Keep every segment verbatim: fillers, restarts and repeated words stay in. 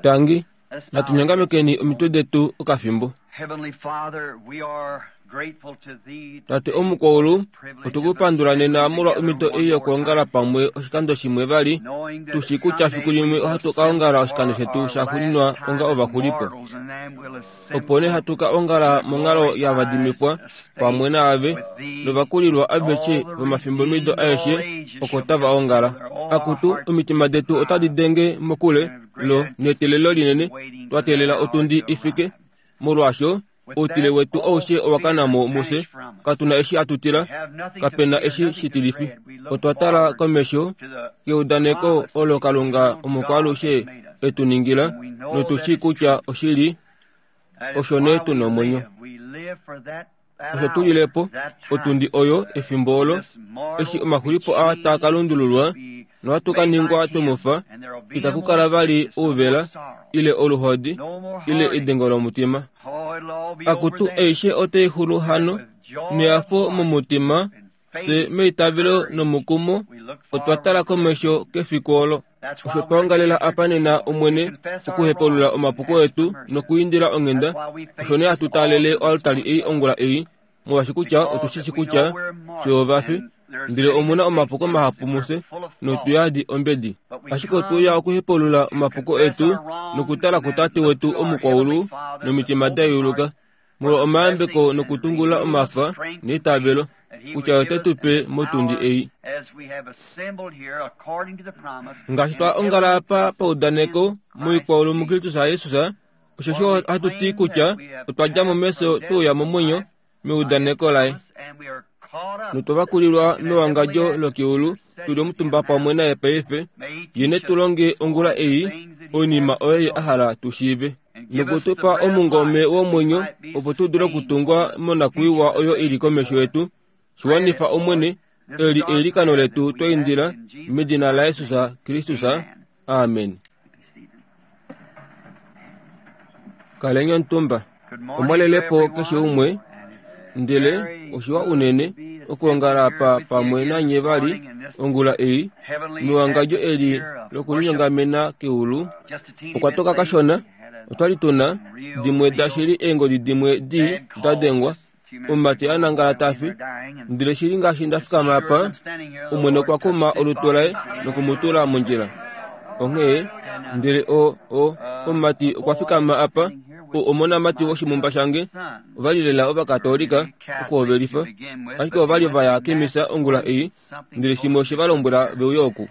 Tangi, natunyongamekeni omitwe detu okafimbo. Heavenly Father, we are grateful to thee Tate omukwaulu, otukupandula nena molwa omhito ei yokwoongala pamwe oshikando shimwe vali, tushi kutya fiku limwe ohatu ka ongala oshikando shetu shaxuuninwa onga ovaxulipo. Opo nee hatu ka ongala monghalo yavadimikwa pamwe naave novakulilwa aveshe vomafimbomido aeshe oko tava ongala. Akutu, omitima detu otadi denge mokule lo neteelelo linene, twa teelela otundi ifike. Molwaasho, outile wetu aushe owa kana mo mufye, katuna eshi atutila, kapena eshi shitilifi. Otwa tala komesho keudaneko olo Kalunga omukwaalushe etu ningila, notushi kutya oshili osho nee tuna omwenyo. Osho tulilepo otundi oyo efimbo olo, eshi omaxulipo aa taa ka lundululwa nohatu ka ningwa tumufa, itaku kala vali ouvela, ile oluhodi, ile edengo lomutima. Akutu aishe otai xulu hano, nehafo momutima, fye meitavelo nomukumo, otwa tala komesho kefiku olo. Osho twa ongalela apa nena Omwene okuhepulula omapuko etu nokuindila onghenda, osho nee hatu taalele oaltari ei ongula ei, molwaashi kutya otushishi kutya fye ovafi, ndele omuna omapuko mahapu mufye notuyadi ombedi. Ashike otweuya okuhepulula omapuko etu nokutala kuTate wetu omukwaulu nomitima da yuluka, molwa omayambeko nokutungula omafa neitavelo, kutya ote tu pe motundi ei. Ngaashi twa ongala apa paudaneko moikwaulu muKristus Jesus, osheshi ohatu ti kutya otwa dja mo mefyo tweuya momwenyo meudaneko laye. Notwa vakulilwa mewangadjo lokeulu tuli omutumba pamwe naye paife, ye ne tu longe ongula ei oinima oyo ye a hala tu shiive, nokutupa omungome womwenyo opo tu dule okutungwa monakwiiwa oyo ili komesho yetu. Shiwanifa Omwene, eli eilikano letu twa indila medina laJesus Kristus. Amen. Kaleni omutumba. Omwalelepo keshe umwe, ndele oshiwa unene okwoongala apa pamwe nanye vali ongula ei mewangadjo eli lokulinyongamena keulu. Okwa toka kashona, otwali tuna dimwe dashili eengodi dimwe dii da dengwa, omumati a nangala tafi, ndele shili ngaashi nda fikama apa, Omwene okwa kuma olutu laye nokumutula mondjila. Onghee, ndele o, o, omumati okwa fikama apa, o omonamati woshimumba shange, ovali lela ovakatolika okuhovelifa, ashike ovali vaya kemisa ongula ei, ndele shimwe oshe va lombwela veuye oku.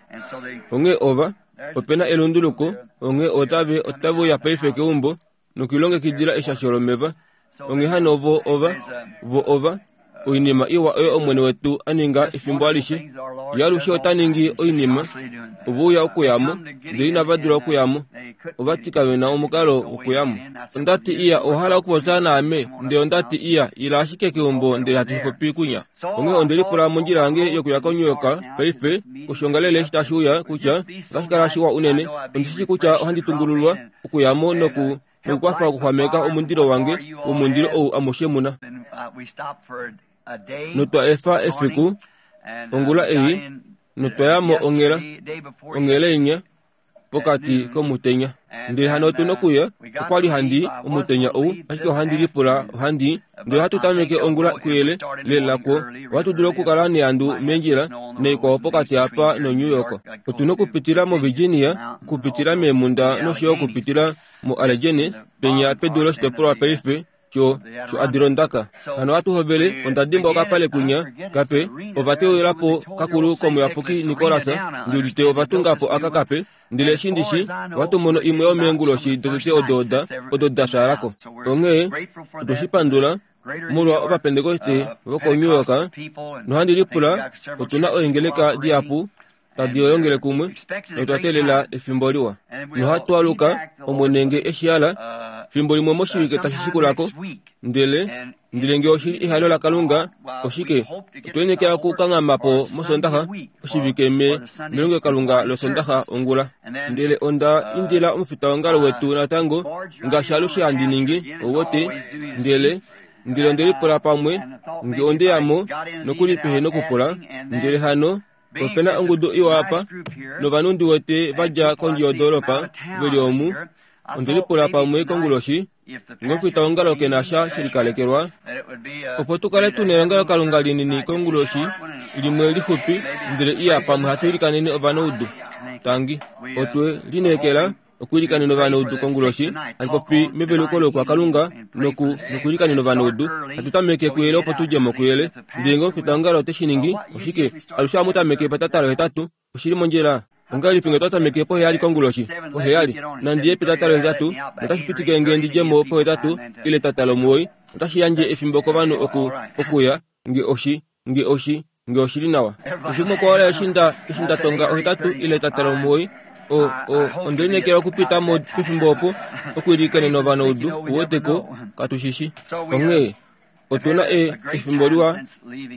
Onghee ova, opena elunduluko, onghee otave, otave uya paife keumbo nokulilongekidila eshasho lomeva. Onghee hano vo ova, vo ova, oinima iwa oyo Omwene wetu a ninga efimbo alishe. Ye alushe ota ningi oinima, ove uya okuyamo, ndele inava dula okuyamo. Ova ti kave na omukalo wokuyamo. Onda ti iya, owa hala okupopya naame, ndele onda ti iya, ila ashike keumbo ndele hatu popi kunya. Onghee onde lipula mondjila yange yokuya koNew York paife, koshoongalele eshi tashi uya, kutya otashi kala shiwa unene. Ondi shi kutya ohandi tungululwa okuyamo noku nokukwafa okuxwameka omundilo wange womundilo ou amushe muna. Notwa efa efiku ongula ei, notwa ya mo onghela, onghela inya pokati komutenya. Ndele hano otu nokuya, okwali handi omutenya ou, ashike ohandi lipula ohandi, ndele ohatu tameke ongula kuyele lela kwo, ohatu dulu okukala neandu meendjila naikwao pokati apa noNew York. Otu nokupitila moVirginia, okupitila meemunda nosho yo okupitila moAllegheny, penya pedu loshitopolwa paife sho sho Adirondaka. Hano ohatu hovele, onda dimbwa okapale kunya kape, ova teuyelapo kakulu komuyapuki Nicholas, ndi udite ova tungapo aka kape, ndele eshi ndishi, ohatu mono imwe yomeenguloshi dotete odo da, odo da fyaalako. Onghee, otwe shi pandula molwa ovapentekoste vokoNew York, nohandi lipula otuna oengeleka dihapu tadi yongele kumwe, notwa teelela efimbo liwa. Nohatu aluka, Omwene nge eshi hala, fimbo limwe moshivike tashi shikulako, ndele, ndele nge oshili ehalo laKalunga, oshike, otwa enekela okukanghama po mOsondaxa, oshivike me, melongelokalunga lOsondaxa ongula. Ndele onda indila omufitaongalo wetu natango, ngaashi alushe handi ningi, ouwete, ndele, ndele onde lipula pamwe, nge onde ya mo, nokuli pehe nokupula, ndele hano, Opena ongudu iwa apa novanhu ndi wete vadja kondje yodoolopa veli omu. Ondelipula pamwe konguloshi ngee ongalo ke na sha shelikalekelwa opo tukale tuna elongelokalunga linini konguloshi limwe lixupi ndele iya pamwe hatu ilikanene ovanaudu. Tangi otwe lineekela okuilikanena ovanaudu konguloshi hatu popi meveluko lokwakalunga noku nokuilikanena ovanaudu hatu tameke kuyele opo tudje mo kuyele. Ndele ngee omufitaongalo ote shi oshike alushe ohamu tameke petatalo hetatu oshili mondjila. Ongahelipi ngee twa tameke poheyali konguloshi poheyali nandiye petatalo hetatu notashi pitike ngee ndidje mo pohetatu ile etatalo omuwoi otashi yandje efimbo kovanhu oku okuya nge oshi nge oshi nge oshili nawa. Oshimwe kwawala eshi nda eshi nda tonga ohetatu ile etatalo omuwoi o o ondelineekela okupita mo pefimbo opo okuilikanena ovanaudu uweteko katushishi. Onghee otuna e efimbo liwa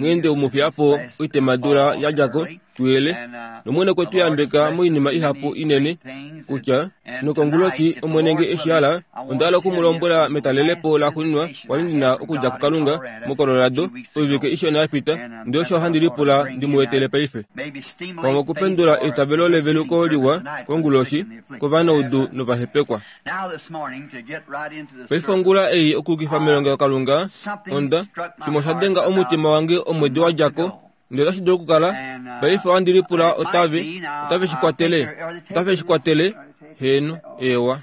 ngeende umufyapo oitemadula yadjako tuyele nomwene kwetu yambeka moinima ihapu inene kutya nokonguloshi omwene nge eshihala ondahala okumulombwela metalelepo laxuuninwa kwali ndina okudja kuKalunga moColorado oivike ishona yapita ndele osho handi lipula ndimuetele paife. Pamwe okupendula eitavelo leveluko liwa konguloshi kovanaudu novahepekwa. Paife ongula ei okuukifa melongelokalunga onda shimwe osha denga omutima wange omwedi wadjako ndele otashi dulu okukala paife ohandi lipula otave otave shi kwatele otave shi kwatele heno ewa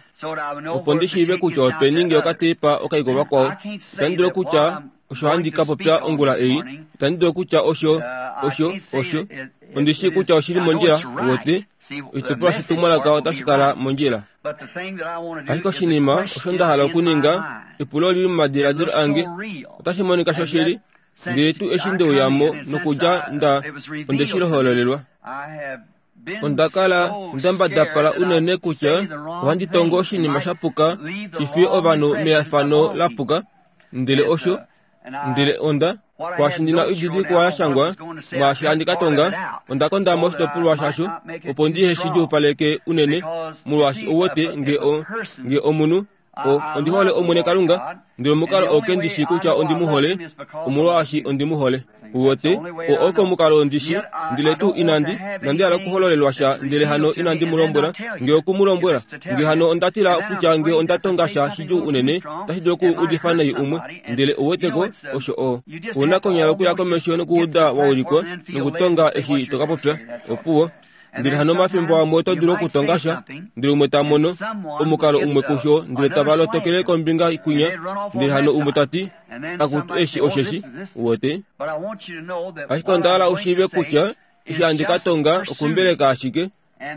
opo ndi shiive kutya openi ngee okatepa okaiko vakwao. Itandi dulu kutya osho handi ka popya ongula ei itandi dulu kutya osho osho osho ondi shii kutya oshili mondjila wote oshitopolwa shetumwalaka otashi kala mondjila. Ashike oshinima osho nda hala okuninga epulo lili momadiladilo ange otashi monika shoshili ndele tuu eshi ndeuyamo nokudja nda onde shi lohololelwa. Onda kala nda mbadapala unene kutya ohandi tongo oshinima shapuka shifiye ovanhu meyafano lapuka ndele osho ndele onda kwaashi ndina oididilikwa ya shangwa mwaashi handi ka tonga onda konda mo oshitopolwa shasho opo ndihe shi djuupaleke unene molwaashi ouwete nge o nge omunhu o ondi hole omwene Kalunga ndele omukalo oo kendishi kutya ondi mu hole omolwaashi ondi mu hole. Uwete o oko omukalo ondishi ndele tuu inandi nandi hala okuhololelwa sha ndele hano inandi mu lombwela ngee oku mu lombwela ngee hano onda tila kutya ngee onda tonga sha shidjuu unene otashi dulu okuudifa nai umwe ndele ouweteko osho o ouna konyala okuya komesho nokuuda wa ulikwa nokutonga eshi to ka popya opuwo. Ndele hano omafimbo amwe oto dulu okutonga sha ndele umwe ta mono omukalo umwe kusho ndele tava lotokele kombinga kwinya ndele hano umwe tati akutu eshi osheshi uwete. Ashike onda hala ushiive kutya eshi handi ka tonga okumbeleka ashike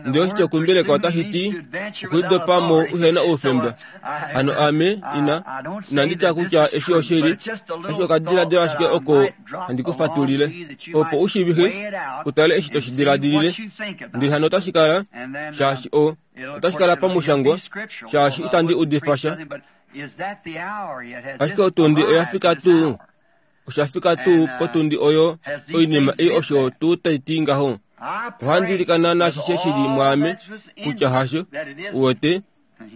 ndele oshitya okumbeleka otashi ti okulidopamo uhena oufemba. Hano ame ina inandi tya kutya eshi oshili ashike okadiladilo ashike oko handi kufatulile opo ushiivihe utale eshi toshi diladilile ndele hano otashi kala shaashi o otashi kala pamushangwa shaashi itandi udifa sha. Ashike otundi oya fika tuu oshafika tuu potundi oyo oinima ei osho tuu tai ti ngaho. Ohandi ilikana nashishe shili mwaame kutya hasho uwete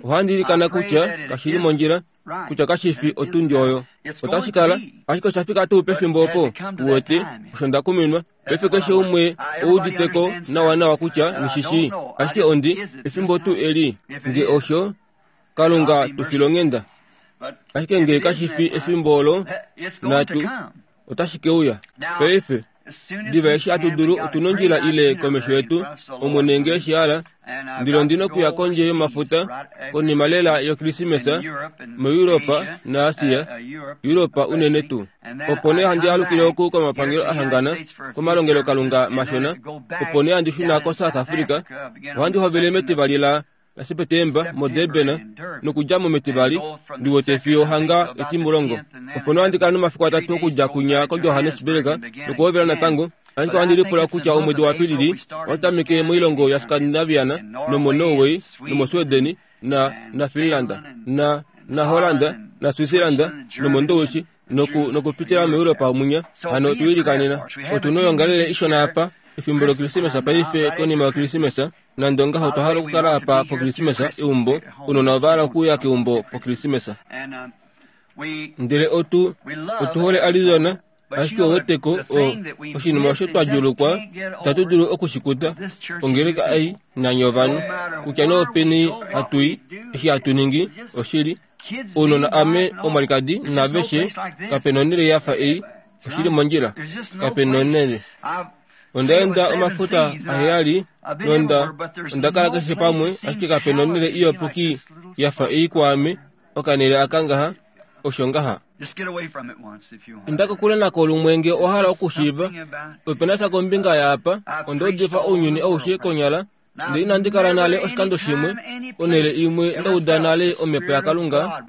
ohandi ilikana kutya kashili mondjila kutya kashifi otundi oyo otashi kala ashike oshafika tuu pefimbo opo uwete osho nda kuminwa. Paife keshe umwe ouditeko nawa nawa kutya nishishi ashike ondi efimbo tuu eli nge osho Kalunga tufilonghenda ashike ngee kashifi efimbo olo natu otashi keuya. Paife diva eshi hatu dulu otuna ondjila ile komesho yetu omwene ngee eshihala ndele ondina okuya kondje yomafuta konima lela yokrisimesa moEuropa naAsia Europa unene tuu opo nee handi alukile oku komapangelo ahangana komalongelokalunga mashona opo nee handi shuna koSouth Africa ohandi hovele metivali la laSepetemba moDurban nokudja mo metivali ndiwete fiyo hanga etimulongo opo nee handi kala nomafiku atatu okudja kunya koJohannesburg nokuhovela natango. Ashike ohandi lipula kutya omwedi waApilili otatameke moilongo yaScandinaviana nomoNorway nomoSweden na naFinland na naHolland naSwitzerland nomoNdowishi noku nokupitila moEuropa munya. Hano tuilikanena otuna oyongalele ishona apa efimbo lokrisimesa paife konima yokrisimesa nande ongaho otwa hala okukala apa pokrisimesa eumbo unona ova hala okuuya keumbo pokrisimesa. Ndele otu otu hole Arizona Ashike oweteko oshinima osho twa djuulukwa itatu dulu okushikuta ongeleka ei nanye ovanhu kutya nee openi hatu i eshi hatu ningi oshili ounona ame omwalikadi naaveshe kapena onhele yafa ei oshili mondjila kapena onhele. Onda enda omafuta aheyali nonda onda kala keshe pamwe ashike kapena onhele iyapuki yafa ei kwaame okanhele aka ngaha osho ngaha. Inda kokule nako lumwe nge owa hala okushiiva opena sha kombinga yaapa onda udifa ounyuni aushe konyala ndele inandi kala nale oshikando shimwe onhele imwe ndauda nale omhepo yaKalunga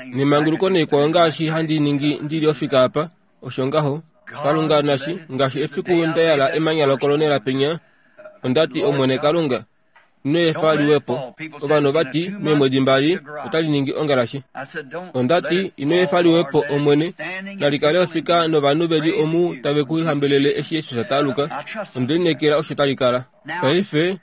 nemanguluko neikwao ngaashi handi ningi ndili ofika apa osho ngaho. Kalunga nashi ngaashi efiku nda yala emanya lokolonela penya ondati Omwene Kalunga ino efa liwepo. Ovanhu ovati meemwedi mbali otali ningi ongalashi. Ondati ino efa liwepo Omwene nalikale ofika novanhu veli omu tave ku hambelele eshi Jesus ta aluka. Onde lineekela osho tali kala. Paife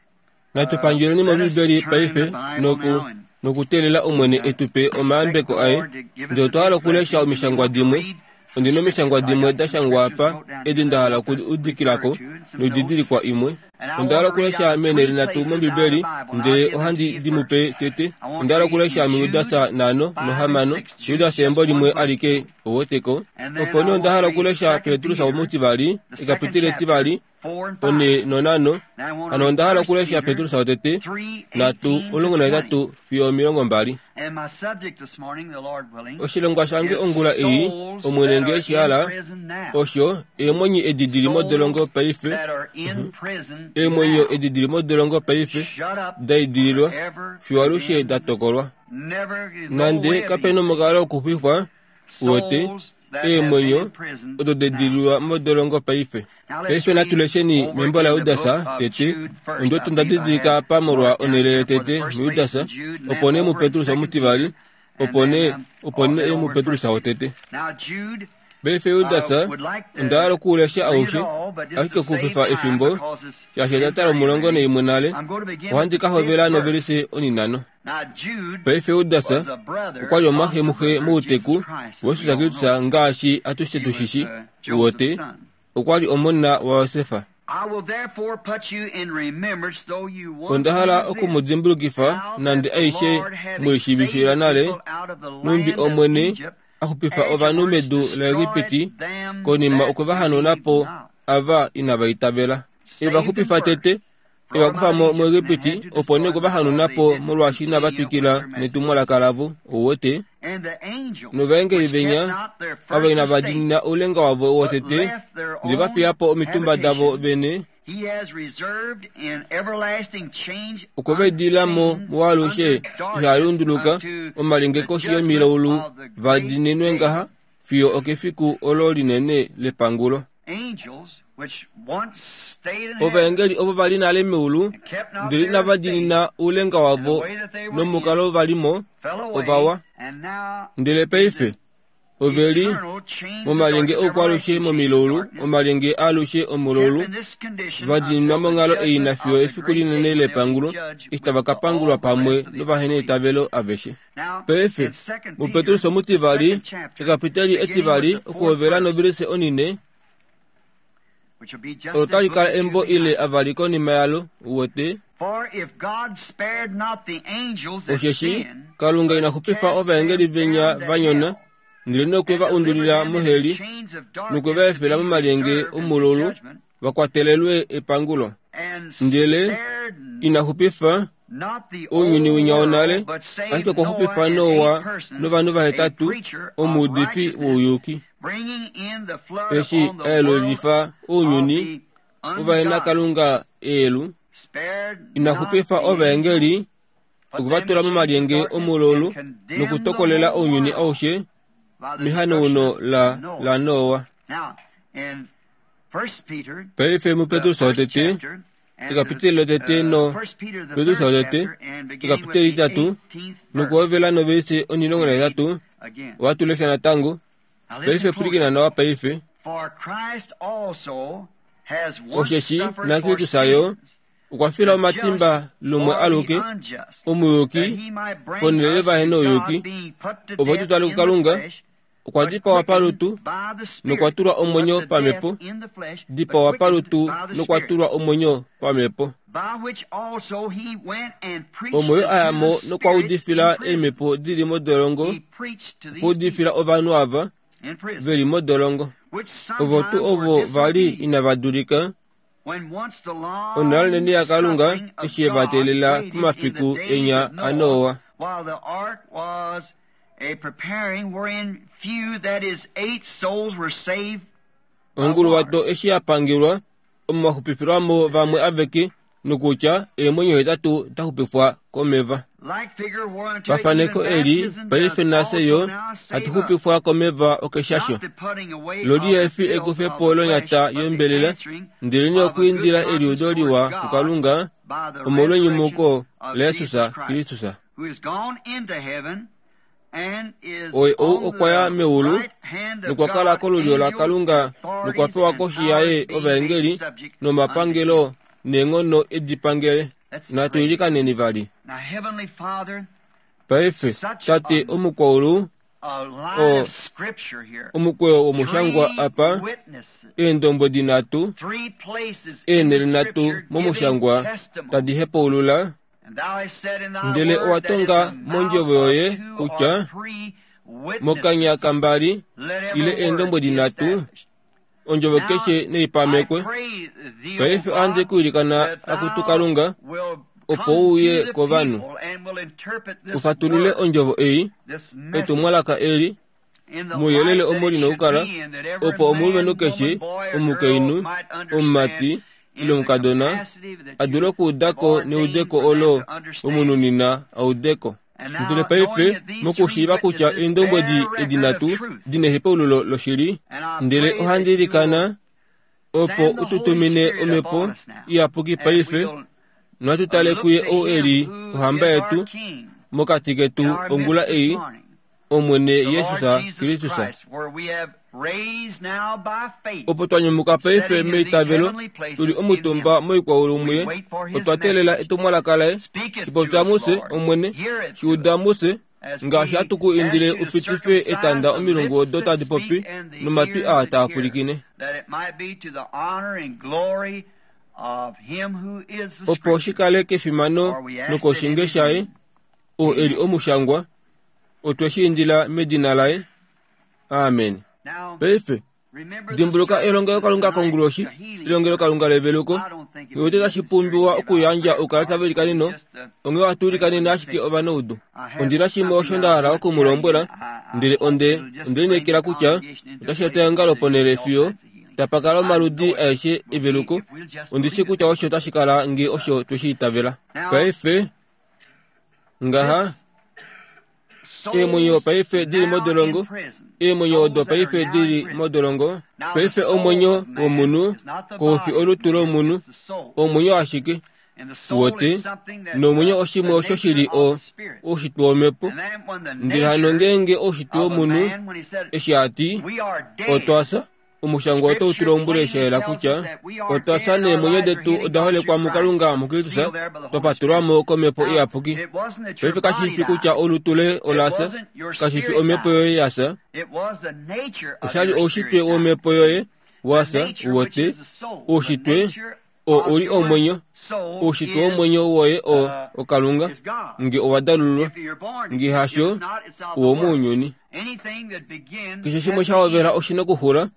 natu pandjeleni mOmbibeli paife noku nokuteelela Omwene etupe omayambeko aye. Ndele otwa hala okulesha omishangwa dimwe. Ondina omishangwa dimwe da shangwa apa edi nda hala okuudikilako noididilikwa imwe. Onda hala okulesha meenhele nhatu mOmbibeli ndele ohandi di mu pe tete. Onda hala okulesha muJudas nhano nohamano, Judas embo limwe alike oweteko. Opo nee onda hala okulesha Petrus womutivali, ekapiteli etivali, one nonhano. Hano onda hala okulesha Petrus wotete, nhatu omulongo nahetatu fiyo omilongo mbali. Oshilongwa shange ongula ei, Omwene nge eshi hala, osho eemwenyo edi dili modolongo paife, eemwenyo edi dili modolongo paife, da idililwa, fiyo alushe da tokolwa. Nande kapena omukalo wokuxwifwa, uwete, eemwenyo odo da idililwa modolongo paife. Paife natu lesheni membo laJudas tete, ondiwete onda didilika apa molwa onhele yotete muJudas, opo nee muPetrus omutivali, opo nee opo nee muPetrus wotete. Paife Judas onda hala okuulesha aushe, ashike okuxupifa efimbo, shaashi onda tala omulongo naimwe nale, ohandi ka hovela novelise onhinhano. Paife Judas okwa li omumwaxe mouteku waJesus Kristus ngaashi atushe tushishi, uwete, okwa li omona waJosef. Onda hala oku mu dimbulukifa nande aishe mweishiivifila nale, nhumbi Omwene a xupifa ovanhu medu laEgipiti konima okwe va hanauna po ava inava itavela. E va xupifa tete, e va kufa mo muEgipiti, opo nee okwe va hanauna po molwaashi inava twikila netumwalaka lavo, ouwete. Novaengeli venya ava inava diinina oulenga wavo wotete, ndele va fiya po omitumba davo vene, okwe va idilila mo mualushe iha lunduluka omalyenge koshi yomilaulu va diininwe ngaha fiyo okefiku olo linene lepangulo. Ovaengeli ovo va li nale meulu ndele inava diinina oulenga wavo nomukalo va li mo, ovawa. Ndele paife ove li momalyenge oukwalushe momilaulu, omalyenge aalushe omulaulu, va diininwa monghalo ei nafiyo efiku linene lepangulo, eshi tava ka pangulwa pamwe novaheneitavelo aveshe. Paife muPetrus omutivali, ekapiteli etivali, okuhovela novelise onine, olo tali kala embo ile avali konima yalo, uwete. Osheshi Kalunga ina xupifa ovaengeli venya va nyona, ndele nokwe va undulila moheli, nokwe va efela momalyenge omulaulu va kwatelelwe epangulo. Ndele ina xupifa ounyuni winya wonale, ashike okwa xupifa Noa novanhu vahetatu, omuudifi wouyuki. Eshi a yelulifa ounyuni wovahenakalunga eelu, ina xupifa ovaengeli okwe va tula momalyenge omulaulu nokutokolela ounyuni aushe mehanauno la la Noa. Paife muPetrus wotete, ekapiteli lotete no Petrus wotete, ekapiteli litatu, nokuhovela novelise onhilongo nahetatu, ohatu lesha natango. Paife pwilikina nawa paife. Osheshi naKristus yo okwa fila omatimba lumwe aluke, omuyuki ponhele yovahenouyuki, opo tu twale kuKalunga, Okwa dipawa palutu nokwa tulwa omwenyo pamhepo, dipawa palutu nokwa tulwa omwenyo pamhepo. Omo a ya mo nokwa udifila eemhepo dili modolongo, okwa udifila ovanhu ava veli modolongo. Ovo tuu ovo vali inava dulika onhalaneni yaKalunga eshi ye va teelela pomafiku enya aNoa. Onguluwato eshi ya pangelwa, omo waxupifilwamo vamwe aveke, nokutya eemwenyo hetatu daxupifwa komeva. Pafaneko eli paife nafye yo hatu xupifwa komeva okeshasho. Lo lihefi ekufepo lonyata yombelela, ndelenee okwiindila eliudo liwa kuKalunga omolwenyumuko laJesus Kristus. Oye ou okwa ya meulu nokwa kala kolulyo laKalunga nokwa pewa koshi yaye ovaengeli nomapangelo neenghono edi pangele. Natu ilikaneni vali. Paife, Tate omukwaulu, o omukweyo womushangwa apa, eendombwedi nhatu, eenhele nhatu momushangwa tadi hepaulula, ndele owa tonga mondjovo yoye kutya mokanya kambali ile eendombwedi nhatu, ondjovo keshe neipamekwe. Paife ohandi ku ilikana akutu Kalunga, opo uye kovanhu ufatulule ondjovo ei, etumwalaka eli, mouyelele omo lina okukala, opo omulumenhu keshe, omukainhu, omumati ile omukadona a dule okuudako neudeko olo omunhu a udeko. Ndele paife mokushiiva kutya eendombwedi edi nhatu dina ehepaululo loshili, ndele ohandi ilikana opo ututumine omhepo iyapuki paife, nohatu tale kuye ou eli ohamba yetu mokati ketu ongula ei, Omwene Jesus Kristus. Opo twa nyumuka paife meitavelo, tuli omutumba moikwaulu muye, otwa teelela etumwalaka laye. Shipopya mufye, Omwene, shiuda mufye, ngaashi hatu ku indile upitife etanda omilungu odo tadi popi nomatwi aa taa pwilikine, opo shi kale kefimano nokoshinge shaye, oo eli omushangwa. Otwe shi indila medina laye. Amen. Paife dimbuluka elongelokalunga konguloshi, elongelokalunga leveluko. Ngee tashi pumbiwa okuyandja oukalata velikaneno, onghee ohatu ilikanene ashike ovanaudu. Ondina shimwe osho nda hala oku mu lombwela, ndele onde onde lineekela kutya otashi eta eongalo ponhele fiyo tapa kala omaludi aeshe eveluko. Ondi shii kutya osho tashi kala ngee osho tweshi itavela. Paife ngaha eemwenyo paife dili modolongo, eemwenyo odo paife dili modolongo. Paife omwenyo womunhu koufi olutu lomunhu, omwenyo ashike wote, nomwenyo oshimwe osho shili o oushitwe womhepo. Ndele hano ngeenge oushitwe womunhu eshi ati otwa fya, omushangwa otau tu lombwele sha yela kutya otwa fya neemwenyo detu oda holekwa muKalunga muKristus, twa patulwamo komhepo iyapuki. Paife kashi fi kutya olutu loye ola fya, kashi fi omhepo yoye ya fya, oshali oushitwe womhepo yoye wa fya wote. Oushitwe oo uli omwenyo, oushitwe womwenyo woye o oKalunga, nge owa dalululwa, nge hasho owomounyuni. Keshe shimwe sha hovela oshina okuxula.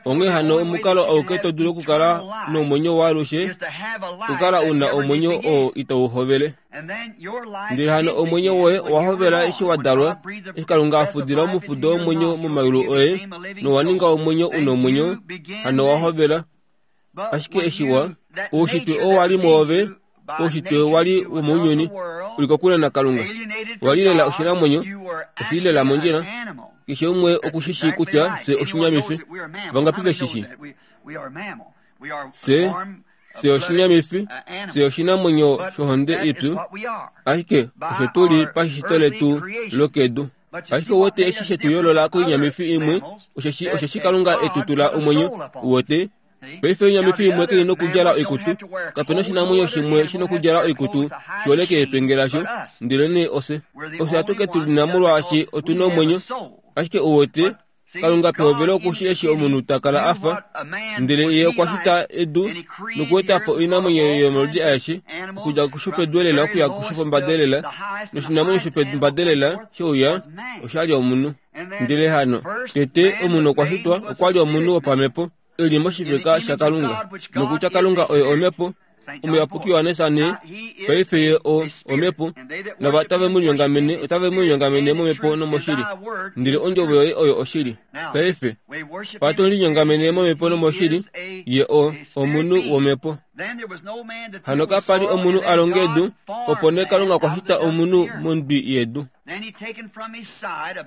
Onghee hano omukalo auke to dulu okukala nomwenyo waalushe, okukala una omwenyo oo itau hovele. Ndele hano omwenyo woye owa hovela eshi wa dalwa, eshi Kalunga a fudila omufudo womwenyo momayulu oye, nowa ninga omwenyo una omwenyo, hano owa hovela. Ashike eshi wa oushitwe oo wali mwoove, oushitwe wali womounyuni, uli kokule naKalunga, wali lela oshinamwenyo, oshili lela mondjila. Keshe umwe okushishi kutya fye oshinyamifi. Vangapi veshishi? Fye fye oshinyamifi, fye oshinamwenyo shohonde ipyu, ashike osho tuli pashishito letu lokedu. Ashike wote eshi shetu yoolola koinyamifi imwe, osheshi osheshi Kalunga etu tula omwenyo, wote Paife oinyamifi imwe kai na okudjala oikutu, kapena oshinamwenyo shimwe shina okudjala oikutu shiholeke epenge lasho, ndelenee ofye. Ofye atuke tu lina molwaashi otu na omwenyo. Ashike uwete, Kalunga pehovelo okushi eshi omunhu ta kala a fa, ndele ye okwa shita edu nokueta po oinamwenyo yomaludi aeshe, okudja kushopedu elela okuya kushopombada elela, noshinamwenyo shopombada elela sheuya osha li omunhu. Ndele hano, tete omunhu okwa shitwa okwa li omunhu wopamhepo, e li moshifeka shaKalunga, nokutya Kalunga oye omhepo. Omuyapuki Johannes ne, paife ye o omhepo, nava tave mu linyongamene otave mu linyongamene momhepo nomoshili, ndele ondjovo yoye oyo oshili. Paife, patu linyongamene momhepo nomoshili, ye o omunhu womhepo. Hano kapa li omunhu a longa edu, opo nee Kalunga okwa shita omunhu mondwi yedu.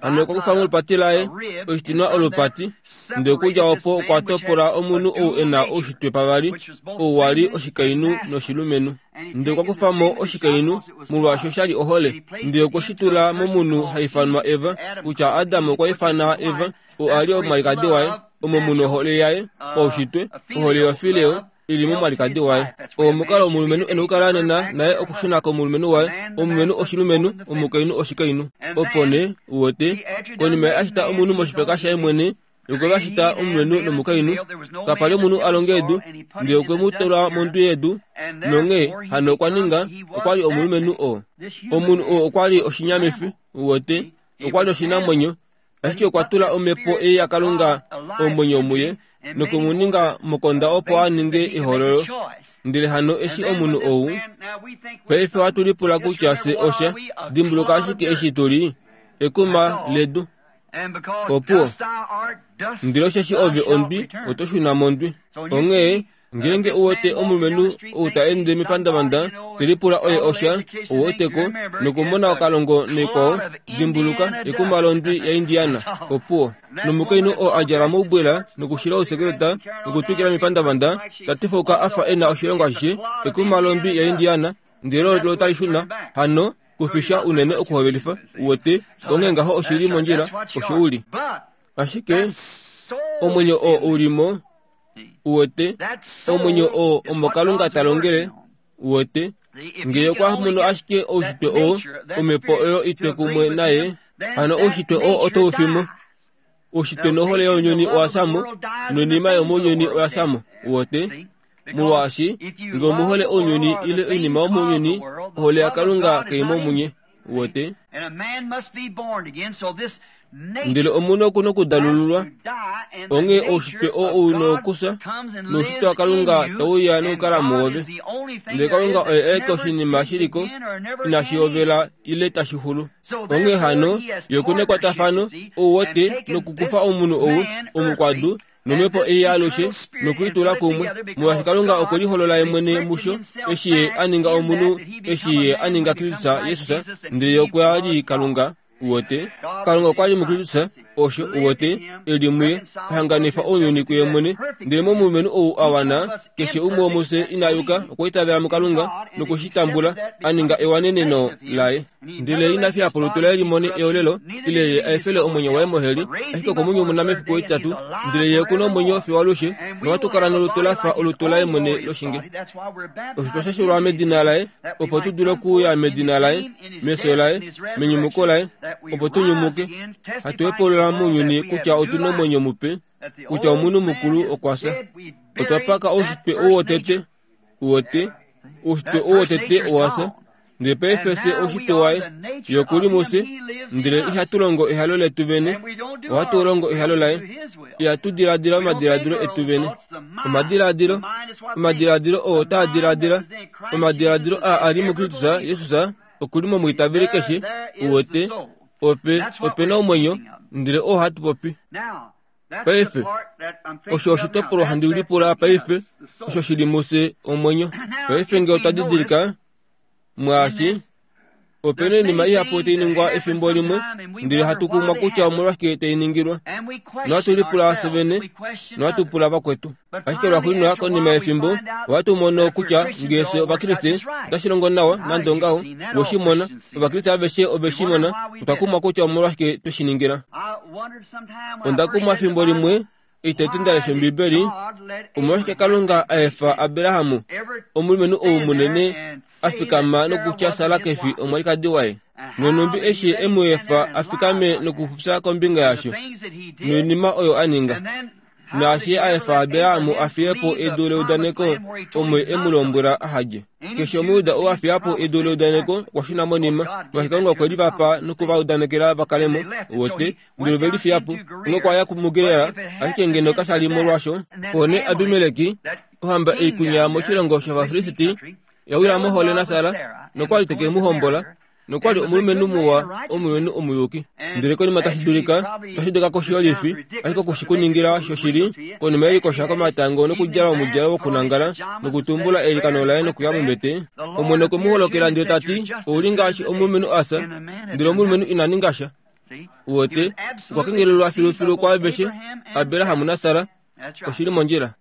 Hano okwa kufa molupati laye oshitinwa olupati, ndele okudja opo okwa topola omunhu ou e na oushitwe pavali, ou wa li oshikainhu noshilumenhu. Ndele okwa kufa mo oshikainhu, molwaashi osha li ohole, ndele okwe shi tula momunhu ha ifanwa Eva, kutya Adam okwa ifana Eva, oo a li omwalikadi waye, omo mu ohole yaye paushitwe, ohole yofileo, ili momwalikadi waye. Omukalo womulumenhu e na okukala nena naye okushuna komulumenhu waye, omulumenhu oshilumenhu, omukainhu oshikainhu. Opo nee, uwete, konima ye a shita omunhu moshifeka shaye mwene, okwe va shita omulumenhu nomukainhu, kapa li omunhu a longa edu, ndele okwe mu tula mondwi yedu, nonghee hano okwa ninga, okwa li omulumenhu oo. Omunhu oo okwa li oshinyamifi, uwete, okwa li oshinamwenyo, ashike okwa tula omhepo ei yaKalunga omwenyo muye, noku mu ninga mokonda opo a ninge ehololo. Ndele hano eshi omunhu ou, paife ohatu lipula kutya fye osha, dimbuluka ashike eshi tu li, ekuma ledu. Opuwo. Ndele osheshi ove ondwi, oto shuna mondwi. Onghee, ngeenge uwete omulumenhu ou ta ende mepandavanda, te lipula oye osha, ouweteko, nokumona okalongo naikwao, dimbuluka, ekuma londwi yaIndiana. Opuwo. Nomukainhu oo a djala moubwela nokushila ousekeleta nokutwikila mepandavanda, ta tifauka a fa e na oshilongo ashishe, ekuma londwi yaIndiana, ndele olo otali shuna, hano, kufisha unene okuhovelifa, uwete, onghee ngaho oshi li mondjila, osho u li. Ashike, omwenyo oo u li mo, uwete, omwenyo oo omo Kalunga ta longele, uwete, ngee okwa mono ashike oushitwe oo, omhepo oyo itwe kumwe naye, hano oushitwe oo otau fi mo. Oushitwe nohole younyuni owa fya mo, noinima yomounyuni oya fya mo, uwete, molwaashi ngee omuhole ounyuni ile oinima yomounyuni, ohole yaKalunga kai mo munye, uwete. Ndele omunhu oku na okudalululwa, onghee oushitwe oo u na okufya, noushitwe waKalunga tau ya nokukala muove. Ndele Kalunga oye aeke oshinima shiliko, inashi hovela ile tashi xulu. Onghee hano, ye oku na ekwatafano, ouwete, nokukufa omunhu ou, omukwadu, nomhepo ei yaalushe, nokuitula kumwe, molwaashi Kalunga okwe liholola ye mwene musho, eshi ye a ninga omunhu, eshi ye a ninga Kristus Jesus, ndele ye okwa li Kalunga, uwete. Kalunga okwa li muKristus, osho, uwete, e li muye, a hanganifa ounyuni kuye mwene. Ndele momulumenhu ou a wana, keshe umwe womufye ina yuka, okwa itavela muKalunga, noku shi tambula, a ninga ewaneneno laye. Ndele ina fiya po olutu laye limone eolelo, ile ye a efele omwenyo waye moheli, ashike okwe mu nyumuna mefiku etitatu, ndele ye oku na omwenyo fiyo alushe, nohatu kala nolutu la fa olutu laye mwene loshinge. Osho twa shashelwa medina laye, opo tu dule okuuya medina laye, mefyo laye, menyumuko laye, opo tu nyumuke, hatu hepolola mounyuni kutya otu na omwenyo mupe, kutya omunhu mukulu okwa fya. Otwa paka oushitwe ou wotete, uwete, oushitwe ou wotete owa fya, ndele paife fye oushitwe waye, ye oku li mufye, ndele ihatu longo ehalo letu vene, ohatu longo ehalo laye. Ihatu diladila omadiladilo etu vene. Omadiladilo, omadiladilo oo taa diladila, omadiladilo aa a li muKristus Jesus, oku li momwiitaveli keshe, uwete, ope, ope na omwenyo, ndele oo hatu popi. Paife, osho oshitopolwa handi lipula paife, osho shi li mufye omwenyo. Paife ngee otwa didilika, mwaashi, ope na oinima ihapu tai ningwa efimbo limwe, ndele hatu kumwa kutya omolwashike tai ningilwa. Nohatu lipula fye vene, nohatu pula vakwetu. Ashike lwaxuuninwa konima yefimbo, ohatu mono kutya ngee fye Ovakriste otashi longo nawa nande ongaho, we shi mona, Ovakriste aveshe ove shi mona, otwa kumwa kutya omolwashike twe shi ningila. Onda kumwa efimbo limwe, Eshi tati ndalesha Ombibeli, omolwashike Kalunga a efa Abrahamu, omulumenhu ou munene, a fikama nokutya Sara ke fi omwalikadi waye? Nonhumbi eshi e mu efa a fikame nokufufya kombinga yasho, noinima oyo a ninga. Naashi a efa Abrahamu a fiye po edu leudaneko omo e mu lombwela aha dje. Keshe Omuyuda oo a fiya po edu leudaneko okwa shuna monima, molwaashi Kalunga okwe li va pa noku va udanekela va kale mo, wote, ndele ove li fiya po. Onghee okwa ya muGerar, ashike ngeno kasha li molwaasho. Opo nee Abimeleki, ohamba ei kunya moshilongo shOvafilisti, ya wila mohole naSara, nokwa li teke mu hombola, nokwa li omulumenhu muwa, omulumenhu omuyuki. Ndele konima tashi dulika, tashi dulika koshiyolifi, ashike okushikuningila shoshili, konima yelikosha komatango nokudjala omudjalo wokunangala, nokutumbula eilikano laye nokuya mombete, Omwene okwe mu holokela ndele ta ti, ouli ngaashi omulumenhu a fya, ndele omulumenhu ina ninga sha. Wote, okwa kengelelwa filufilu kwaaveshe, Abraham naSara, oshili mondjila.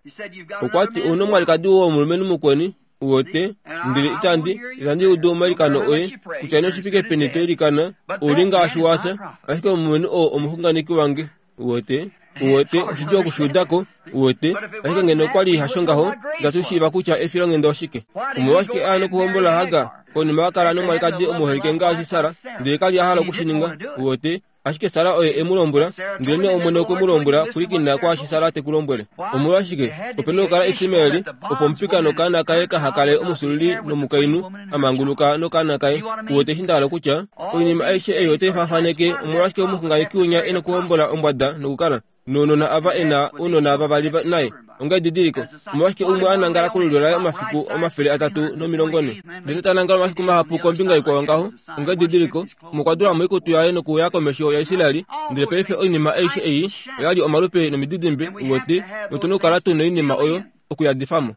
Okwa ti ouna omwalikadi womulumenhu mukweni, wote, ndele itandi, itandi udu omailikano oye, kutya nee oshifike peni to ilikana, ouli ngaashi wa fya, ashike omulumenhu oo omuxunganeki wange, wote, wote, oshidjuu okushiudako, wote, ashike ngeno okwa li hasho ngaho, itatu shiiva kutya efilonghenda oshike. Omolwashike a nokuhombola Hagar, konima a kala nomwalikadi omuholike ngaashi Sara, ndele ka li a hala okushininga, wote, ashike Sara oye e mu lombwela, ndele nee Omwene okwe mu lombwela pwilikina kwaashi Sara te ku lombwele. Omolwashike, ope na okukala Ismaeli, opo omupika nokaana kaye kaha kale omusululi nomukainhu a manguluka nokaana kaye. Uwete eshi nda hala okutya, oinima aishe ei otai faafaneke omolwashike omuxunganeki winya e nokuhombola ombwada nokukala nounona ava e na ounona vavali naye onga edidiliko. Omolwashike umwe a nangala kolulyo laye omafiku omafele atatu nomilongo ne, ndele ta nangala omafiku mahapu kombinga ikwao ngaho, onga edidiliko, omo kwa dula moikutu yaye nokuya komesho yaIsraeli. Ndele paife oinima aishe ei oya li omalupe nomididimbe, uwete, notu na okukala tu noinima oyo okuyadifamo.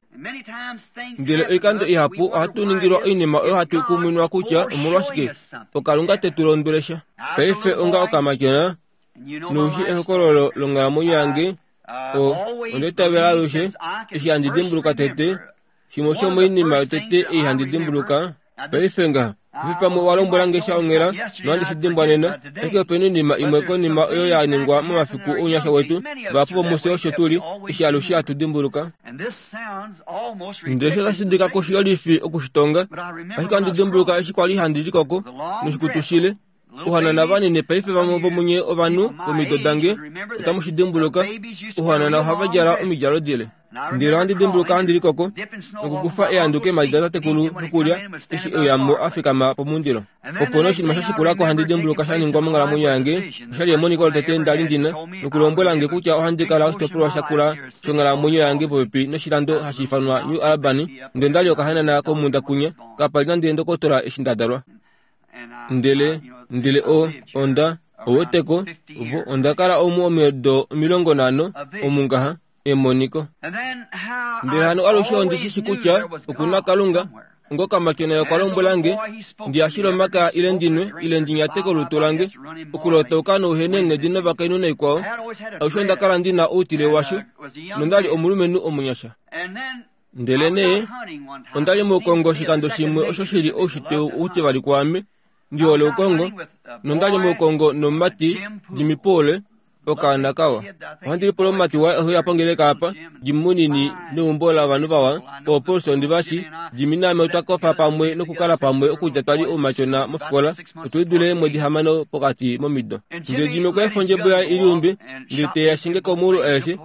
Ndele oikando ihapu ohatu ningilwa oinima oyo hatu kuminwa kutya omolwashike oKalunga te tu londwele sha. Paife onga okamatyona, noushi ehokololo longhalamwenyo yange, o onda itavela alushe, eshi handi dimbuluka tete, shimwe shomoinima yotete ei handi dimbuluka, paife ngaha, ofi pamwe owa lombwela nge sha onghela, nohandi shi dimbwa nena, ashike opena oinima imwe konima oyo ya ningwa momafiku ounyasha wetu, vahapu vomufye osho tuli, eshi alushe hatu dimbuluka. Ndele osho tashi dulika koshiyolifi okushitonga, ashike ohandi dimbuluka eshi kwali handi likoko noshikutu shile, ohanana vanini paife vamwe vomunye ovanhu vomido dange otamu shi dimbuluka, ohanana ohava djala omidjalo dile. Ndele ohandi dimbuluka handi likoko nokukufa ehandu keemhadi datatekulu nokulya eshi euyamo a fikama pomundilo. Opo nee oshinima sha shikulako handi dimbuluka sha ningwa monghalamwenyo yange, oshali emoniko lotete nda li ndina, nokulombwela nge kutya ohandi kala oshitopolwa shakula shonghalamwenyo yange popepi noshilando hashi ifanwa New Albany, ndele ndali okahanana komunda kunya, kapa li nande ndokotola eshi nda dalwa. Ndele, ndele o, onda, oweteko, vo, onda kala omu omido omilongo nhano, omungaha, emoniko. Ndele hano alushe ondi shi shi kutya oku na Kalunga, ngokamatyona okwa lombwela nge, ndi yashile omaka ile ndinwe ile ndi nyate kolutu lange, okulotauka nouhene eenghedi novakainhu naikwao, alushe onda kala ndi na outile washo, nonda li omulumenhu omunyasha. Ndele nee, onda li moukongo oshikando shimwe osho shili oushitwe outivali kwaame, ndi hole oukongo, nonda li moukongo nomumati Jimmy Poole, okaana kawa. Ohandi lipula omumati waye oheuya pongeleka apa, Jimmy munini neumbo lovanhu vawa, ooPaulson ndivashi, Jimmy naame otwa kofa pamwe nokukala pamwe okudja twali oumatyona mofikola, otu lidule eemwedi hamano pokati momido. Ndele Jimmy okwa efa ondjebo yaye i liumbe, ndele te ya shinge komuulu aeshe,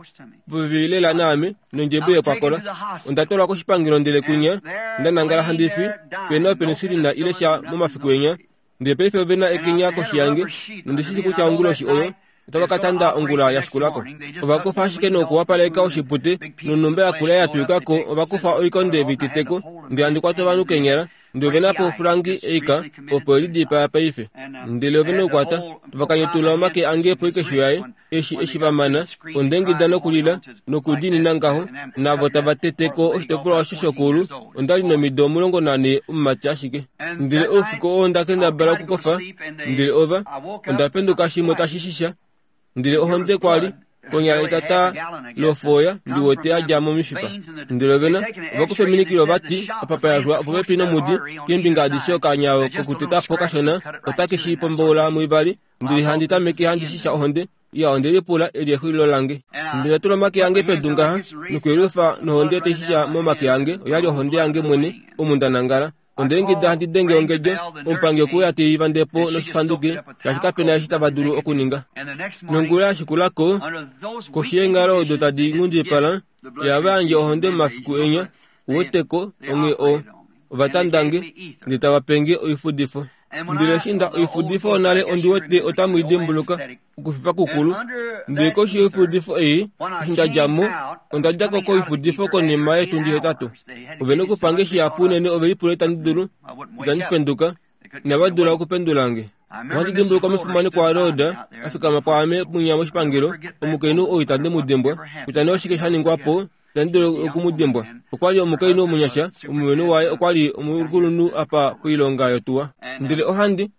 popepi lela naame, nondjebo yekwakola. Onda twalwa koshipangelo ndele kunya, nda nangala handi fi, pena openicillin ile sha momafiku enya. Ndele paife ove na ekenya koshi yange, nondi shi shi kutya onguloshi oyo, otava ka tanda ongula ya shikulako. Ova kufa ashike nokuwapaleka oshipute, nonhumba yakula ya twikako, ova kufa oikonde viteteko, ndele handi kwata ovanhu kenyala, ndele ove na po ofulangi eika, opo e lidipaa paife. Ndele ove na okukwata, tava kanyetula omake ange poikesho yaye, eshi eshi va mana, onda ingida nokulila, nokudiinina ngaho, navo tava teteko oshitopolwa osho shokuulu, onda li nomido omulongo nane omumati ashike. Ndele oufiku oo onda kendabala okukofa, ndele ova, onda penduka shimwe tashi shisha, ndele ohonde kwa li, konyala etata lofoya ndi wete ya dja momishipa. Ndele ovena, ova kufa eminikilo vati, apa pa yalwa opopepi nomudi, keembinga adishe okanya kokuteta po kashona, otake shi pomboula muivali, ndele handi tameke handi shisha ohonde, Ya onde lipula eli exulilo lange. Ndele tula omake ange pedu ngaha, nokuyelufa nohonde taishisha momake ange, oyali ohonde yange mwene, omu nda nangala. Onde lingida handi denge ongedjo, omupangi okuya teiva ndepo noshifanduke, shaashi kapena eshi tava dulu okuninga. Nongula yashikulako, koshi yeenghalo odo tadi nghundipala, yava yandje ohonde momafiku enya, uweteko onghee o ovatandange, ndele tava penge oifudifo. Ndele eshi nda oifudifo nale ondi wete otamu i dimbuluka, okufifa kukulu. Ndele koshi yoifudifo ei, eshi nda dja mo, onda dja ko koifudifo konima yetundi hetatu. Ove nokupange shihapu unene ove lipula itandi dulu, itandi penduka, inava dula okupendula nge. Ohandi dimbuluka omufimanekwa waRoda a fikama pwaame munya moshipangelo, omukainhu ou itandi mu dimbwa, kutya nee oshike sha ningwa po, itandi dulu oku mu dimbwa. Okwa li omukainhu omunyasha, omulumenhu waye okwa li omukulunhu apa poilonga yotuwa. Ndele ohandi,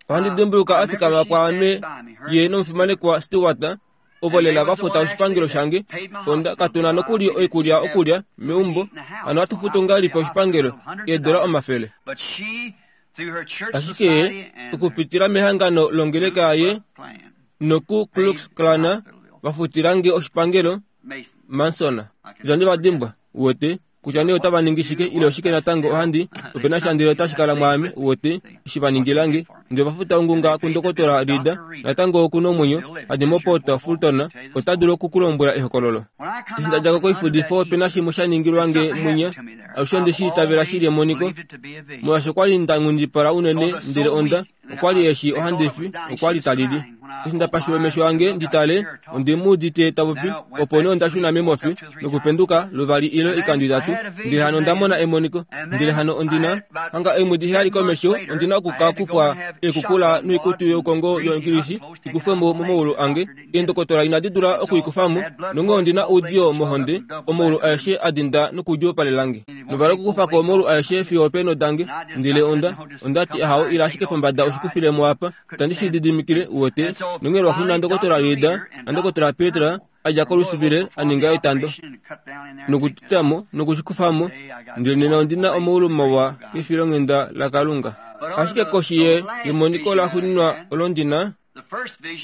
ohandi dimbuluka a fikama pwaame ye nomufimanekwa Stewart, ovo lela va futa oshipangelo shange. Onda katuna nokuli oikulya okulya meumbo, hano hatu futu ngahelipi oshipangelo eedola omafele. Ashike okupitila mehangano longeleka yaye noku Klux Klan vafutilange oshipangelo Manson. Itandi va dimbwa, uwete, kutya nee otava ningi shike ile oshike natango ohandi opena sha ndele otashi kala mwaame, uwete, eshi va ningilange. Ndele vafuta ongunga kundokotola Rida, natango oku nomwenyo, hadi moPort Fulton, ota dulu okukulombwela ehokololo. Eshi nda djako koifudifo opena shimwe sha ningilwange munya, alushe onde shi itavela shili emoniko, molwaashi okwali nda nghundipala unene ndele onda, okwali eshi ohandi fi, okwali talili. Eshi nda pashula omesho ange ndi tale, onde mu udite ta popi, opo nee onda shuna memofi, nokupenduka luvali ile oikando itatu, ndele hano onda mona emoniko. Ndele hano ondina hanga eemwedi heyali komesho, ondina okuka kufwa eekukula noikutu youkongo yoingilisi ikufwe mo momaulu ange. Eendokotola inadi dula okuikufamo, nonghee ondina oudiyo mohonde, omaulu aeshe a dinda nokudjuupalelange. Novala okukufako omaulu aeshe fiyo opeenho dange. Ndele onda, onda ti ahao ila ashike pombada oshikufilemo apa, itandi shi lididimikile, uwete. Nonghee lwaxuuninwa ndokotola Rida nandokotola Petra a dja kolusivile a ninga etando nokutitamo nokushikufamo, ndele nena ondina omaulu mawa kefilonghenda laKalunga. Ashike koshi ye yemoniko laxuuninwa olo ndina,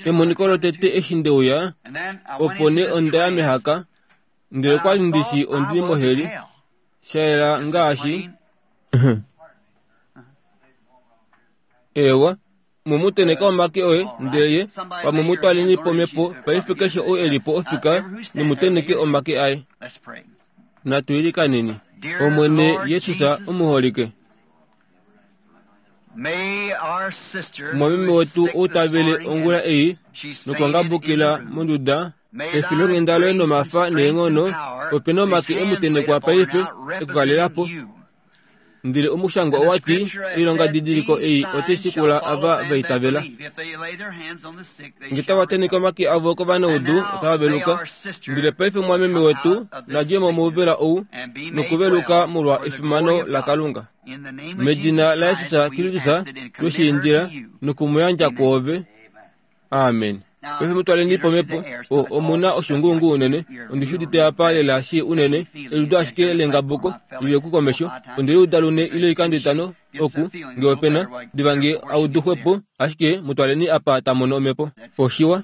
emoniko lotete eshi ndeuya, opo nee onda ya mehaka, ndele okwali ndishi ondili moheli, sha yela ngaashi ewa. Mumuteneka omake oye, ndele ye pamwe mutwaleni pomhepo paife keshe ou e li po ofika nomuteneke omake aye. Natu ilikaneni. Omwene Jesus omuholike, mwameme wetu ou ta vele ongula ei nokwangabukila monduda, efilonghenda loye nomafa neenghono, opena omake emutenekwa paife ekukalelapo. Ndele omushangwa owa ti, oilonga didiliko ei otai shikula ava va itavela. Nge tava teneke omake avo kovanaudu, otava veluka. Ndele paife mwameme wetu na dje mo mouvela ou nokuveluka molwa efimano laKalunga. Medina laJesus Kristus tweshiindila nokumuyandja kwoove. Amen. Paife mutwaleni pomhepo, o omuna oshunguungu unene, ondi shi udite apa lela shi unene, eludo ashike lengabuko lili oku komesho, onde liuda lune ile oikando itano oku, nge opena, diva nge auduxwepo, ashike mutwaleni apa ta mono omhepo. Oshiwa.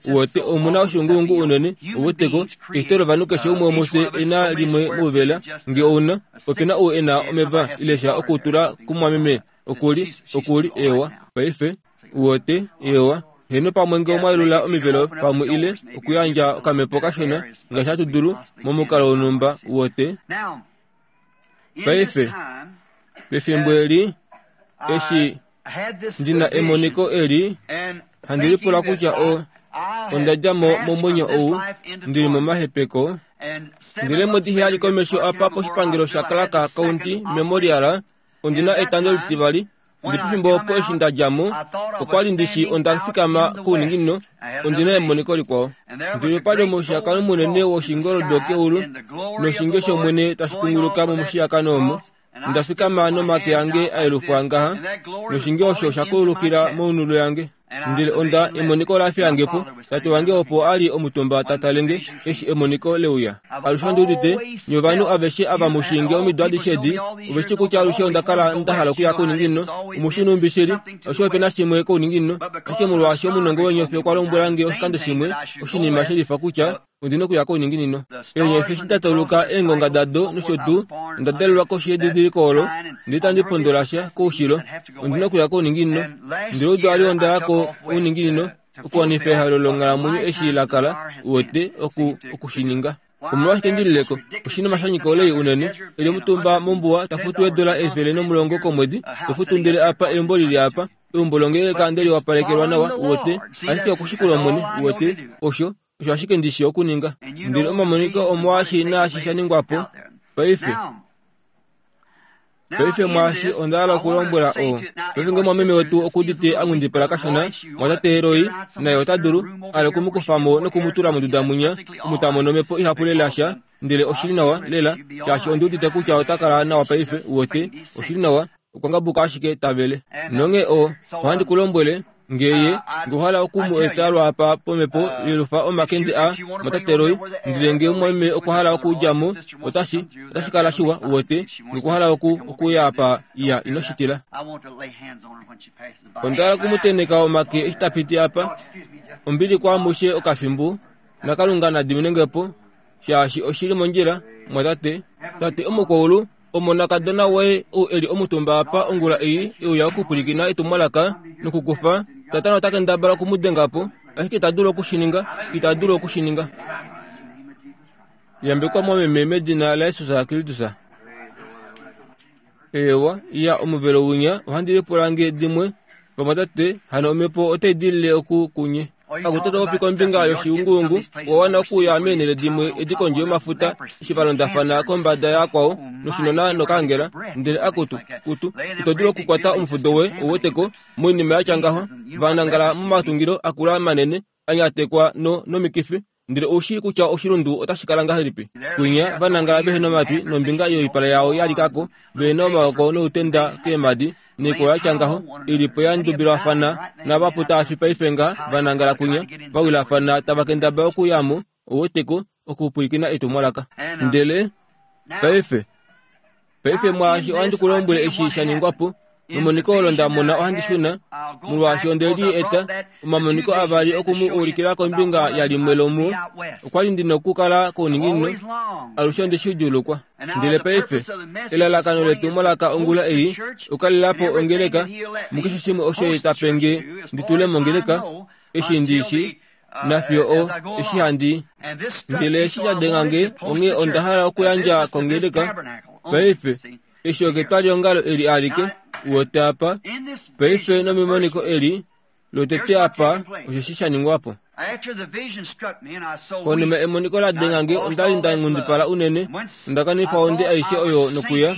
Uwete omuna oshunguungu unene, uweteko, eshito lovanhu keshe umwe womufye ena limwe mouvela, nge ouna, opena ou ena omeva ile sha okutula kumwameme, okuli, okuli, ewa, paife, uwete, ewa. Heno pamwe nge omwa yelula omivelo pamwe ile okuyandja okamhepo kashona ngaashi hatu dulu momukalo wonhumba, uwete. Paife, pefimbo eli, eshi ndina emoniko eli, handi lipula kutya o onda dja mo momwenyo ou, ndili momahepeko. Ndele eemwedi heyali komesho apa poshipangelo sha Clark County Memorial, ondina etando litivali. Ndele pefimbo opo eshi nda dja mo, okwali ndishi onda fikama kouninginino, ondina emoniko likwao. Ndele opali omushiyakano munene woshingoldo keulu, noshinge shOmwene tashi kunguluka momushiyakano omo. Nda fikama nomake ange a yelufwa ngaha, noshinge osho osha kulukila mounulu yange. Ndele onda emoniko la fiyange po, tate wange opo ali omutumba tatalenge eshi emoniko leuya. Alushe ondi udite, nye ovanhu aveshe ava mushinge omido adishe edi, oveshi kutya alushe onda kala nda hala okuya kouninginino, omushi numbi shili, alushe ope na shimwe kouninginino, ashike molwaashi omunongo wenyofi okwa lombwela nge oshikando shimwe, oshinima shelifa kutya ondina okuya kouninginino. Eenyofi eshi da tauluka eengonga dado nosho tuu, onda dalelwa koshi yedidiliko olo, ndele itandi pondola sha koushilo, ondina okuya kouninginino. Ndele odwali onda ya kouninginino, okuwanifa ehalo longhalamwenyo eshi la kala, uwete, oku, okushininga. Omolwashike ndilileko? Oshinima sha nyika olei unene. Eli omutumba mombuwa ta futu eedola efele nomulongo komwedi, to futu ndele apa eumbo lili apa, eumbo longeleka ndele wapalekelwa nawa, uwete, ashike okushikula Omwene, uwete, osho, osho ashike ndishi okuninga. Ndele omamoniko omwaashi naashi sha ningwa po, paife. Paife mwaashi onda hala okulombwela oo. Paife ngee mwameme wetu okudite a nghundipala kashona, mwatate Roy, naye ota dulu, ale okumukufa mo nokumutula monduda munya, omu ta mono omhepo ihapu lela sha, ndele oshili nawa, lela, shaashi ondi udite kutya ota kala nawa paife, uwete, oshili nawa, okwa ngabuka ashike tavele. Nonghee oo, ohandi ku lombwele, ngee nge ohala okumu eta lwaapa pomhepo yelufa omakende a mwatate Roy, ndele ngee mumwameme okwa hala okudja mo, otashi, otashi kala shiwa, uwete, nge okwa hala oku, okuya apa, iya, ino shi tila. Onda hala okumutenheka omake eshi ta piti apa, ombili kwaamushe okafimbo, naKalunga na diminenge po, shaashi oshili mondjila, mwatate. Tate omukwaulu, omonakadona woye ou eli omutumba apa ongula ei e uya okupwilikina etumwalaka nokukufa, Satana ota kendabala okumudenga po, ashike ita dulu okushininga, ita dulu okushininga. Yambekwa mwameme medina laJesus Kristus. Eewa, iya omuvelo winya ohandi lipula nge dimwe, vamwatate, hano omhepo otai dilile oku kunye. Akutu popi kombinga yoshiunguungu, owa wana okuya meenhele dimwe edi kondje yomafuta eshi va londafana kombada yakwao noshinona nokaangela, ndele akutu, kutu, ito dulu okukwata omufudo we ouweteko moinima ya tya ngaho, va nangala momatungilo akula manene, a nyatekwa no, nomikifi, ndele ou shii kutya oshilundu otashi kala ngahelipi. Kwinya va nangala vehe nomatwi nombinga yoipala yao ya likako, ve na omaoko noutenda keemhadi, neiko ya tya ngaho, i li po ya ndubilwafana navapu taafi paife nga va nangala kwinya, va wilafana tava kendabala okuya mo, ouweteko, okupwilikina etumwalaka. Ndele paife, paife mwaashi ohandi ku lombwele eshi sha ningwa po, memoniko olo nda mona ohandi shuna, molwaashi onde li eta, omamoniko avali oku mu ulikila kombinga yalimwe lomuo, okwa li ndi nokukala kouninginino, alushe onde shi djuulukwa. Ndele paife, elalakano letumwalaka ongula ei, okukalela po ongeleka, mukeshe shimwe osho ye ta pe nge ndi tule mongeleka, eshi ndi shi, nafiyo o, eshi handi. Ndele eshi sha denga nge, onghee onda hala okuyandja kongeleka. Paife, eshi oketwaliongalo eli alike, uwete apa, paife nomemoniko eli, lotete apa, osheshi sha ningwa po. Konima emoniko la denga nge, onda li nda nghundipala unene, onda kanifa onde aishe oyo nokuya,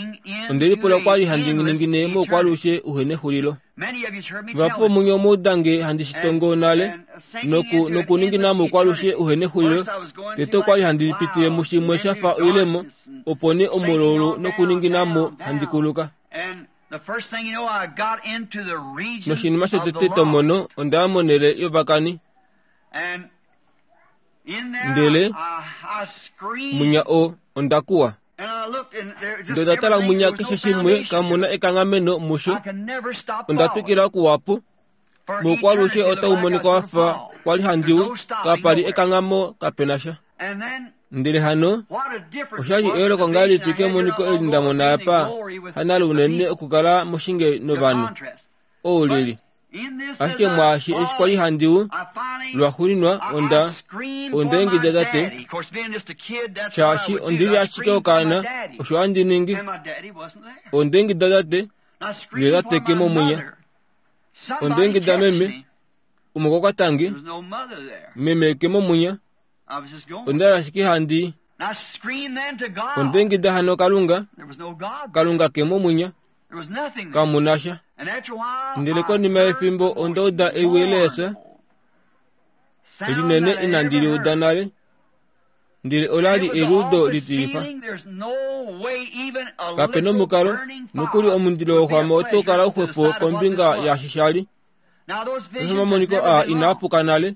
onde lipula okwa li handi ningine moukwalushe uhe nexulilo. Vahapu vomunye omwa uda nge handi shi tongo nale, noku, nokuningina moukwalushe uhe nexulilo, tete okwa li handi pitile mushimwe sha fa oilemo, opo nee omulaulu nokuningina mo handi kuluka. Noshinima shotete to mono, onda ya monhele yovakani. Ndele munya o, onda kuwa. Ndele onda tala munya keshe shimwe, kamu na ekanghameno musho. Onda twikila okuwa po. Moukwalushe otau monika wa fa kwa li handi u, kapa li ekanghamo, kape na sha. Ndele hano, osha li eyooloko ngahelipi kemoniko eli nda mona apa, hanale unene okukala moshinge novanhu, ou lili. Ashike mwaashi eshi kwa li handi u, lwaxuuninwa onda, onda ingida tate, shaashi ondi li ashike okaana, osho handi ningi. Onda ingida tate, ndele tate ke momwinya. Onda ingida meme, umwe okwa kwata nge, meme ke momwinya. Onda li ashike handi. Onda ingida hano Kalunga, Kalunga ke momwinya, kamu na sha. Ndele konima yefimbo onda uda ewi leesa linene inandi li uda nale, ndele ola li eluudo litilifa. Kape nomukalo, nokuli omundilo woxwama oto kala uxwepo kombinga yaashi sha li. Omamoniko aa inaa puka nale.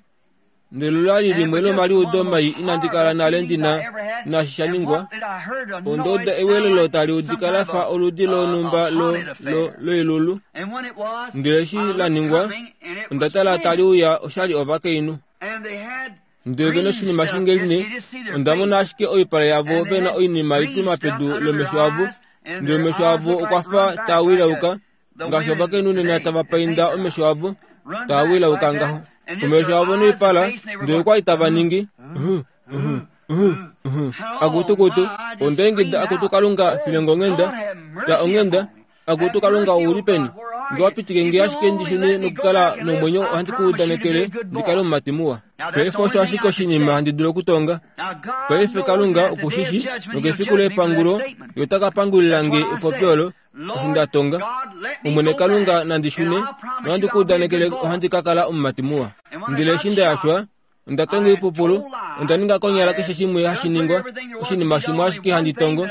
Ndele ola li limwe lomaliudo mai inandi kala nale ndina naashi sha ningwa. Onda uda ewelelo tali udika la fa oludi lonhumba lo lo loilulu. Ndele eshi la ningwa, onda tala tali uya oshali ovakainhu. Ndele vena oshinima shingeline, onda mona ashike oipala yavo vena oinima itwima pedu lomesho avo. Ndele omesho avo okwa fa taa wilauka, ngaashi ovakainhu nena tava painda omesho avo, taa wilauka ngaho. Omesho avo noipala, ndele okwa li tava ningi akutukutu. Onda ingida akutu Kalunga filenga onghenda, ya onghenda, akutu Kalunga ouli peni? Nge wa pitike nge ashike ndi shune nokukala nomwenyo, ohandi ku udanekele ndi kale omumati muwa. Paife osho ashike oshinima handi dulu okutonga. Paife Kalunga okushishi, nokefiku lepangulo ye ota ka pangulila nge epopyo olo, eshi nda tonga. Omwene Kalunga nandi shune, nohandi ku udanekele ohandi ka kala omumati muwa. Ndele eshi nda yashwa, onda tonga oipupulu, onda ninga konyala keshe shimwe hashi ningwa, oshinima shimwe ashike handi tongo,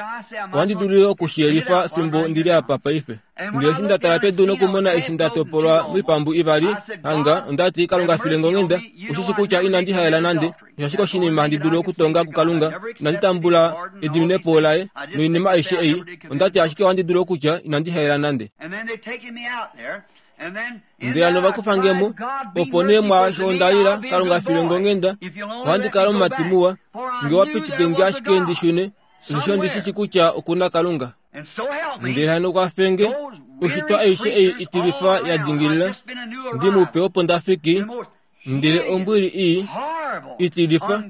ohandi dulu okushiyelifa fimbo ndili apa paife. Ndele eshi nda tala pedu nokumona eshi nda topolwa moipambu ivali, hanga onda ti Kalunga filenga onghenda, ushishi kutya inandi haela nande, osho ashike oshinima handi dulu okutonga kuKalunga, inandi tambula ediminepo laye noinima aishe ei, onda ti ashike ohandi dulu okutya inandi haela nande. Ndele hano vakufa nge mo, opo nee mwaasho onda lila, Kalunga filenga onghenda, ohandi kala omumati muwa, nge wa pitike nge ashike ndi shune, osho ndi shishi kutya okuna Kalunga. Ndele hano kwafe nge, oshitwa aishe ei itilifa ya dingilila, ndi mupe opo nda fiki, ndele ombwili ii itilifa,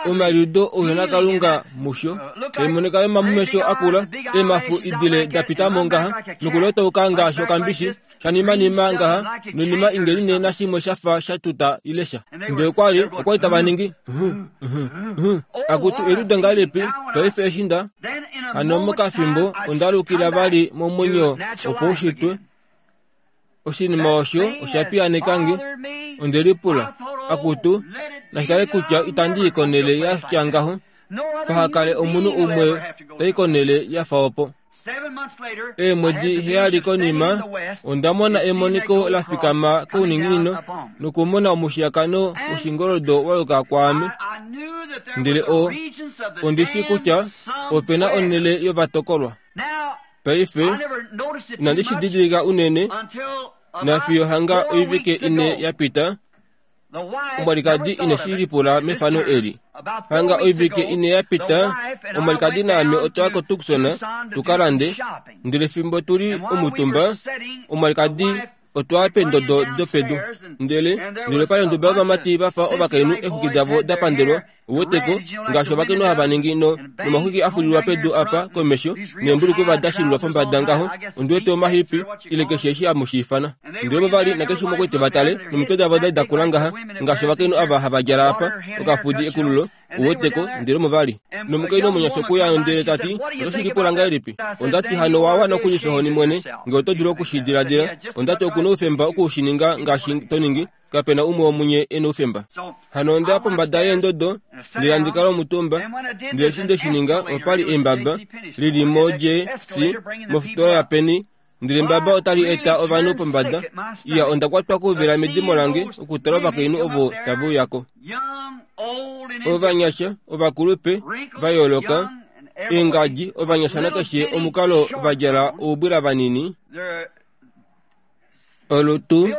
omaliudo ouhena Kalunga musho, taimonika yomamumesho akula, eemafu idile da pita mo ngaha, nokulotauka ngaashi okambishi, shanimanima ngaha, noinima ingeline nashimwe shafa sha tuta ile sha. Ndele okwa li, okwa li tava ningi, akutu eliudo ngahelipi, paife eshi nda, hano mokafimbo onda lukila vali momwenyo wopaushitwe. Oshinima osho osha piyaneka nge, onde lipula, akutu, nashikale kutya itandi i konele ya tya ngaho, pahakale omunhu umwe tai konele ya fa opo. Eemwedi heyali konima, onda mona emoniko la fikama kouninginino, nokumona omushiyakano woshingoldo wa yuka kwaame. Ndele o, ondi shi kutya opena onhele yovatokolwa. Paife, inandi shi didilika unene, nafiyo hanga oivike ine ya pita, omwalikadi ine shi lipula mefano eli. Hanga oivike ine ya pita, omwalikadi naame otwa ya koTucson tuka lande, ndele fimbo tuli omutumba, omwalikadi otwa ya peendodo dopedu. Ndele, ndele opa li onduba yovamati va fa ovakainhu eexwiki davo da pandelwa, uweteko, ngaashi ovakainhu hava ningi no, nomaxwiki a fulilwa pedu apa komesho, neembulukuva da shilulwa pombada ngaho, ondi wete omahipi, ile keshe eshi hamu shi ifana. Ndele ovo vali nakeshe umwe okwete va tale, nomitwe davo da li da kula ngaha, ngaashi ovakainhu ava hava djala apa, okafudi ekululo, uweteko, ndele omo vali. Nomukainhu omunyasha okuya ndele ta ti, oto shi lipula ngahelipi? Onda ti hano wa wana okulifa ohoni mwene, nge oto dulu oku shi diladila. Onda ti oku na oufemba oku shi ninga ngaashi to ningi, kapena umwe womunye e na oufemba. Hano onda ya pombada yeendodo, ndele handi kala omutumba, ndele eshi nde shi ninga, opa li embaba lili mo-J C mofitola yaPenny, ndele embaba otali eta ovanhu pombada. Iya, onda kwatwa kouvela medimo lange okutala ovakainhu ovo tave uya ko. Ovanyasha, ovakulupe, va yooloka, eengadji, ovanyasha nakeshe omukalo va djala oubwila vanini, olutu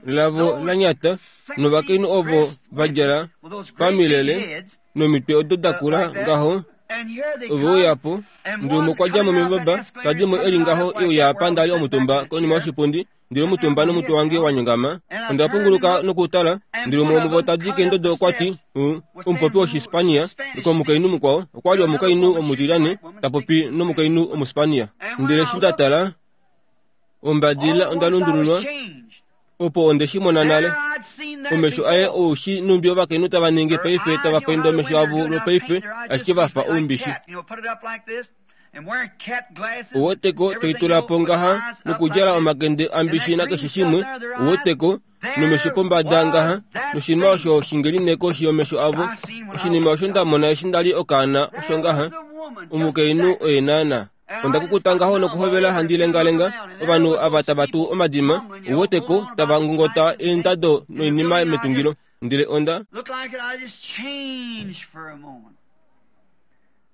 lavo la nyata, novakainhu ovo va djala pamilele nomitwe odo da kula ngaho, ove uya po. Ndele umwe okwa dja mo membaba, ta di mo eli ngaho e uya apa nda li omutumba konima yoshipundi, ndele omutumba nomutwe wange wa nyongama. Onda punguluka nokutala, ndele umwe womuvo ta di keendodo okwa ti, omupopi wOshispania, komukainhu mukwao, okwa li omukainhu omutilyane, ta popi nomukainhu Omuspania. Ndele eshi nda tala, ombadilila onda lundululwa, opo onde shi mona nale. Omesho aye oushi numbi ovakainhu tava ningi paife tava painda omesho avo lwopaife, ashike va fa oumbishi. Uweteko toitula po ngaha nokudjala omakende ambishi nakeshe shimwe, uweteko, nomesho pombada ngaha, noshinima osho shingeline koshi yomesho avo. Oshinima osho nda mona eshi nda li okaana osho ngaha, omukainhu oye naana. Onda kukuta ngaho nokuhovela handi lengalenga ovanhu ava tava tu omadima uweteko tava ngongota eendado noinima metungilo. Ndele onda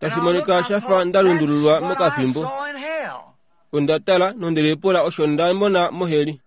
tashi monika shafa nda lundululwa mokafimbo. Onda tala nondele pula osho nda mona moheli.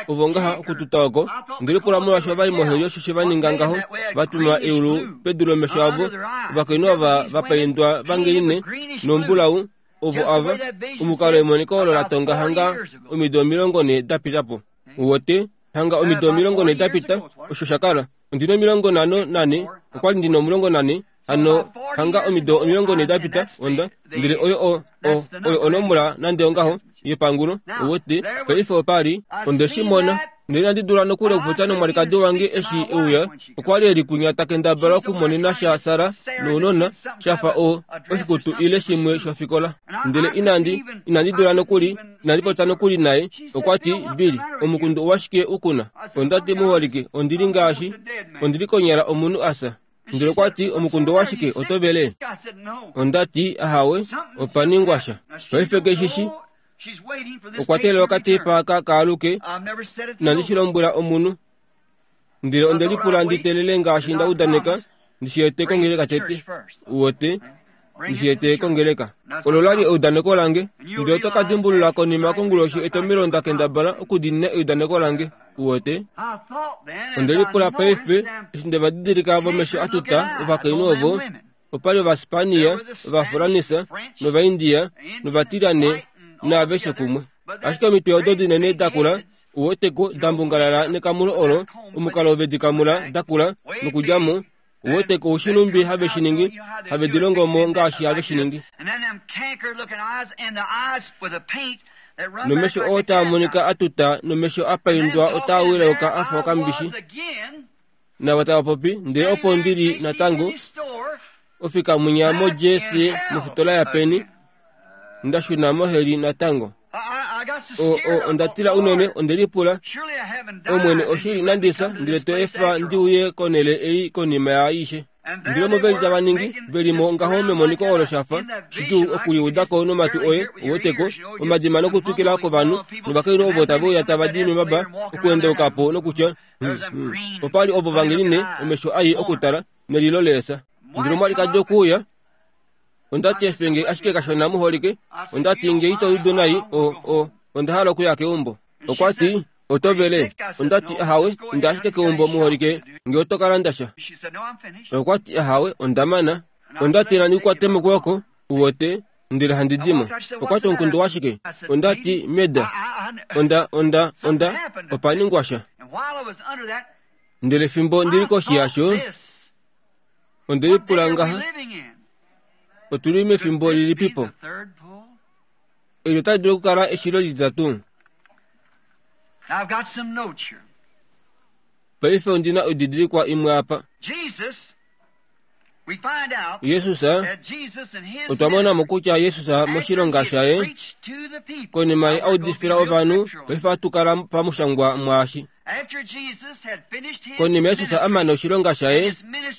Ovo ngaha okututa oko ndele pula molwaashi ovali moheli osho she va ninga ngaho vatuma eulu pedu lomesho avo. Ovakainhu ava vapaindwa vangeline nombulau ovo ava omukalo emoniko olo la tonga hanga omido omilongo ne dapita po. Uwote hanga omido omilongo ne dapita osho shakala. Ondina omilongo nhano nane okwali ndina omulongo nane hano hanga omido omilongo ne dapita onda ndele oyo o o oyo onomola nande ongaho yepangulo. Uwote paife opali onde shi mona ndele inandi dula nokuli okupopya nomwalikadi wange eshi euya. Okwali eli kunya takendabala okumonena sha Sara nounona shafa o oshikutu ile shimwe shofikola. Ndele inandi inandi dula nokuli inandi popya nokuli naye. Okwati Billy omukundu owashike ukuna? Ondati muholike ondili ngaashi ondili konyala omunhu asa. Ndele okwati omukundu owashike otovele? Ondati ahawe opaningwa sha. Paife keshishi okwa teelela okatepa aka kaaluke. Inandi shi lombwela omunhu. Ndele onde lipula ndi teelele ngaashi nda udaneka ndi shi ete kongeleka tete. Uwote ndi shi ete kongeleka. Olo lali eudaneko lange. Ndele oto ka dimbulula konima konguloshi etomelo nda kendabala okudiinina eudaneko lange. Uwote onde lipula paife eshi nde va didilika vomesho atuta ovakainhu ovo. Opali Ovaspania, Ovafuranisa, nOvaindia, nOvatilane naaveshe kumwe. Ashike omitwe odo dinene dakula uweteko dambungalala nekamulo olo omukalo vedikamula dakula nokudjamo. Uweteko ushinumbi have shiningi have dilongomo ngaashi have shiningi. Nomesho oo taa monika atuta nomesho apaindwa otaa wilauka afa okambishi. Navo tava popi ndele opo ndili natango ofika munya mo J C mofitola ya peni ndashuna moheli natango. O, o, onda tila unene onde lipula omwene oshili nandisa ndele to efa ndiuye konele ei konima yaaishe. Ndele omo veli tava ningi velimo ngaho memoniko olo shafa shidjuu okuliudako nomatu oye uweteko omadima nokutwikila kovanhu novakainhu ovo tave uya tava di mebaba okuendeukapo nokutya hmm, hmm. Opali ovo vangeline omesho ai okutala nelilo leesa. Ndele omwalikadi okuuya ondati efenge ashike kashona muholike. Ondati nge ito udu nai o o onda hala okuya keumbo. Okwati otovele. Ondati ahawe inda ashike keumbo muholike nge oto kala ndasha. Okwati ahawe ondamana. Ondati nandi kukwate mokwooko uwote ndele handi dimo. Okwati omukundu washike? Ondati meda. Onda onda onda opaningwa sha. Ndele fimbo ndili koshi yasho onde lipula ngaha otuli mefimbo lilipipo. Eli otali dulu okukala eshilo lititatu. Paife ondina oididilikwa imwe apa. Jesus otwa mona mo kutya Jesus moshilonga shaye konima ye audifila ovanhu paife atukala pamushangwa mwaashi. Konima Jesus amana oshilonga shaye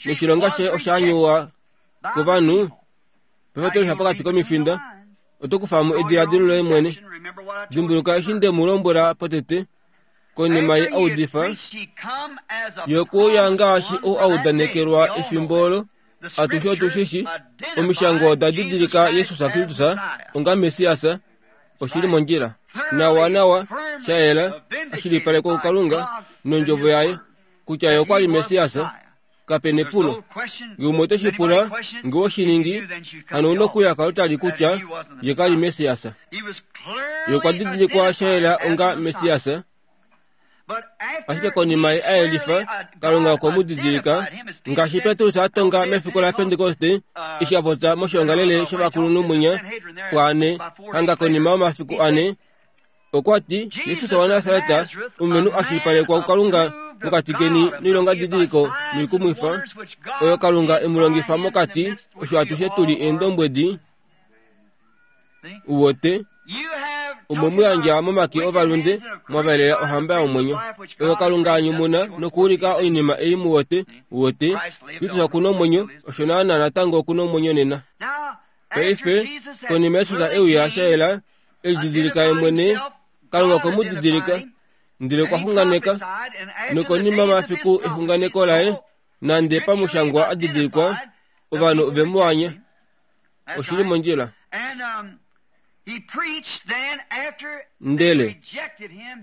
noshilonga shaye oshaanyuwa kovanhu paife otolesha pokati komifinda oto kufamo ediladilo loye mwene. Dimbuluka eshi nde mu lombwela potete konima ye audifa yokuuya ngaashi ou audanekelwa efimbo olo. Atushe otushishi omishango oda didilika Jesus Kristus onga Messias oshili mondjila nawa nawa shayela ashilipalekwa kuKalunga nondjovo yaye kutya ye okwali Messias. Kapena epulo nge umwe ote shi pula nge oshiningi hano una okuya kalotali kutya ye kali Messias. Ye okwa didilikwa shayela onga Messias. Ashike konima ye ayelifa Kalunga okwe mu didilika ngaashi Petrus atonga mefiku la Pentekoste eshi a popya moshiongalele shovakulunhu mwinya pwaane hanga konima yomafiku ane. Okwati Jesus waNasareta omulumenhu ashilipalekwa kuKalunga mokati keni noilonga didiliko noikumwifa oyo Kalunga emulongifa mokati osho atushe tuli eendombwedi. Uwote omo muyandja momake ovalunde mwavalela ohamba yomwenyo oyo Kalunga anyumuna nokuulika oinima ei muwote. Uwote Kristus okuna omwenyo osho naana natango okuna omwenyo nena. Paife konima Jesus euya shayela elididilika ye mwene, Kalunga okwe mu didilika, ndele okwa xunganeka. Nokonima mafiku exunganeko laye, nande pamushangwa a didilikwa, ovanhu ove mu anya. Oshili mondjila. Ndele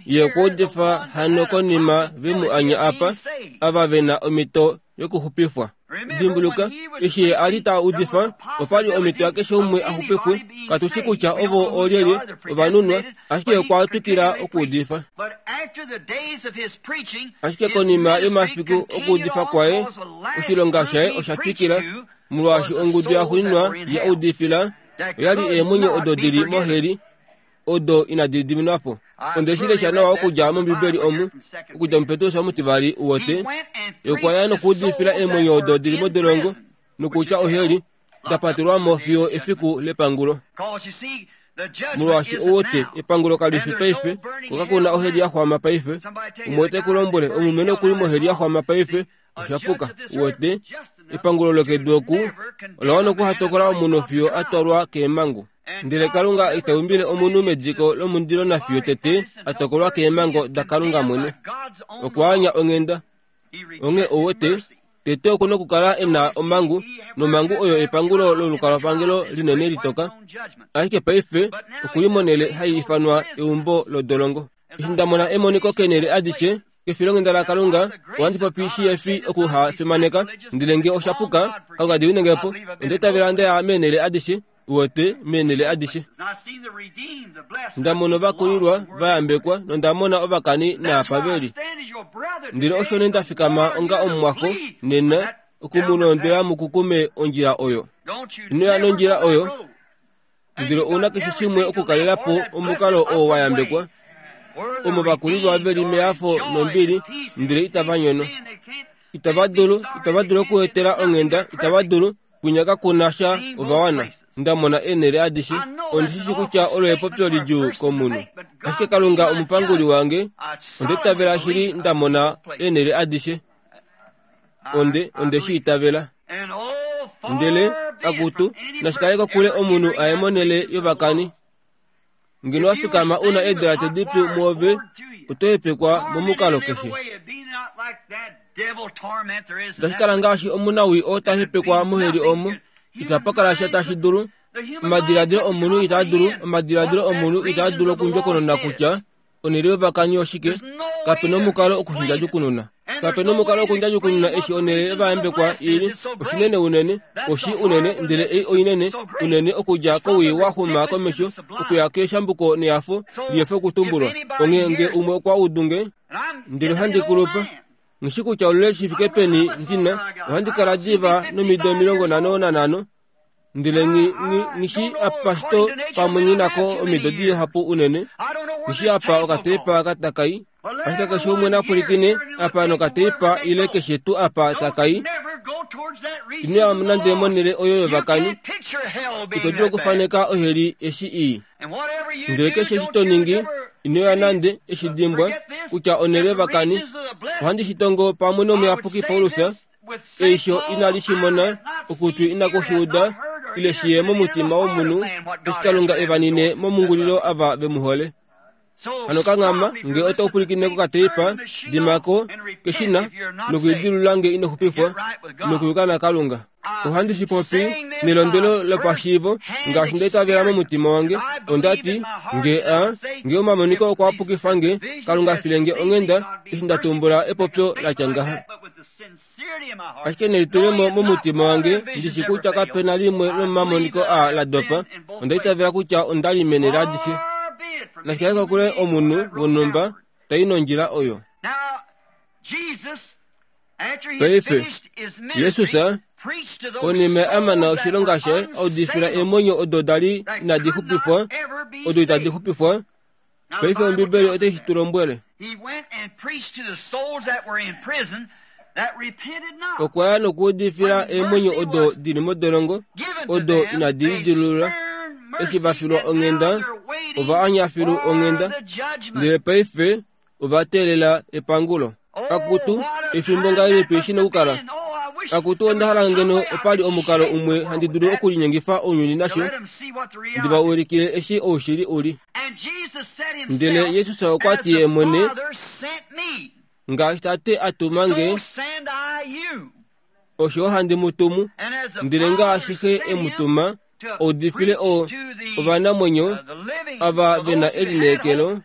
ye okwa udifa hano konima ve mu anya apa, ava ve na omhito yokuxupifwa. Dimbuluka, eshi ye a li ta udifa, opa li omhito yakeshe umwe a xupifwe. Katu shi kutya ovo oolyelye ovanunwa, ashike okwa twikila okuudifa. Ashike konima yomafiku okuudifa kwaye, oshilonga shaye osha twikila, molwaashi ongudu yaxuuninwa ye udifila oya li eemwenyo odo di li moheli, odo inadi diminwa po. Onde shi lesha nawa okudja mOmbibeli omu, okudja muPetrus omutivali wote, okwa ya nokuudifila eemwenyo odo di li modolongo, nokutya oheli, da patelwa mo fiyo efiku lepangulo. Molwaashi owote epangulo kali fi paife, ko kaku na oheli ya xwama paife. Umwe ote ku lombwele omulumenhu okuli moheli ya xwama paife, osha puka. Wote epangulo lokedu oku ola wana okuhatokola omunhu fiyo a twalwa keemhangu. Ndele Kalunga ita umbile omunhu mediko lomundilo nafiyo tete a tokolwa keemhango daKalunga mwene. Okwa anya onghenda. Onghee owote tete oku na okukala e na omhangu, nomhangu oyo epangulo lolukalwapangelo linene litoka. Ashike paife okuli monhele hai ifanwa eumbo lodolongo. Eshi nda mona emoniko keenhele adishe kefilonghenda laKalunga, ohandi popi shihefi okuhafimaneka, ndele nge osha puka, Kalunga diwinenge po. Onda itavela nda ya meenhele adishe, uwete, meenhele adishe. Nda mona ovakulilwa va yambekwa nonda mona ovakani naapa ve li. Ndele osho nee nda fikama onga omumwaxo nena okumulondwela mukukume ondjila oyo. Ino ya nondjila oyo, ndele ouna keshe shimwe okukalela po omukalo oo wa yambekwa, omo vakulilwa ve li mehafo nombili, ndele itava nyono. Itava dulu, itava dulu okuetela onghenda, itava dulu, kwinya kaku na sha ovawana. Nda mona eenhele adishe, ondi shi shi kutya olo epopyo lidjuu komunhu. Ashike Kalunga omupanguli wange, onda itavela shili nda mona eenhele adishe. Onde, onde shi itavela. Ndele, akutu, nashikale kokule omunhu aye monhele yovakani. Ngeno wa fikama una eedolate dipyu muove, oto hepekwa momukalo keshe. Otashi kala ngaashi omunawii oo ta hepekwa moheli omo, itapa kala sha tashi dulu. Omadiladilo omunhu itaa dulu, omadiladilo omunhu itaa dulu okundjokonona kutya onhele yovakani oshike. Kape na omukalo okushindjadjukununa. Kape na omukalo okundjadjukununa eshi onhele yovayambekwa ili oshinene unene, oshi unene, ndele ei oinene unene okudja kowii wa xuma komesho okuya keeshambuko nehafo lihefi okutumbulwa. Onghee nge umwe okwa udu nge, ndele ohandi kulupa, nghishi kutya olule shi fike peni ndina, ohandi kala diva nomido omilongo nhano nanhano, ndele nghishi apa shito pamwe nghinako omido dihapu unene, nghishi apa okateipa katakai. Ashike keshe umwe napwilikine apa nokateipa ile keshe tuu apa takai, ino ya nande monhele oyo yovakani. Ito dulu okufaneka oheli eshi ii. Ndele keshe eshi to ningi, ino ya nande eshi dimbwa kutya onhele yovakani. Ohandi shi tongo pamwe nomuyapuki Paulus, eisho inali shi mona, okutwi inaku shi uda, ile shi ye momutima womunhu, eshi Kalunga e va nine momungulilo ava ve mu hole. Hano kanghama, nge oto pwilikine kokateipa, dimako keshina nokulidilulula nge ino xupifwa nokuyuka naKalunga. Ohandi shi popi nelondwelo lopashiivo, ngaashi nda itavela momutima wange. Onda ti, nge a, nge omamoniko okwa pukifa nge, Kalunga file nge onghenda eshi nda tumbula epopyo la tya ngaha. Ashike nelitulemo momutima wange, ndi shi kutya kape na limwe lomomamoniko a la dopa, onda itavela kutya onda li meenhele adishe. Nashikale kokule omunhu wonhumba tai nondjila oyo. Paife, Jesus konima a mana oshilonga shaye a udifila eemwenyo odo da li inadi xupifwa, odo itadi xupifwa. Paife Ombibeli otai shi tu lombwele. Okwa ya nokuudifila eemwenyo odo di li modolongo, odo inadi lidilulula. Eshi va filwa onghenda, ova anya filu onghenda, ndele paife ova teelela epangulo. Akutu, efimbo ngahelipi shi na okukala? Akutu onda hala ngeno opali omukalo umwe handi dulu okulinyengifa ounyuni nasho ndi va ulikile eshi oushili uli. Ndele Jesus okwa ti ye mwene, ngaashi Tate a tuma nge, osho handi mu tumu. Ndele ngaashi Xe e mu tuma, oudifile o ovanamwenyo ava ve na elineekelo,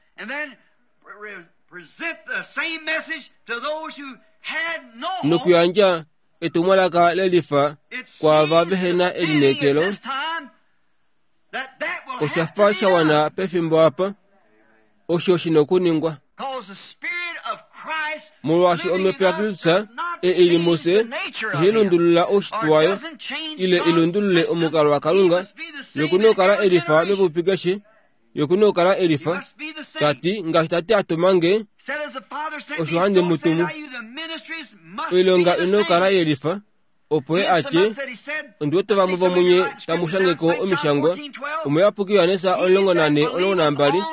nokuyandja etumwalaka lelifa kwaava vehe na elineekelo. Osha fa sha wana pefimbo apa, osho shina okuningwa. Molwaashi omhepo yaKristus e ili mufye ihai lundulula oushitwe wayo ile ilundulule omukalo waKalunga, yokuna okukala elifa mepupi keshe, yokuna okukala elifa. Tati ngaashi Tate a tuma nge, osho handi mu tumu. Oilonga ina okukala yelifa, opo ye atye, ondi wete vamwe vomunye tamu shangeko omishangwa, Omuyapuki Johannes omulongo nane omulongo nambali,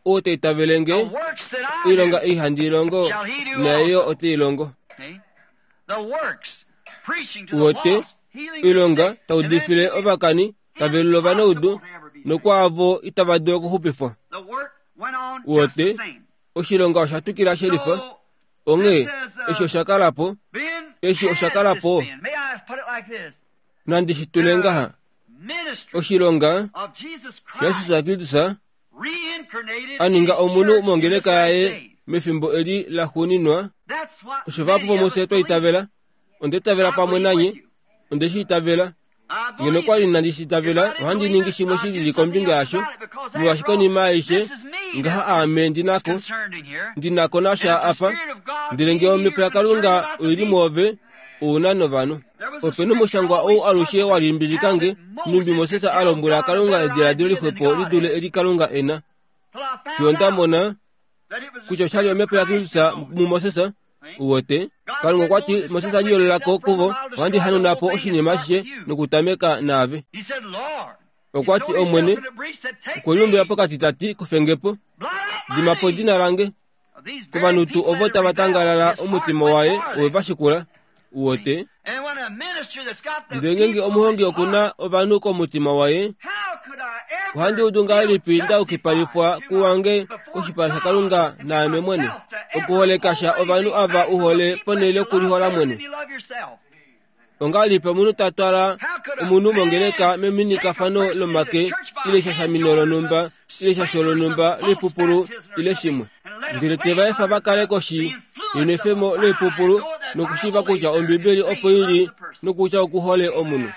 oo ta itavele nge, oilonga ei handi ilongo naye yo ote ilongo. Uwete, oilonga taudifile ovakani, tavelula ovanaudu, nokwaavo itava dulu okuxupifwa. Uwete, oshilonga osha twikila shelifa. Onghee, eshi osha kala po, eshi osha kala po. Nandi shi tule ngaha, oshilonga shaJesus Kristus a ninga omunhu mongeleka yaye mefimbo eli laxuuninwa, osho vahapu vomufye twa itavela. Onda itavela pamwe nanye, onde shi itavela. Ngeno kwa li inandi shi itavela, ohandi ningi shimwe shi lili kombinga yasho, molwaashi konima aishe ngaha aame ndi nako, ndi nako nasha apa. Ndele ngee omhepo yaKalunga oili mwoove, ouna novanhu. Ope nomushangwa ou alushe wa limbilika nge, nhumbi Moses a lombwela Kalunga ediladilo lixwepo li dule eli Kalunga e na. Fiyo nda mona kutya oshali omhepo yaKristus muMoses. Uwete, Kalunga okwa ti Moses a liyololako kuvo, ohandi hanuna po oshinima ashishe nokutameka naave. Okwa ti Omwene okwe liumbila pokati ta ti, kufe po, dima po edina lange kovanhu tuu ovo tava tangalala omutima waye owe va shikula. Uwete, ndele ngeenge omuhongi okuna ovanhu komutima waye, ohandi udu ngahelipi nda yukipalifwa kuwange koshipala shaKalunga naame mwene, okuholeka sha ovanhu ava uhole ponhele yokulihola mwene. Ongahelipi omunhu ta twala omunhu mongeleka meminikafano lomake ile shashamino lonhumba ile shasho lonhumba loipupulu ile shimwe, ndele te va efa va kale koshi yenwefemo loipupulu nokushiiva kutya Ombibeli opo ili nokutya okuhole omunhu.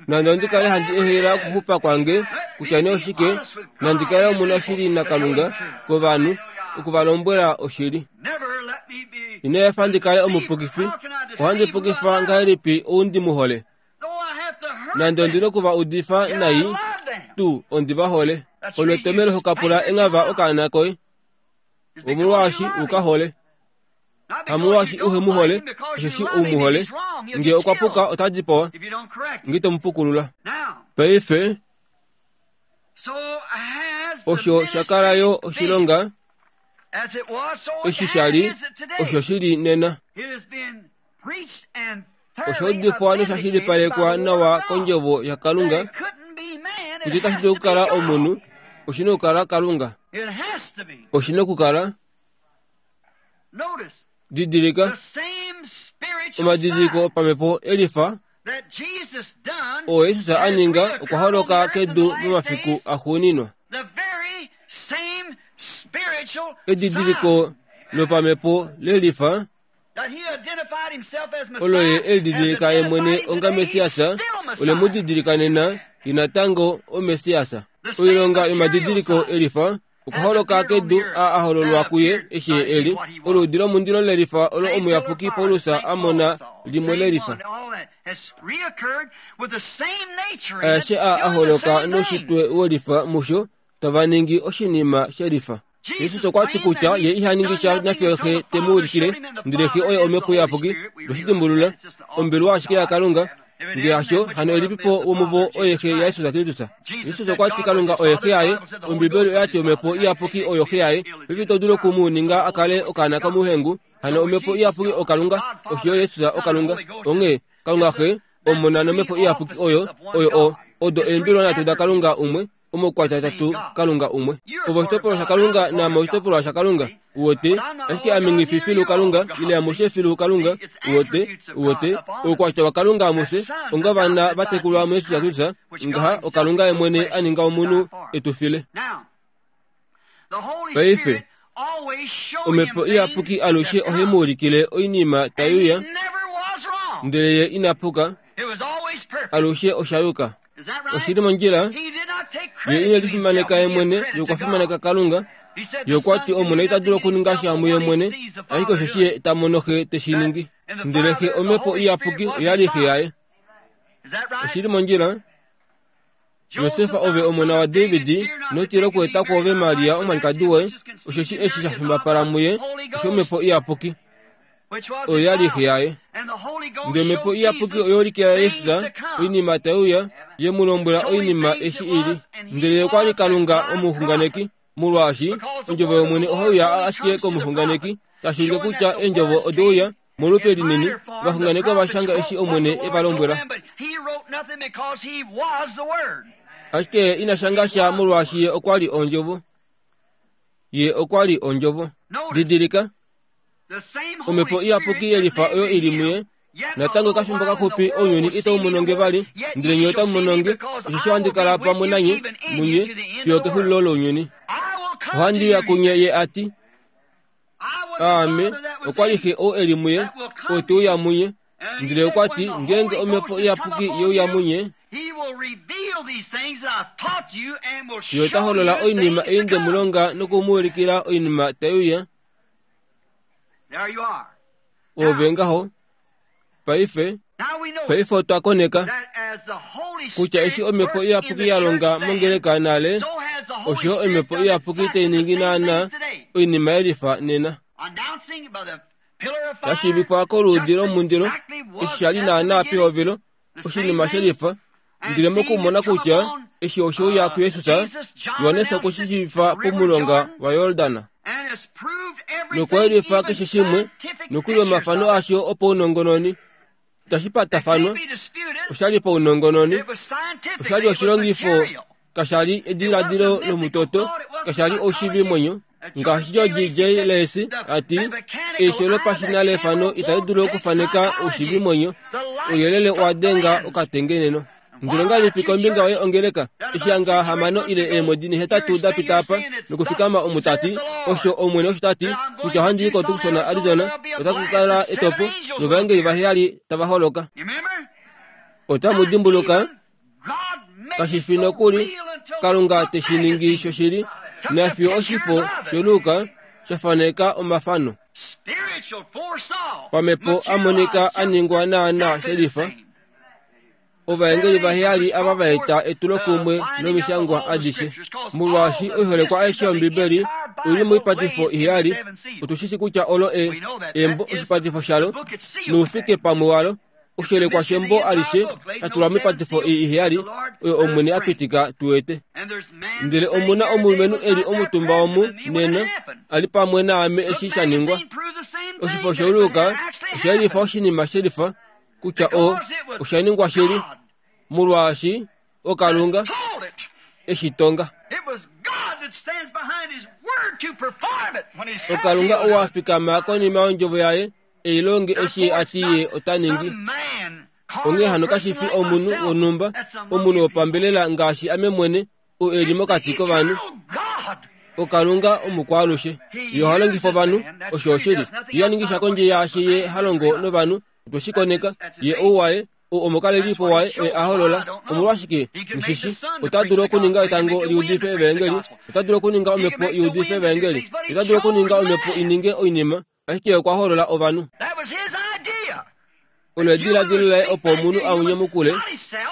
Nande ondi kale handi ehela okuxupa kwange kutya nee oshike, nandi kale omunashili naKalunga kovanhu, oku va lombwela oshili. Ina efa ndi kale omupukifi, ohandi pukifa ngahelipi ou ndi mu hole? Nande ondi noku va udifa nai, tuu ondi va hole. Olo etomhelo hokapula enghava okaana koye, omolwaashi u ka hole. Hamolwaashi uhe mu hole, osheshi u mu hole. Ngee okwa puka ota dipawa, nge ito mu pukulula. Paife, osho sha kala yo oshilonga, eshi sha li, osho shi li nena. Osha udifwa nosha shilipalekwa nawa kondjovo yaKalunga, kutya itashi dulu okukala omunhu, oshi na okukala Kalunga. Oshi na okukala. Didilika, omadidiliko opamhepo elifa oo Jesus a ninga okwa holoka kedu momafiku axuuninwa. Edidiliko lopamhepo lelifa olo ye elididilika ye mwene onga Messias, ole mu didilika nena ye natango oMessias. Oilonga yomadidiliko elifa okwa holoka kedu a a hololwa kuye eshi ye eli oluudi lomundilo lelifa olo omuyapuki Paulus a mona limwe lelifa. Aeshe a a holoka noushitwe welifa musho tava ningi oshinima shelifa. Jesus okwa ti kutya ye iha ningi sha nafye Xe te mu ulikile, ndele Xe oye Omhepo Iyapuki. Noshidimbulula, ombelwa ashike yaKalunga. Ngee hasho, hano elipipo womuvo oye Xe yaJesus Kristus. Jesus okwa ti Kalunga oye Xe yaye, Ombibeli oya ti Omhepo Iyapuki oyo Xe yaye. Paife ito dulu oku mu ninga a kale okaana komuhengu, Hano omhepo iyapuki okalunga, osho yo Jesus okalunga. Onghee Kalunga Xe, Omona nomhepo iyapuki oyo oyo o odo eembilwa nhatu daKalunga umwe, omaukwatya atatu Kalunga umwe. Ove oshitopolwa shaKalunga naame oshitopolwa shaKalunga. Uwete, ashike ame nghi filu Kalunga ile amushe filu Kalunga. Uwete, uwete, oukwatya waKalunga amushe onga vana va tekulwa muJesus Kristus, ngaha oKalunga ye mwene a ninga omunhu e tu file. Paife, omhepo iyapuki alushe ohai mu ulikile oinima tai uya, ndele ye ina puka, alushe osha yuka. Oshili mondjila, ye ine lifimaneka ye mwene, ye okwa fimaneka Kalunga. Ye okwa ti Omona ita dulu okuninga sha muye mwene, ashike osheshi ye ta mono Xe te shi ningi. Ndele Xe omhepo iyapuki oya li Xe yaye. Oshili mondjila, Josef ove omona waDavid, notila okweeta kwoove Maria omwalikadi woye, osheshi eshi sha fimbapala muye oshomhepo iyapuki, oyo ya li xe yaye. Ndele omhepo iyapuki oya ulikila Jesus oinima tai uya, ye mu lombwela oinima eshi i li. Ndele ye okwa li Kalunga omuxunganeki, molwaashi ondjovo yOmwene ohai uya ashike komuxunganeki, tashi ulike kutya eendjovo ode uya molupe linini, ovaxunganeki ova shanga eshi Omwene e va lombwela. Ashike ye ina shanga sha molwaashi ye okwa li ondjovo. Ye okwa li ondjovo. Didilika, omhepo iyapuki yelifa oyo i li muye, natango kafimbo kaxupi ounyuni itau mono nge vali, ndele nye otamu mono nge, osheshi ohandi kala pamwe nanye munye fiyo kexulilo lounyuni. Ohandi uya kunye, ye a ti. Aame, okwa li Xe ou e li muye, ou te uya munye. Ndele okwa ti, ngeenge omhepo iyapuki ye uya munye, ye ota holola oinima ei nde mu longa noku mu ulikila oinima tai uya. Ove ngaho. Paife, paife otwa koneka kutya eshi omhepo iyapuki ya longa mongeleka nale, osho yo omhepo iyapuki tai ningi naanaa oinima yelifa nena. Ya shiivifwa koluudi lomundilo, eshi sha li naanaa pehovelo, oshinima shelifa. Ndele mokumona kutya eshi oshe uya kuJesus, Johannes okwe shi shiivifa pomulonga waJordan. Nokwayelifa keshe shimwe, nokuli omafano asho opaunongononi. Itashi patafanwa, osha li paunongononi, osha li oshilongifo, kasha li ediladilo lomutoto, kasha li oshivimwenyo. Ngaashi George J. Lacey a ti, eisho lopashina lefano itali dulu okufaneka oshivimwenyo, ouyelele owa denga okatengeneno. Ndele ongahelipi kombinga yoye ongeleka, eshi hanga hamano ile eemwedi nehetatu da pita apa, nokufikama omu ta ti, osho Omwene osho ta ti, kutya ohandi i koTucson, Arizona, otaku ka kala etopo, novaengeli vaheyali tava holoka. Otamu dimbuluka, kashi fi nokuli Kalunga te shi ningi shoshili, nafiyo oshifo shOluka sha faneka omafano pamhepo a monika a ningwa naanaa shelifa. Ovaengeli vaheyali ava va eta etulokumwe lomishangwa adishe, molwaashi oiholekwa aishe yOmbibeli oi li moipatifo iheyali. Otu shi shi kutya olo e, embo oshipatifo shalo noufike pamwe walo, oshiholekwa shembo alishe sha tulwa moipatifo ei iheyali oyo Omwene a pitika tu ete. Ndele omu na omulumenhu e li omutumba omu nena, a li pamwe naame eshi sha ningwa. Oshifo shOluka osha yelifa oshinima shelifa kutya o osha ningwa shili, molwaashi oKalunga e shi tonga. OKalunga ou a fikama konima yondjovo yaye e i longe eshi a ti ye ota ningi. Onghee hano kashi fi omunhu wonhumba, omunhu wopambelela ngaashi ame mwene, ou e li mokati kovanhu. OKalunga omukwaalushe. Ye oha longifa ovanhu, osho oshili. Ye iha ningi sha kondje yaashi ye ha longo novanhu. Otwe shi koneka. Ye ou waye, ou omukalelipo waye oye a holola. Omolwashike, mushishi, ota dulu okuninga etango li udife evaengeli, ota dulu okuninga omhepo i udife evaengeli, ota dulu okuninga omhepo i ninge oinima, ashike okwa holola ovanhu. Olo ediladilo laye opo omunhu a nyamukule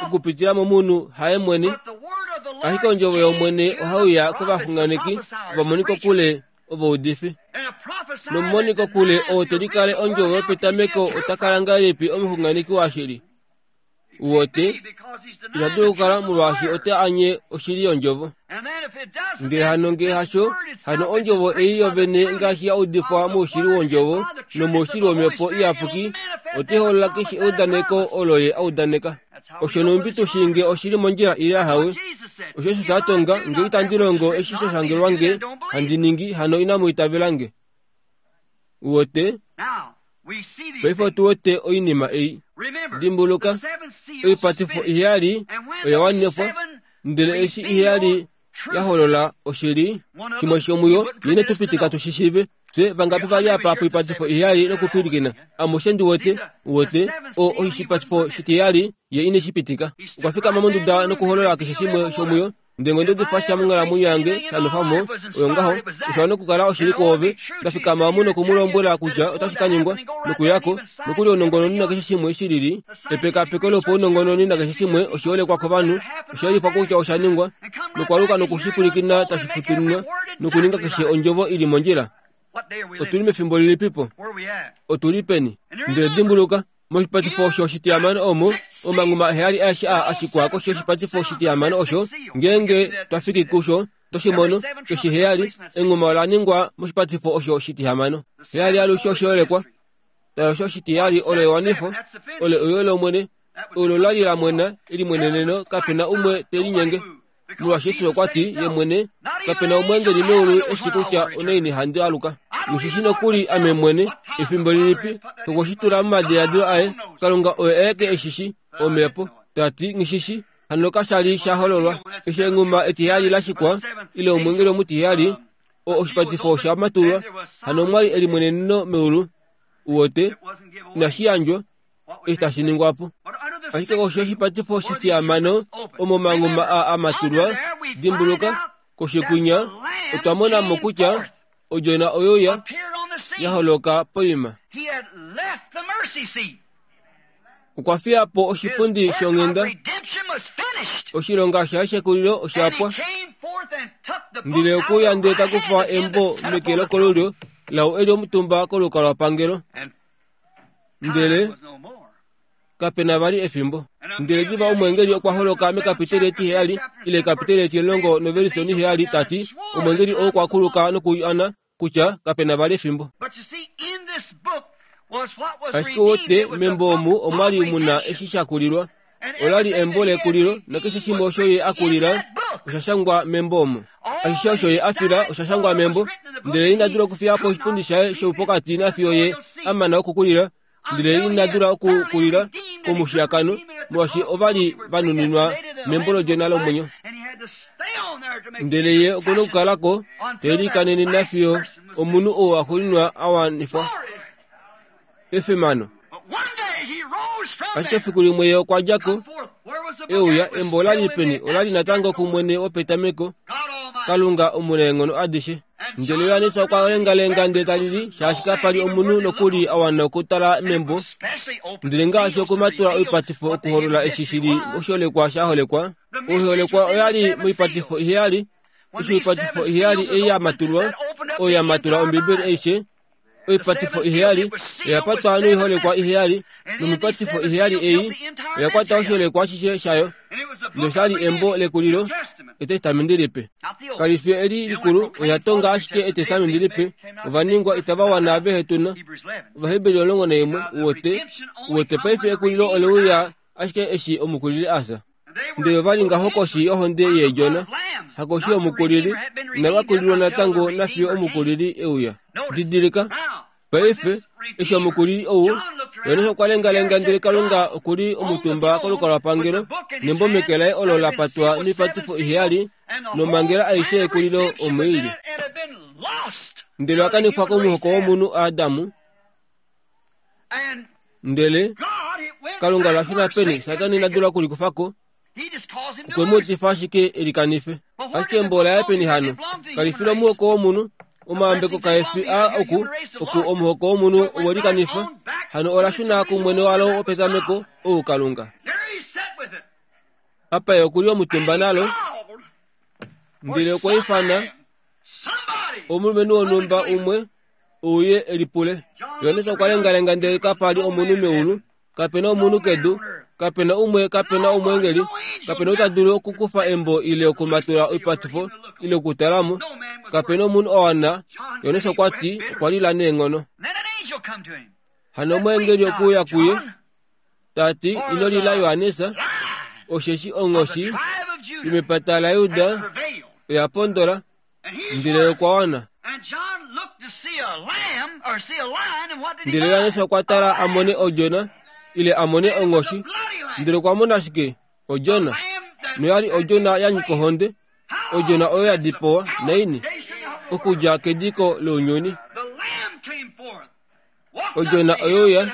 okupitila momunhu haye mwene, ashike ondjovo yOmwene ohai uya kovaxunganeki ovamonikokule ovaudifi. Nomumonikokule oo te likale ondjovo yopetameko ota kala ngahelipi omuxunganeki washili? Uwote ita dulu okukala molwaashi ote anye oshili yondjovo. Ndele hano ngee hasho, hano ondjovo ei yovene ngaashi ya udifwa moushili wondjovo nomoushili womhepo iyapuki, ote holola keshe eudaneko olo ye audaneka. Osho numbi tushinge oshili mondjila ile ahawe. Osho Jesus a tonga, nge itandi longo eshi sha shangelwa nge handi ningi, hano inamu itavela nge. Uwote paife otu wete oinima ei. Dimbuluka, oipatifo iheyali oya wanifwa, ndele eshi iheyali ya holola oshili shimwe shomuyo nine tupitika tushishive. Fye vangapi vali apa poipatifo iheyali nokupwilikina? Amushe ndi wete, wote o oshipatifo shitiheyali ye ine shipitika. Okwa fikama monduda nokuholola keshe shimwe shomuyo. Ndele ngeno difasha monghalamwenyo yange shanofamo oyo ngaho osha nokukala oshili kwoove. Ndafikama omu nokumulombwela kutya otashi ka ningwa nokuyako nokuli ounongononi nakeshe shimwe shilili. Epekapeko lopaunongononi nakeshe shimwe oshiholekwa kovanhu, osha kutya osha ningwa nokwaluka nokushipwilikina tashi futuninwa nokuninga keshe ondjovo ili mondjila. Otuli mefimbo lilipipo? Otuli peni? Ndele dimbuluka, moshipatifo osho shitiyamano omo omanguma heyali aeshe a ashikwa koshi yoshipatifo shitiyamano osho ngeenge twafiki kusho toshimono toshiheyali enguma ola ningwa moshipatifo osho shitihamano. Heyali alushe oshiholekwa nalosho shitiyali olo ewanifo olo oyo lomwene olo lali la mwena elimweneneno kapena umwe te linyenge. Molwaashi Yesu okwa ti ye mwene kapena omwengeli meulu eshi kutya onaini handi aluka. Mushishi nokuli ame mwene efimbo lilipi okweshitula momadiladilo aye. Kalunga oye aeke eshishi omhepo tati ngishishi hano kashali sha hololwa. Eshi enguma etiheyali la shikwa ile omwengeli omutiheyali o oshipatifo sha matulwa hano mwali elimweneneno meulu. Uwote inashi yandjwa eshi tashi ningwapo. Ashike koshi yoshipatifo shitiyamano omo manguma a amatulwa, dimbuluka koshikunya otwa mona mo kutya odjona oyo ya ya holoka poima. Okwa fiya po oshipundi shonghenda, oshilonga shaye shekulilo oshapwa. Ndele okuya ndele takufa embo meke lokolulyo lau eli omutumba kolukalwapangelo. Ndele kapena vali efimbo. Ndele diva omwengeli okwa holoka mekapiteli etiheyali ile ekapiteli etilongo novelisoni heyali tati omwengeli oo okwa kuluka nokuana kutya kapena vali efimbo. Ashike wote membo omu omwali muna eshi shakulilwa. Olali embo lekulilo nakeshe shimwe osho ye akulila osha shangwa membo omo. Ashishe osho ye afila osha shangwa membo. Ndele ina dula okufiya po oshipundi shaye shoupokati nafiyo ye amana okukulila. Ndele ina dula okukulila komushiyakano molwaashi ovali vanuninwa membo lodjona lomwenyo. Ndele ye okuna okukalako telikanene nafiyo omunhu oo axuuninwa awanifwa efimano. Ashike efiku limwe ye okwa djako euya embo olali peni olali natango kumwene wopetameko Kalunga omunaenghono adishe. Ndele Johannes okwa lengalenga ndele talili shaashi kapali omunhu nokuli awana okutala membo. Ndele ngaashi okumatula oipatifo okuholola eshi shili oshiholekwa sha holekwa. Oiholekwa oyali moipatifo iheyali. Eshi oipatifo iheyali ei ya matulwa oyo ya matula Ombibeli aishe. Oipatifo iheyali oya patwa noiholekwa iheyali nomipatifo iheyali ei oya kwata oshiholekwa ashishe shayo. Noshali embo lekulilo etestamenti lipe. Kalifi eli likulu oya tonga ashike etestamenti lipe. Ovaningwa itava wana vehetuna. Ovaheberi omulongo naimwe uwote uwote paife ekulilo oleuya ashike eshi omukulili asa. Ndele ovali ngaho koshi yohonde yeedjona hakoshi yomukulili inavakulilwa natango nafiyo omukulili euya. Didilika paife eshi omukulili ou Johannes okwa lengalenga ndele Kalunga okuli omutumba kolukalwapangelo nembo meke laye olo la patwa noipatifo iheyali nomangela aishe yekulilo omoili. Ndele wakanifwa komuhoko womunhu Adamu. Ndele Kalunga lashuna peni Satani ina dula okulikufako okwe mu utifa ashike elikanife. Ashike embo olaye peni hano kalifile omuhoko womunhu. Omaambeko kaefi a oku oku omuhoko womunhu owelikanifa hano olashuna kumwene walo wopetameko ou Kalunga. Apa ye okuli omutumba nalo. Ndele okwa ifana omulumenhu wonhumba umwe ouye elipule. Johannes okwa lengalenga ndele kapali omunhu meulu, kapena omunhu kedu, Kapena umwe, kapena omwengeli, kapena ou ta dulu okukufa embo ile okumatula oipatifo ile okutalamo. Kapena omunhu a wana. Johannes okwa ti okwa lila neenghono. Hano omweengeli okwe uya kuye, ta ti, ino lila Johannes, osheshi onghoshi yomepata laJuda oya pondola, ndele okwa wana. Ndele Johannes okwa tala a mone odjona, ile a mone onghoshi, ndele okwa mona ashike odjona, noya li odjona ya nyika ohonde, odjona oyo ya dipawa naini okudja kediko lounyuni. Odjona oyo ya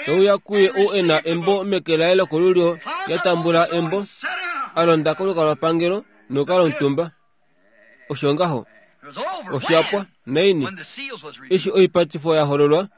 euya kuye ou e na embo meke laye lokolulyo, ya tambula embo, a londa kolukalwapangelo nokala omutumba. Osho ngaho osha pwa naini eshi oipatifo ya hololwa,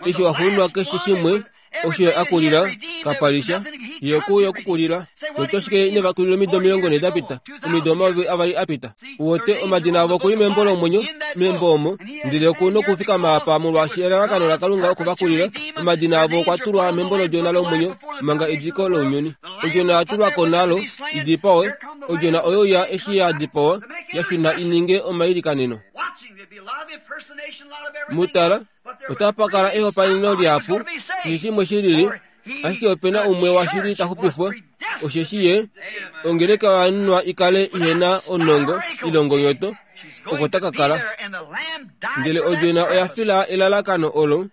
eshi waxuuninwa keshe shimwe osho ye a kulila kapalisha, ye okuuya okukulila. Totoshike ine vakulila omido omilongo nhee da pita, omido omayovi avali a pita. Uwete omadina avo okuli membo lomwenyo, membo omo, ndele oku nokufikama apa molwaashi elalakano laKalunga okuvakulila. Omadina avo okwa tulwa membo lodjona lomwenyo manga ediko lounyuni. Odjona ya tulwa ko nalo idipawe. Odjona oyo ya eshi ya dipawa ya shuna i ninge omailikaneno. Mutala, otapa kala ehopaeneno lihapu, keshe shimwe shi lili, ashike opena umwe washili ta xupifwa, osheshi ye ongeleka oya nunwa i kale ihena onongo ilongonyoto, oko taka kala. Ndele odjona oya fila elalakano olo.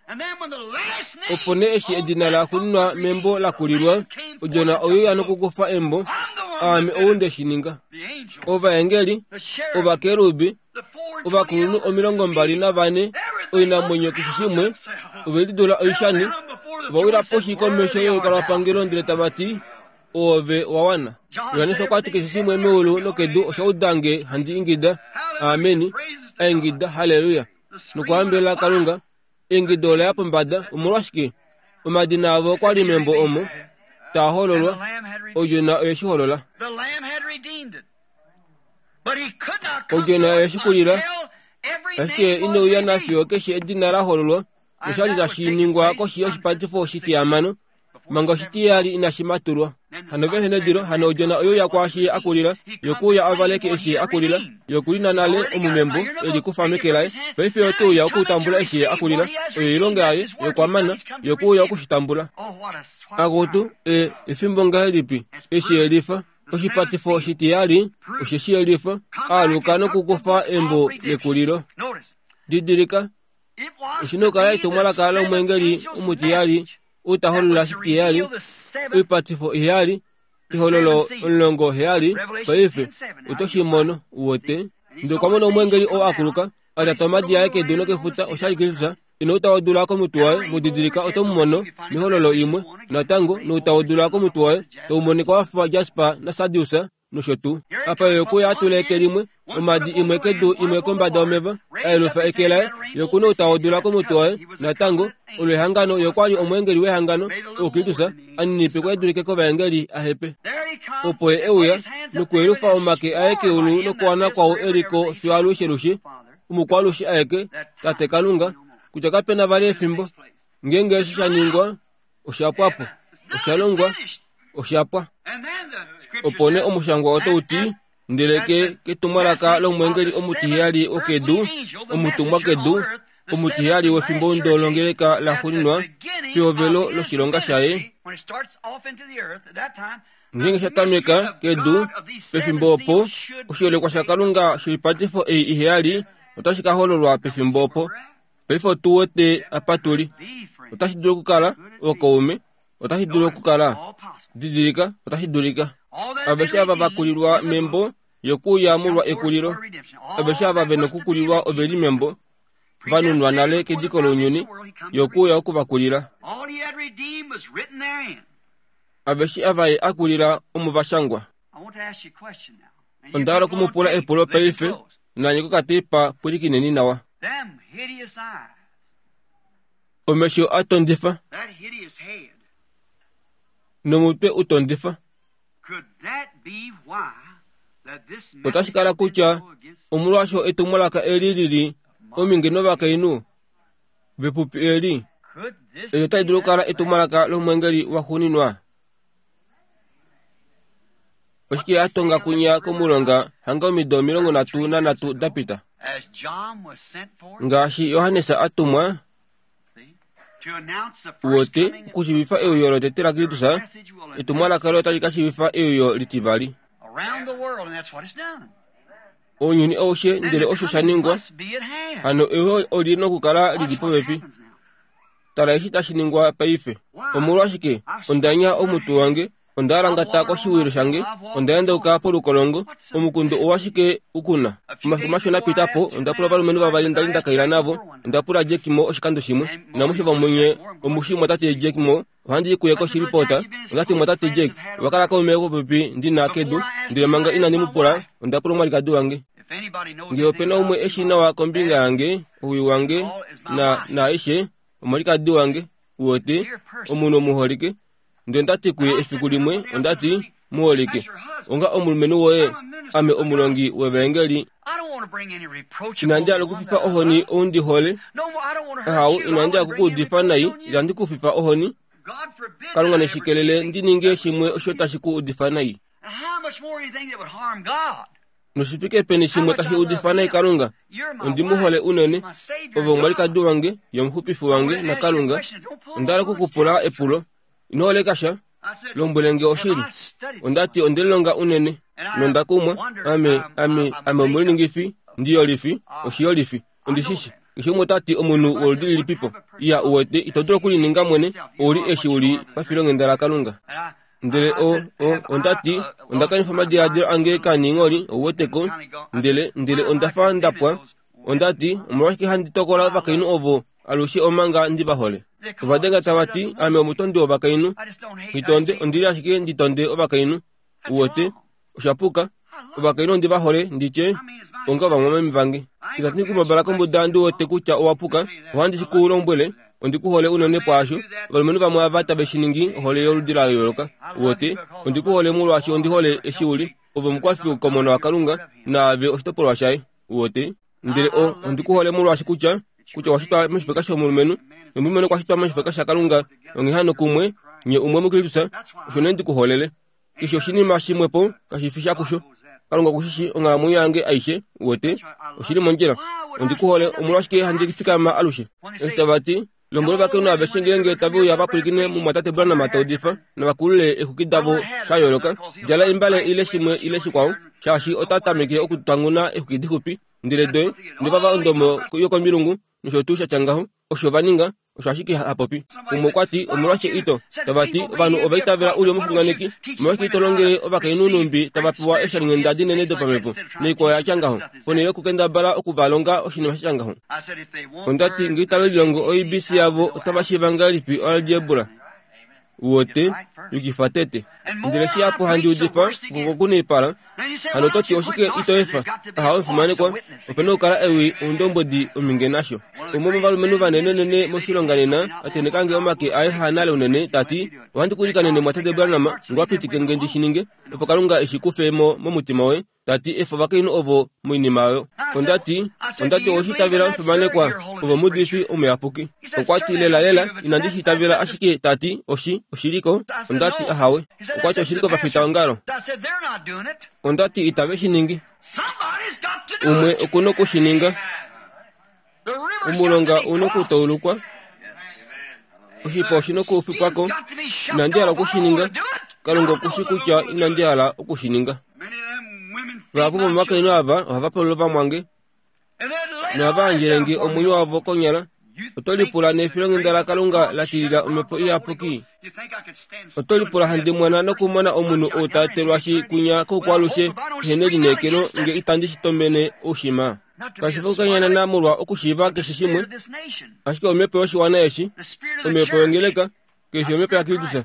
Opo nee eshi edina la xuuninwa membo la kulilwa, odjona oyo ya nokukufa embo, aame ou nde shi ninga. Ovaengeli, ovakerubi, ovakulunhu omilongo mbali navane, oinamwenyo keshe shimwe, ove lidula oishani, ova wila poshi komesho yolukalwapangelo ndele tava ti, oove wa wana. Johannes okwa ti keshe shimwe meulu nokedu osha uda nge handi ingida, ameni, a ingida haleluya, nokuhambelela Kalunga. Eingido ola ya pombada. Omolwashike? Omadina avo okwa li membo omo taa hololwa, odjona oye shi holola. Odjona oye shi kulila, ashike inouya nafiyo keshe edina la hololwa, noshali tashi ningwa koshi yoshipatifo oshitihamano, manga oshitiyali inashi matulwa. Hano vehe nedilo, hano odjona oyo ya kwaashi a kulila, yokuuya avaleke eshi a kulila, yokulina nale omumembo e likufa meke laye. Paife otouya okutambula eshi a kulila, oyo oilonga yaye yokwamana, yokuuya okushitambula. Akutu, e, efimbo ngahelipi eshi yelifa oshipatifo oshitiyali, oshe shi yelifa, aaluka nokukufa embo lekulilo. Didilika, oshi nokukala etumwalaka lomweengeli omutiyali ou ta holola oshitiyali, oipatifo iheyali, ehololo omulongo heyali. Paife oto shi mono, uwete. Ndele okwa mona omweengeli oo a kuluka, a lyata omadi aye kedu nokefuta, osha li Kristus. Ino uta odula komutwe waye, mudidilika oto mu mono mehololo imwe natango, nouta odula komutwe waye tau monika wa fa jasper nasardius nosho tuu. Apa ye okuya a tula eke limwe, omadi imwe kedu imwe kombada yomeva, a yelufa eke laye, ye oku nouta odula komutwe waye natango, olo ehangano, ye okwa li omweengeli wehangano, oo Kristus a ninipikwa e dulike kovaengeli a hepe. Opo ye euya nokuyelufa omake aye keulu nokuwana kwao e li ko fiyo alushe-lushe, omukwalushe aeke, Tate Kalunga, kutya kapena vali efimbo. Ngeenge eshi sha ningwa, osha pwa po, osha longwa, osha pwa. Opo nee omushangwa otau ti, ndele ke ketumwalaka lomweengeli omutiheyali wokedu, omutumwa kedu, omutiheyali wefimbo longeleka la xuuninwa pehovelo loshilonga shaye, ngeenge sha tameka kedu pefimbo opo, oshiholekwa shaKalunga shoipatifo ei iheyali otashi ka hololwa pefimbo opo. Paife otu wete apa tu li. Otashi dulu okukala ookaume, otashi dulu okukala didilika, otashi dulika. Aveshe ava va kulilwa membo yokuuya molwa ekulilo, aveshe ava ve nokukulilwa ove li membo, va nunwa nale kediko lounyuni, yokuuya okuvakulila. Aveshe ava ye a kulila omo va shangwa. Onda hala okumupula epulo paife, nanye kokateipa pwilikineni nawa. Omesho a tondifa nomutwe u tondifa. Otashi kala kutya omolwaasho etumwalaka eli li li ominge novakainhu vepupi eli, eli otali dulu okukala etumwalaka lomweengeli waxuuninwa. Oshike a tonga kunya komulonga hanga omido omilongo nhatu nanhatu da pita. Ngaashi Johannes a tumwa wote okushiivifa euyo lotete laKristus, etumwalaka olo otali ka shiivifa euyo litivali. Ounyuni aushe ndele osho sha ningwa, hano euyo oli nokukala lili popepi. Tala eshi tashi ningwa paife. Omolwashike onda nya omutwe wange, onda alangata koshiwilo shange, onda endauka polukolongo, omukundu owashike ukuna. Omafiku mashona pita po, onda pula ovalumenhu vavali ndali nda kaila navo, onda pula Jack Mo oshikando shimwe. Namushe vamwenye omushi mwatate Jack Mo, ohandi i kuye koshilipota, ondati mwatate Jack, owakala kaume popepi ndina kedu, ndele manga inandi mu pula, onda pula omwalikadi wange. Ngee opena umwe eshi nawa kombinga yange, ouwi wange, na naaishe, omwalikadi wange, uwete, omunhu omuholike. Ndele ondati kuye efiku limwe, ondati, muholike, onga omulumenhu woye, ame omulongi wevaengeli. Inandi hala okufifa ohoni ou ndi hole. Ahau, inandi hala okukuudifa nai, itandi ku fifa ohoni. Kalunga neshikelele ndi ninge shimwe osho tashi ku udifa nai. Noshifike peni shimwe tashi udifa nai Kalunga? Ondi mu hole unene. Ove omwalikadi wange, yomuxupifi wange naKalunga. Onda hala okukupula epulo. Ino holeka sha, lombwele nge oshili. Ondati onde lilonga unene nonda kumwa. Ame, ame, ame omuliningifi, ndiyolifi, oshiyolifi, ondishishi. Keshe umwe ota ti omunhu woludi lilipipo. Iya uwete, ito dulu okulininga mwene, ouli eshi uli pafilonghenda laKalunga. Ndele o, o, ondati, onda kanifa omadiladilo ange kaningholi, ouweteko, ndele, ndele onda fa nda pwa. Ondati, omolwashike handi tokola ovakainhu ovo alushe omanga ndi va hole? Ovadenga tava ti, ame omutondi wovakainhu. Nghitonde, ondili ashike ndi tonde ovakainhu. Uwete, osha puka. Ovakainhu ondi va hole, nditye, onga ovamwameme vange. Itandi kumabala kombuda ndi wete kutya owa puka, ohandi shi ku lombwele, ondi ku hole unene pwaasho. Ovalumenhu vamwe ava tave shi ningi ohole yoludi la yooloka. Uwete, ondi ku hole molwaashi ondi hole eshi uli. Ove omukwafi komona waKalunga, naave oshitopolwa shaye. Uwete, ndele o, ondi ku hole molwaashi kutya, kutya washitwa moshifeka shomulumenhu, nomulumenhu okwa shitwa moshifeka shaKalunga, onghee hano kumwe, nye umwe muKristus, osho nee ndi ku holele. Keshe oshinima shimwepo kashi fi sha kusho. Kalunga okushishi onghalamwenyo yange aishe, uwete, oshili mondjila. Ondi ku hole, omolwashike handi fikama alushe? Eshi tava ti, lombwela ovakainhu aveshe ngeenge tave uya va pwilikine mumwatate Branham ta udifa, navakulule eexwiki davo sha yooloka, djala imbale ile shimwe ile shikwao, shaashi ota tameke okutanguna eexwiki dixupi, ndele doye, ndevava ondomo yokomilungu, nosho tuu sha tya ngaho, osho va ninga, osho ashike ha popi. Umwe okwa ti, omolwashike ito? Tava ti, ovanhu ova itavela uli omuxunganeki, omolwashike ito longele ovakainhu numbi tava pewa eeshalinghenda dinene dopamhepo, noikwao ya tya ngaho, ponhele yokukendabala oku va longa oshinima sha tya ngaho. Onda ti, ngee itave lilongo O B C yavo, otava shiiva ngahelipi oalgebra? Uwete, yukifa tete. Ndele shihapu handi udifa, kokokunaipala, hano oto ti oshike ito efa? Aha, omufimanekwa, opena okukala ewi oundombwedi ominge nasho. Umwe womovalumenhu vanenenene moshilonga nena, a tenheka nge omake aye haanale unene, ta ti, ohandi ku ilikanene mwatate Branham, ngoo pitike nge ndi shi ninge, opo Kalunga eshi kufe mo momutima woye, ta ti efa ovakainhu ovo moinima oyo. Onda ti, onda ti oweshi itavela omufimanekwa, ove omuudifi omuyapuki. Okwa ti lela lela, inandi shi itavela ashike ta ti, oshi, oshiliko. Onda ti ahawe. Okwa ti oshiliko vafitaongalo. Onda ti itave shi ningi. Umwe oku noku shi ninga. Omulonga u nokutoulukwa. Oshipa oshi nokufikwako. Inandi hala oku shi ninga. Kalunga oku shi kutya inandi hala oku shi ninga. Vahapu vomovakainhu ava ohava palula ovamwange nohava yandjele nge omwenyo wavo konyala. Oto lipula nefilonghenda laKalunga la tilila omhepo iyapuki? Oto lipula handi mwana nokumona omunhu ou ta etelwashi kunya koukwalushe ehe nelineekelo nge itandi shi tomene oushima? Kashi fi okukanyanana molwa okushiiva keshe shimwe, ashike omhepo yoshiwana eshi, omhepo yongeleka, keshe omhepo yaKristus.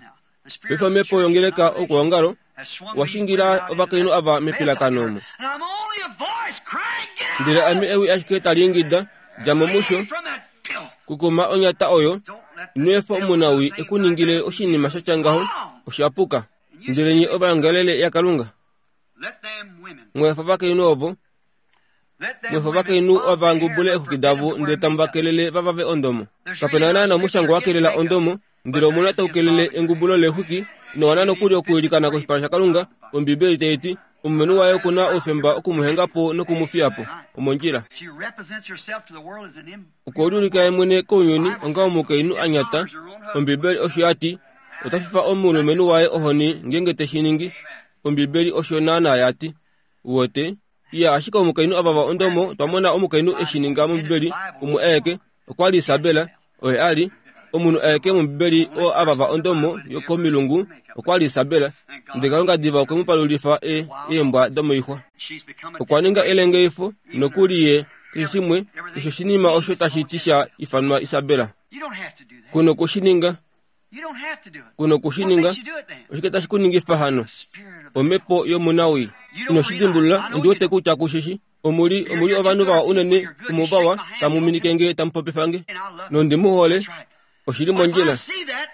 Paife omhepo yongeleka okwoongalo washingila ovakainhu ava mepilakano omo. Ndele ame ewi ashike tali ingida, dja mo musho, kukuma onyata oyo, ino efa omunawi ekuningile oshinima sha tya ngaho, osha puka. Ndele nye ovaongalele yaKalunga, mweefa ovakainhu ovo, mweefa ovakainhu ova ngubule eexwiki davo ndele tamu va kelele va vave ondomo. Kapena naana omushango wa kelela ondomo, ndele omuna tau kelele engubulo leexwiki, nowana nokuli okuilikana koshipala shaKalunga, Ombibeli tai ti omulumenhu waye oku na oufemba okumuhenga po nokumufiya po omondjila. Okwe liulika ye mwene kounyuni onga omukainhu a nyata. Ombibeli osho ya ti ota fifa omulumenhu waye ohoni ngeenge te shi ningi. Ombibeli osho naana ya ti. Wote iya ashike omukainhu avava ondomo otwa mona omukainhu eshi ninga mombibeli umwe aeke okwa li Isabela oye a li omunhu aeke mombibeli oo avava ondomo yokomilungu okwa li Isabela. Ndele Kalunga diva okwe mu palulifa e eembwa domoixwa. Okwa ninga elengeifo nokuli ye keshe shimwe keshe oshinima osho tashi ti sha ifanwa Isabela. Kuno kushininga kuno kushininga oshike tashi kuningifa hano omhepo yomunawii ino shi dimbulula ondi wete kutya kushishi omuli omuli ovanhu vawa unene omuvawa tamu minike nge tamu popifa nge nondi mu hole oshili mondjila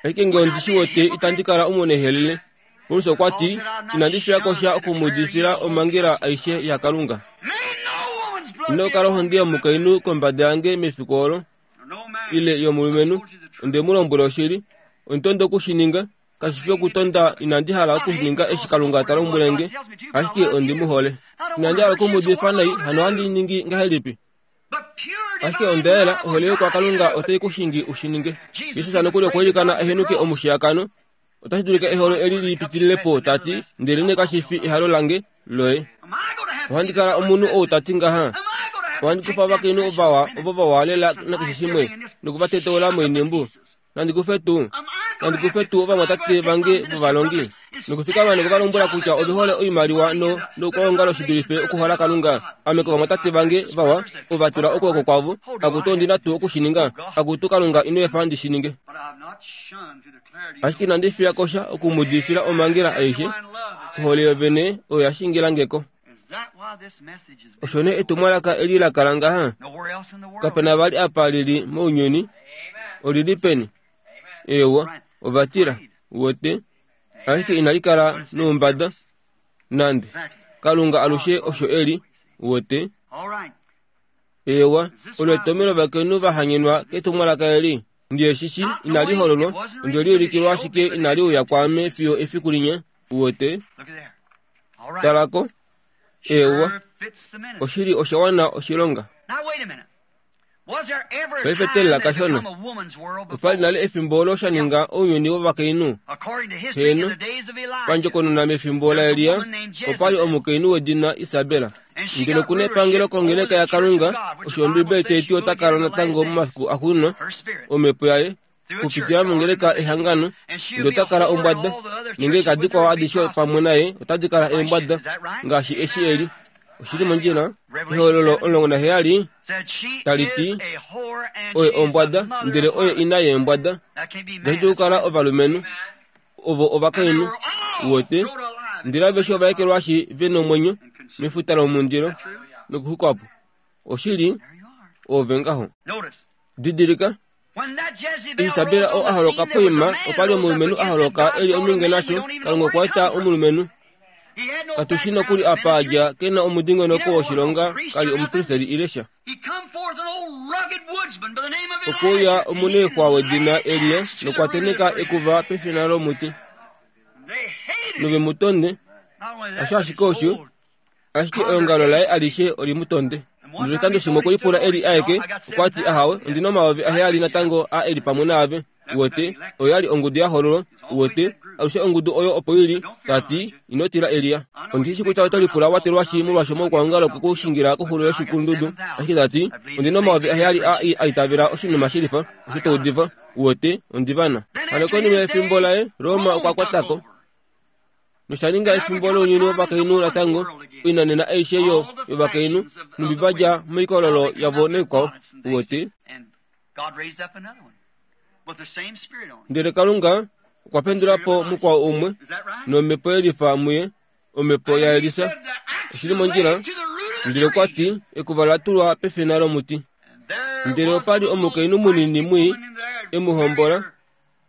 ashike nge ondi shi wete itandi kala omunehelele. Paulus okwa ti inandi fiya kosha okumudifila omhangela aishe yaKalunga. Ino kala ohonde yomukainhu kombada yange mefiku olo ile yomulumenhu. Onde mu lombwela oshili ontondo okushininga kashi fi okutonda inandi hala okushininga eshi Kalunga ta lombwele nge ashike ondi mu hole. Inandi hala okumudifa nai hano ohandi ningi ngahelipi? Ashike onda yela ohole yokwaKalunga otai kushingi ushininge. Jesus nokuli okwa ilikana ehenuke omushiyakano. Otashi dulika eholo eli lipitilile po tati ndele ne kashi fi ehalo lange loye. Ohandi kala omunhu ou tati ngaha. Ohandi kufa ovakainhu vawa ovo vawa lela nakeshe shimwe nokuvatetola moinimbu. Nandi kufe tuu nandi kufe tuu ovamwatate vange vovalongi nokufikama nokuvalombwela kutya ove hole oimaliwa no noukwaongalo shi dulife okuhola Kalunga. Ame kovamwatate vange vawa ova tula okwooko kwavo akutu ondina tuu okushininga akutu Kalunga ino efa ndi shi ninge. Ashike inandi fiya kosha okumudifila omhangela aishe. Ohole yovene oyo ya shingila ngeko. Osho nee etumwalaka eli la kala ngaha. Kapena vali apa lili mounyuni. Olili peni? Ewa, ovatila wote ashike inali kala noumbada nande. Kalunga alushe osho eli wote. Ewa, olo etomelo ovakainhu va hanyenwa ketumwalaka eli. Ndiye shishi inali hololwa onde liulikilwa ashike inali uya kwaame fiyo efiku linya wote. Talako. Ewa, oshili osha wana oshilonga. Paife telela kashona. Opali nale efimbo olo sha ninga ounyuni wovakainhu. Heno, pandjokonona mefimbo laElia opali omukainhu wedina Isabela. Ndele okuna epangelo kongeleka yaKalunga osho Ombibeli tai ti ota kala natango momafiku axuuninwa omhepo yaye kupitila mongeleka ehangano ndele ota kala ombwada nongeleka dikwao adishe pamwe naye otadi kala eembwada ngaashi eshi eli. Oshili mondjila. Ehololo omulongo naheyali tali ti oye ombwada ndele oye ina yeembwada. Itashi dulu okukala ovalumenhu ovo ovakainhu wote ndele aveshe ova ekelwashi ve nomwenyo mefuta lomundilo nokuxwikwa po. Oshili ove ngaho. Didilika Isabela oo a holoka poima opali omulumenhu a holoka eli ominge nasho. Kalunga okwa eta omulumenhu. Katushi nokuli apa adja kena omudingonoko woshilonga kali omupristeli ile sha. Okwe uya omuneexwa wedina Elia nokwa teneka ekuva pefina lomuti. Nove mu tonde. Osho ashike osho ashike eongalo laye alishe oli mu tonde. Noshikando shimwe okwe lipula eli aeke okwa ti ahawe ondina omayovi aheyali natango a eli pamwe naave wote oyo yali ongudu ya hololwa wote alushe ongudu oyo opo ili tati ino tila Elia. Ondishi kutya oto lipula watelwashi molwasho moukwaongalo kokushingila koxulo yoshikulundudu ashike tati ondina omayovi aheyali a a itavela oshinima shilifa osho taudifa wote ondivana. Hano konima yefimbo laye Roma okwa kwatako nosha ninga efimbo lounyuni wovakainhu natango oinanena aishe yo yovakainhu numbi vadja moikololo yavo noikwao wote. Ndele Kalunga okwa pendula po mukwao umwe nomhepo yelifa muye omhepo yaElisa. Oshili mondjila. Ndele okwa ti ekuva la tulwa pefina lomuti. Ndele opali omukainhu munini mwii e mu hombola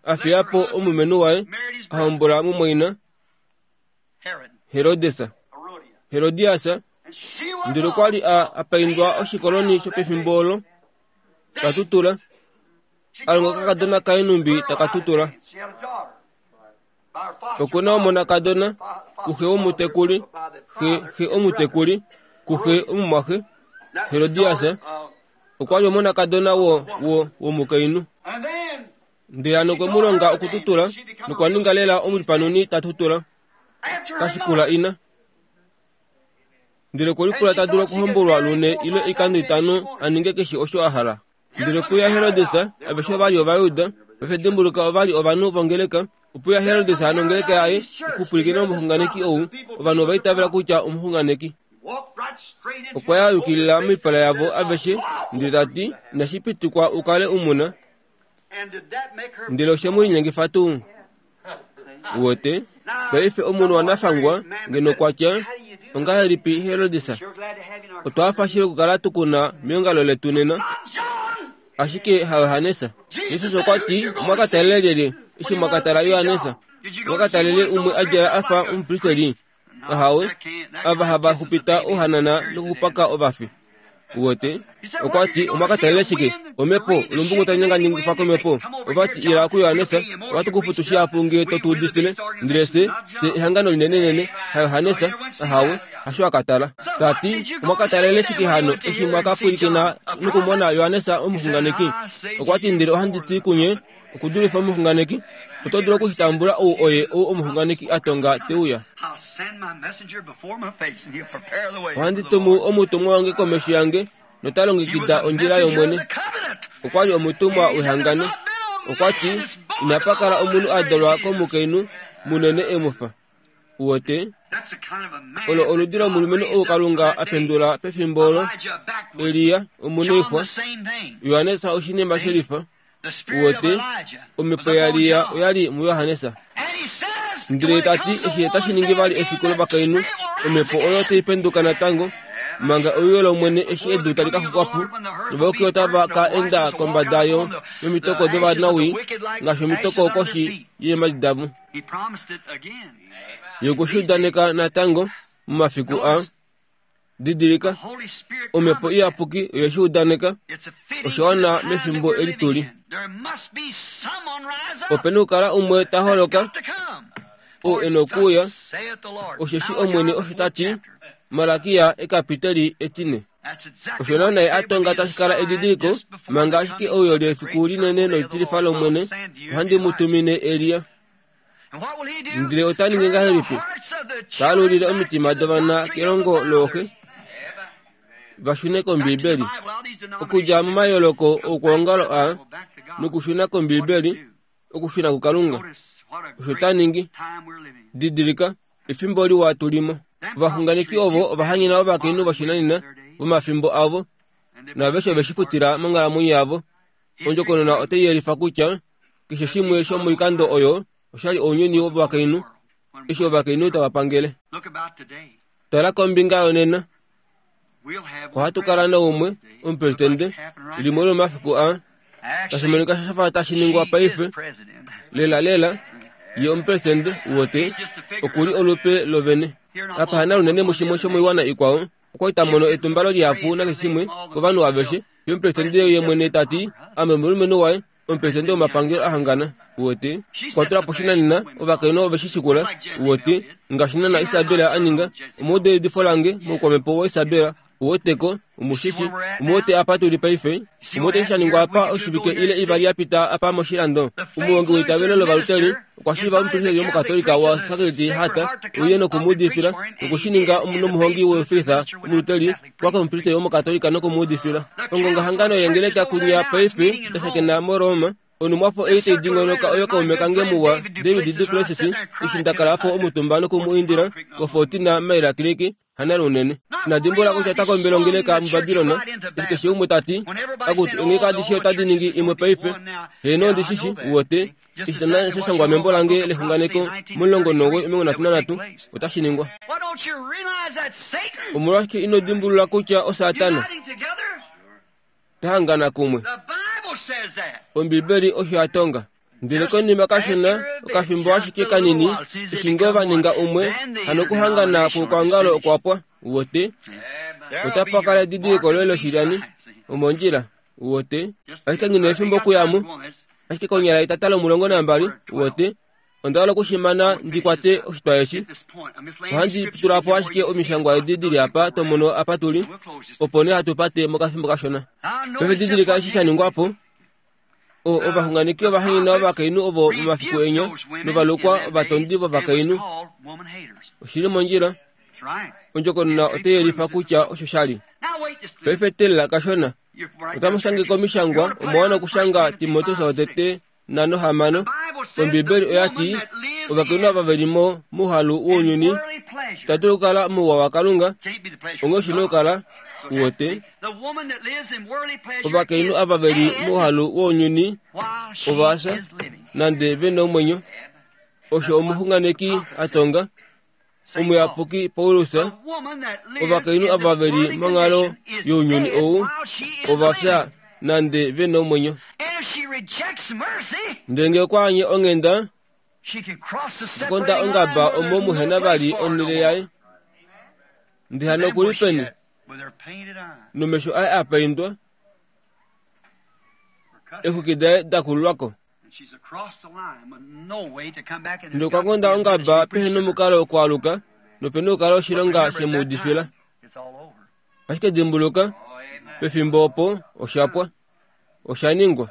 a fiya po omulumenhu waye a hombola mumwaina Herodesa Herodias. Ndele okwa li a apaindwa oshikoloni shopefimbo olo tatutula alonga kakadona kaye numbi takatutula. Okuna omonakadona kuxe womutekuli, xe xe omutekuli, kuxe omumwaxe Herodias okwa li omonakadona wo wo womukainhu. Ndele hano okwe mu longa okututula nokwa ninga lela omulipanuni ta tutula tashikula ina. Ndele okwe lipula ta dulu okuhombolwa lune ile oikando itano a ninge keshe osho a hala. Ndele puya Herodes aveshe ova li Ovayuda, paife dimbuluka ova li ovanhu vongeleka. Opuya Herodes nongeleka yaye okupwilikina omuxunganeki ou, ovanhu ova itavela kutya omuxunganeki. Okwa ya yukilila moipala yavo aveshe ndele ta ti inashi pitikwa u kale umuna. Ndele oshe mu linyengifa tuu? Uwete? Paife omunhu wanafangwa ngeno okwa tya ongahelipi Herodes? Otwa hafa shili okukala tukuna meongalo letu nena. Ashike haYohanesa. Jesus okwa ti omwa ka talele lyelye eshi mwa ka tala Yohanesa? Omwa ka talele umwe a djala a fa omupristeli? Ahawe, ava hava xupita ouhanana nokupaka ovafi. Uwete? Okwa ti omwa ka talele shike? Omhepo, olumbungu tali nyanganyangifa komhepo. Ova ti ila kuYohanesa, ohatu ku futu shihapu ngee to tu udifile. Ndele se, se ehangano linenenene, haYohanesa, ahawe, hasho a ka tala. Ta ti omwa ka talele shike hano eshi mwa ka pwilikina nokumona Yohanesa omuxunganeki? Okwa ti ndele ohandi ti kunye, okudulifa omuxunganeki, oto dulu okushitambula ou oye ou omuxunganeki a tonga te uya. Ohandi tumu omutumwa wange komesho yange nota longekida ondjila yOmwene. Okwa li omutumwa wehangano. Okwa ti inapa kala omunhu a dalwa komukainhu munene e mu fa. Uwete? Olo oludi lomulumenhu ou Kalunga a pendula pefimbo olo, Elia, omuneixwa, Johannes oshinima shelifa. Uwete? Omhepo yaElia oya li muJohannes. Ndele ta ti eshi tashi ningi vali efiku lovakainhu, omhepo oyo tai penduka natango manga euyo lOmwene eshi edu tali ka xukwa po, novayuki otava ka enda kombada yo yomitoko dovanawii ngaashi omitoko koshi yeemhadi davo. Ye okwe shi udaneka natango momafiku a didilika, omhepo iyapuki oye shi udaneka osha wana mefimbo eli tuli. Ope na okukala umwe ta holoka ou e na okuuya, osheshi Omwene osho ta ti, Malakia ekapiteli etine. Osho naana a tonga tashi kala edidiliko, manga ashike euyo lefiku linene nolitilifa lOmwene, ohandi mu tumine Elia. Ndele ota ningi ngahelipi? Ta alulile omitima dovana kelongo looxe, va shune kOmbiibeli. Okudja momayooloko oukwaongalo aa, nokushuna kOmbiibeli, okushuna kuKalunga. Osho ta ningi. Didilika, efimbo liwa tu limo. Ovaxunganeki ovo ova hanyena ovakainhu voshinanena vomafimbo avo, naaveshe ove shi futila monghalamwenyo yavo. Ondjokonona otai yelifa kutya keshe shimwe shomoikando oyo osha li ounyuni wovakainhu, eshi ovakainhu tava pangele. Tala kombinga yonena. Ohatu kala naumwe omupresidente limwe lomomafiku aa, tashi monika sha fa tashi ningwa paife. Lela lela, ye omupresidente wote oku li olupe lovene. Kapahana lunene mushimwe shomoiwana ikwao, okwa li ta mono etumbalo lihapu nakeshe shimwe kovanhu aveshe. Ye omupresidente ye mwene ta ti, ame omulumenhu waye, omupresidente womapangelo a hangana. Uwete? Okwa tula po shinanena, ovakainhu ove shi shikula. Uwete? Ngaashi naana Isabel a ninga, omuudo weudifo lange moukwamhepo waIsabel. Uweteko, omushishi, omuwete apa tuli paife, omuwete eshi sha ningwa apa oshivike ile ivali ya pita apa moshilando. Omuhongi weitavelo lovaluteri okwa shiiva omupristeli womukatolika wa Sacred Heart uye nokumuudifila, nokushininga nomuhongi weufilitha omuluteri kwa komupristeli womukatolika nokumuudifila. Ongongahangano yengeleka kunya paife tashakena moRoma. Onumwafo ei tai dingonoka oyo kaume kange muwa David Duplessis eshi nda kala po omutumba noku mu indila koFortina Maila Creek hana lunene. Inadimbula kutya ota kombele ongeleka muBabilon, eshi keshe umwe ta ti, akutu eengeleka adishe otadi ningi imwe paife. Heeno ondishishi, uwete, eshi naana sha shangwa membo lange lexunganeko momulongo nomuwoi omilongo nhatu nanhatu, otashi ningwa. Omolwashike ino dimbulula kutya oSatana ta hangana kumwe? Ombibeli osho ya tonga. Ndele konima kashona, okafimbo ashike kanini, eshi ngoo va ninga umwe, hano okuhangana kwoukwaongalo okwa pwa. Uwete? Otapa kala edidiliko loye loshilyani, omondjila. Uwete? Ashike nghi na efimbo okuya mo. Ashike konyala etata lomulongo nambali, uwete, Onda hala okushimana ndi kwate oshitwa eshi. Ohandi tula po ashike omishangwa edi dili apa to mono apa tuli, opo nee hatu pate mokafimbo kashona. Paife didilika eshi sha ningwa po. O ovaxunganeki ovahanyena ovakainhu ovo momafiku enya novalukwa ovatondi vovakainhu. Oshili mondjila. Ondjokonona otai yelifa kutya osho sha li. Paife teelela kashona. Otamu shange komishangwa omwa wana okushanga Timoteus wotete nhano hamano. Ombibeli oya ti ovakainhu ava ve li mo mouhalu wounyuni itava dulu okukala mouwa waKalunga, onghee oshi na okukala wote. Ovakainhu ava ve li mouhalu wounyuni ova fya nande ve na omwenyo. Osho omuxunganeki a tonga, omuyapuki Paulus, ovakainhu ava ve li monghalo younyuni ou ova fya nande ve na omwenyo. Ndele ngee okwa anye onghenda, konda ongaba omo muhena vali onhele yaye. Ndele hano okuli peni? Nomesho aye a paindwa, eexwiki daye da kululwako. Ndele okwa konda ongaba pehena omukalo wokwaaluka, nopena okukala oshilonga shemuudifila. Ashike dimbuluka, pefimbo opo osha pwa. Osha ningwa.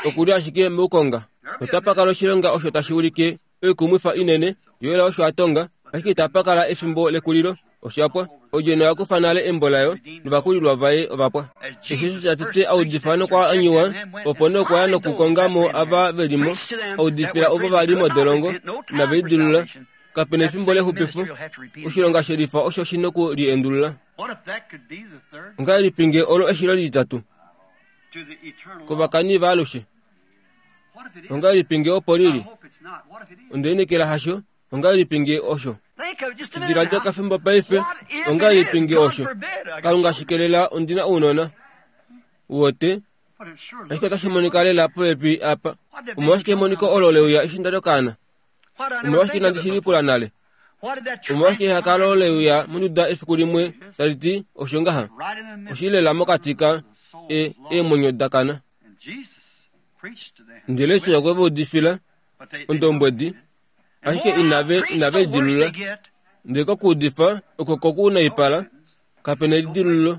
Okuli ashike moukonga. Otapa kala oshilonga osho tashi ulike oikumwifa inene, Joel osho a tonga, ashike itapa kala efimbo lekulilo. Osha pwa. Odjona oya kufa nale embo layo, novakulilwa vaye ova pwa. Eshi Jesus a tete a udifa nokwa anyiwa, opo nee okwa ya nokukonga mo ava ve li mo, a udifila ovo va li modolongo, inave lidilulula. Kape na efimbo lexupifo. Oshilonga shelifa osho shi noku liendulula. Ongahelipi ngee olo eshilo lititatu kovakani vaalushe? Ongahelipi ngee opo lili? Onde lineekela hasho. Ongahelipi ngee osho? Shidiladila okafimbo paife. Ongahelipi ngee osho? Kalunga shikelela ondina ounona. Wote, ashike otashi monika lela popepi apa. Omolwashike emoniko olo leuya eshi nda li okaana? Omolwashike inandi shi lipula nale? Omolwashike ehakalo leuya monduda efiku limwe tali ti osho ngaha? Oshi lela mokati ka e, eemwenyo da kana. Ndele Jesus okwe va udifila ondombwedi, ashike inave inave lidilulula. Ndele kokuudifa oko kokunaipala, kape na elidilululo,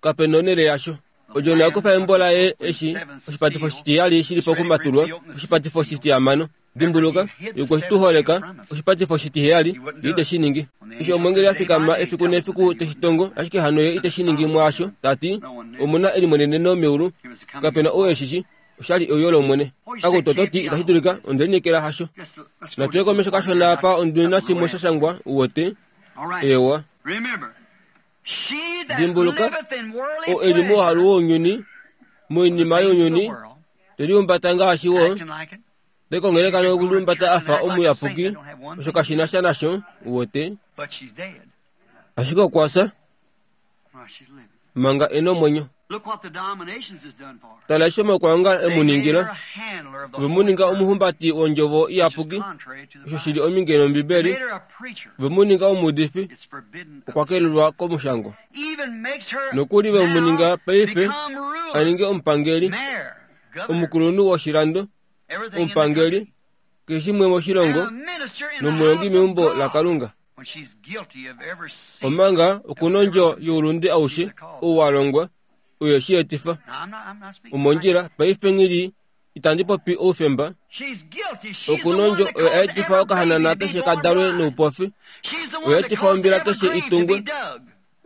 kape na onhele yasho. Odjona oya kufa embo laye eshi oshipatifo shitiheyali shi li pokumatulwa, oshipatifo shitihamano. Dimbuluka, ye okwe tu holeka oshipatifo shitiheyali, ye ite shi ningi. Eshi omwengeli a fikama efiku nefiku te shi tongo, ashike hano ye ite shi ningi mwaasho, ta ti, Omu na elimweneneno meulu, kape na ou e shi shi, oshali euyo lOmwene. Akutu oto ti itashi dulika, onde lineekela hasho. Natu ye komesho kashona apa ondi na shimwe sha shangwa, u wete. Eewa. Dimbuluka, oo e li mouhalu wounyuni, moinima younyuni, te lihumbata ngaashi wo, te kongeleka nokulihumbata a fa omuyapuki, osho kashi na sha nasho, u wete. Ashike okwa fya manga e nomwenyo. Tala eshi omaukwaongalo e mu ningila. Ove mu ninga omuhumbati wondjovo iyapuki, osho shi li ominge nOmbibeli. Ove mu ninga omuudifi, okwa kelelwa komushangwa. Nokuli ve mu ninga paife a ninge omupangeli, omukulunhu woshilando, omupangeli, keshe shimwe moshilongo, nomulongi meumbo laKalunga. Omanga okuna ondjo youlunde aushe ou wa longwa, oyo shi etifa. Omondjila, paife nghili itandi popi oufemba. Okuna ondjo oyo a etifa okahanana keshe ka dalwe noupofi, oyo a etifa ombila keshe i tungwe,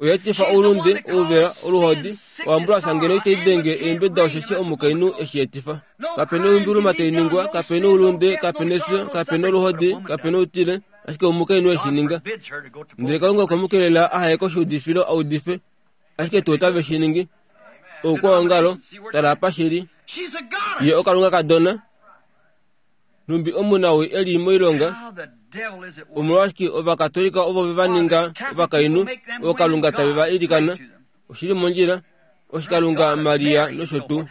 oyo a etifa oulunde, ouvela, oluhodi, oambulansa ngeno itai denge eembeda osheshi omukainhu eshi etifa. Kape na oimbuluma tai ningwa, kape na oulunde, kape na efyo, kape na oluhodi, kape na outile, ashike omukainhu eshi ninga. Ndele Kalunga okwe mu kelela aha ye koshiudifilo a udife, ashike tuu otave shi ningi. Oukwaongalo, tala apa shi li. Ye okalunga kadona. Nhumbi omunawii e li moilonga, omolwashike Ovakatolika ovo ve va ninga ovakainhu ookalunga tave va ilikana, oshi li mondjila, oshikalunga Maria nosho tuu.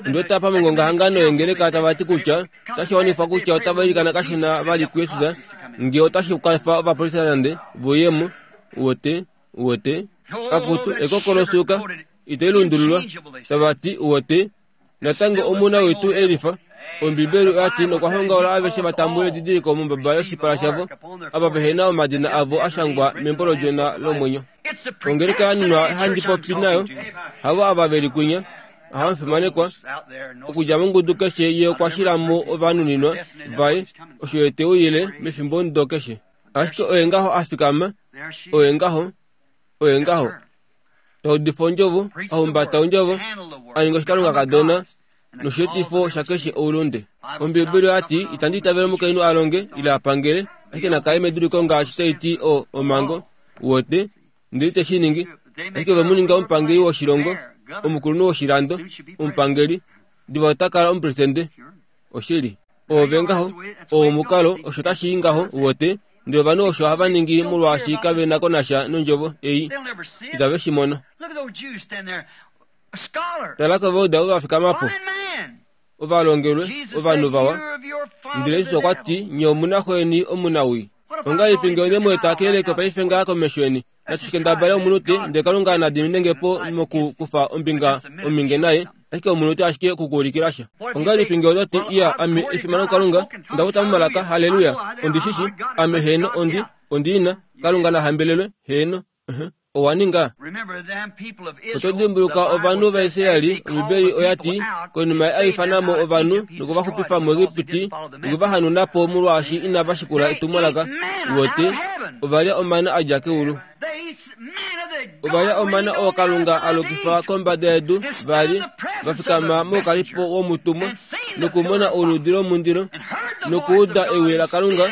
Ondi wete apa mongongahangano yongeleka tava ti kutya otashi wanifwa kutya otava ilikana kashona vali kuJesus ngee otashi kwafa Ovaprotestante vouyemo, uwete, uwete. Akutu, ekoko losuuka, itai lundululwa, tava ti, uwete, natango omunawii tuu e lifa. Ombibeli oya ti nokwa hongaula aveshe va tambule edidiliko mombaba yoshipala shavo, ava vehena omadina avo a shangwa membo lOdjona lomwenyo. Ongeleka ya nunwa handi popi nayo, havo ava ve li kwinya, ohamufimanekwa, okudja mongudu keshe ye okwa shila mo ovanuninwa vaye, osho ye te uyile mefimbo ndo keshe. Ashike oye ngaho a fikama, oye ngaho, oye ngaho. Taudifa ondjovo, ahumbata ondjovo, a ninga oshikalunga kadona, nosheetifo shakeshe oulunde. Ombibeli oya ti itandi itavele omukainhu a longe ile a pangele, ashike nakale meduliko ngaashi tai ti o omhango, wote, ndele te shi ningi. Ashike ve mu ninga omupangeli woshilongo, omukulunhu woshilando, omupangeli, diva ota kala omupresidente. Oshili. Ove ngaho, omukalo, osho tashi i ngaho, wote, ndele ovanhu osho hava ningi molwaashi kave na ko nasha nondjovo ei, itave shi mono. Tala kovauda ovo va fikama po, ovalongelwe, ovanhu vawa. Ndele Jesus okwa ti, nye omuna xweni omunawii. Ongahelipi ngee onde mu eta keyeleko paife ngaa komesho yeni? Natushikendabale omunute, ndele Kalunga na diminenge po mokukufa ombinga ominge naye, ashike omunute ashike okukuulikila sha. Ongahelipi ngee oto ti, iya, ame efimano kuKalunga, onda futa momalaka, haleluya, ondi shi shi, ame heeno ondi, ondi ina, Kalunga na hambelelwe, heeno, uh-huh. Owa ninga. Oto dimbuluka ovanhu vaIsraeli, Ombibeli oya ti, konima a ifana mo ovanhu nokuvaxupifa muEgipiti nokuvahanuna po molwaashi inava shikula etumwalaka, wote, ova lya omana a dja keulu. Ova lya omana oo Kalunga a lokifa kombada yedu, va li va fikama moukalipo womutumwa nokumona oludi lomundilo nokuuda ewi laKalunga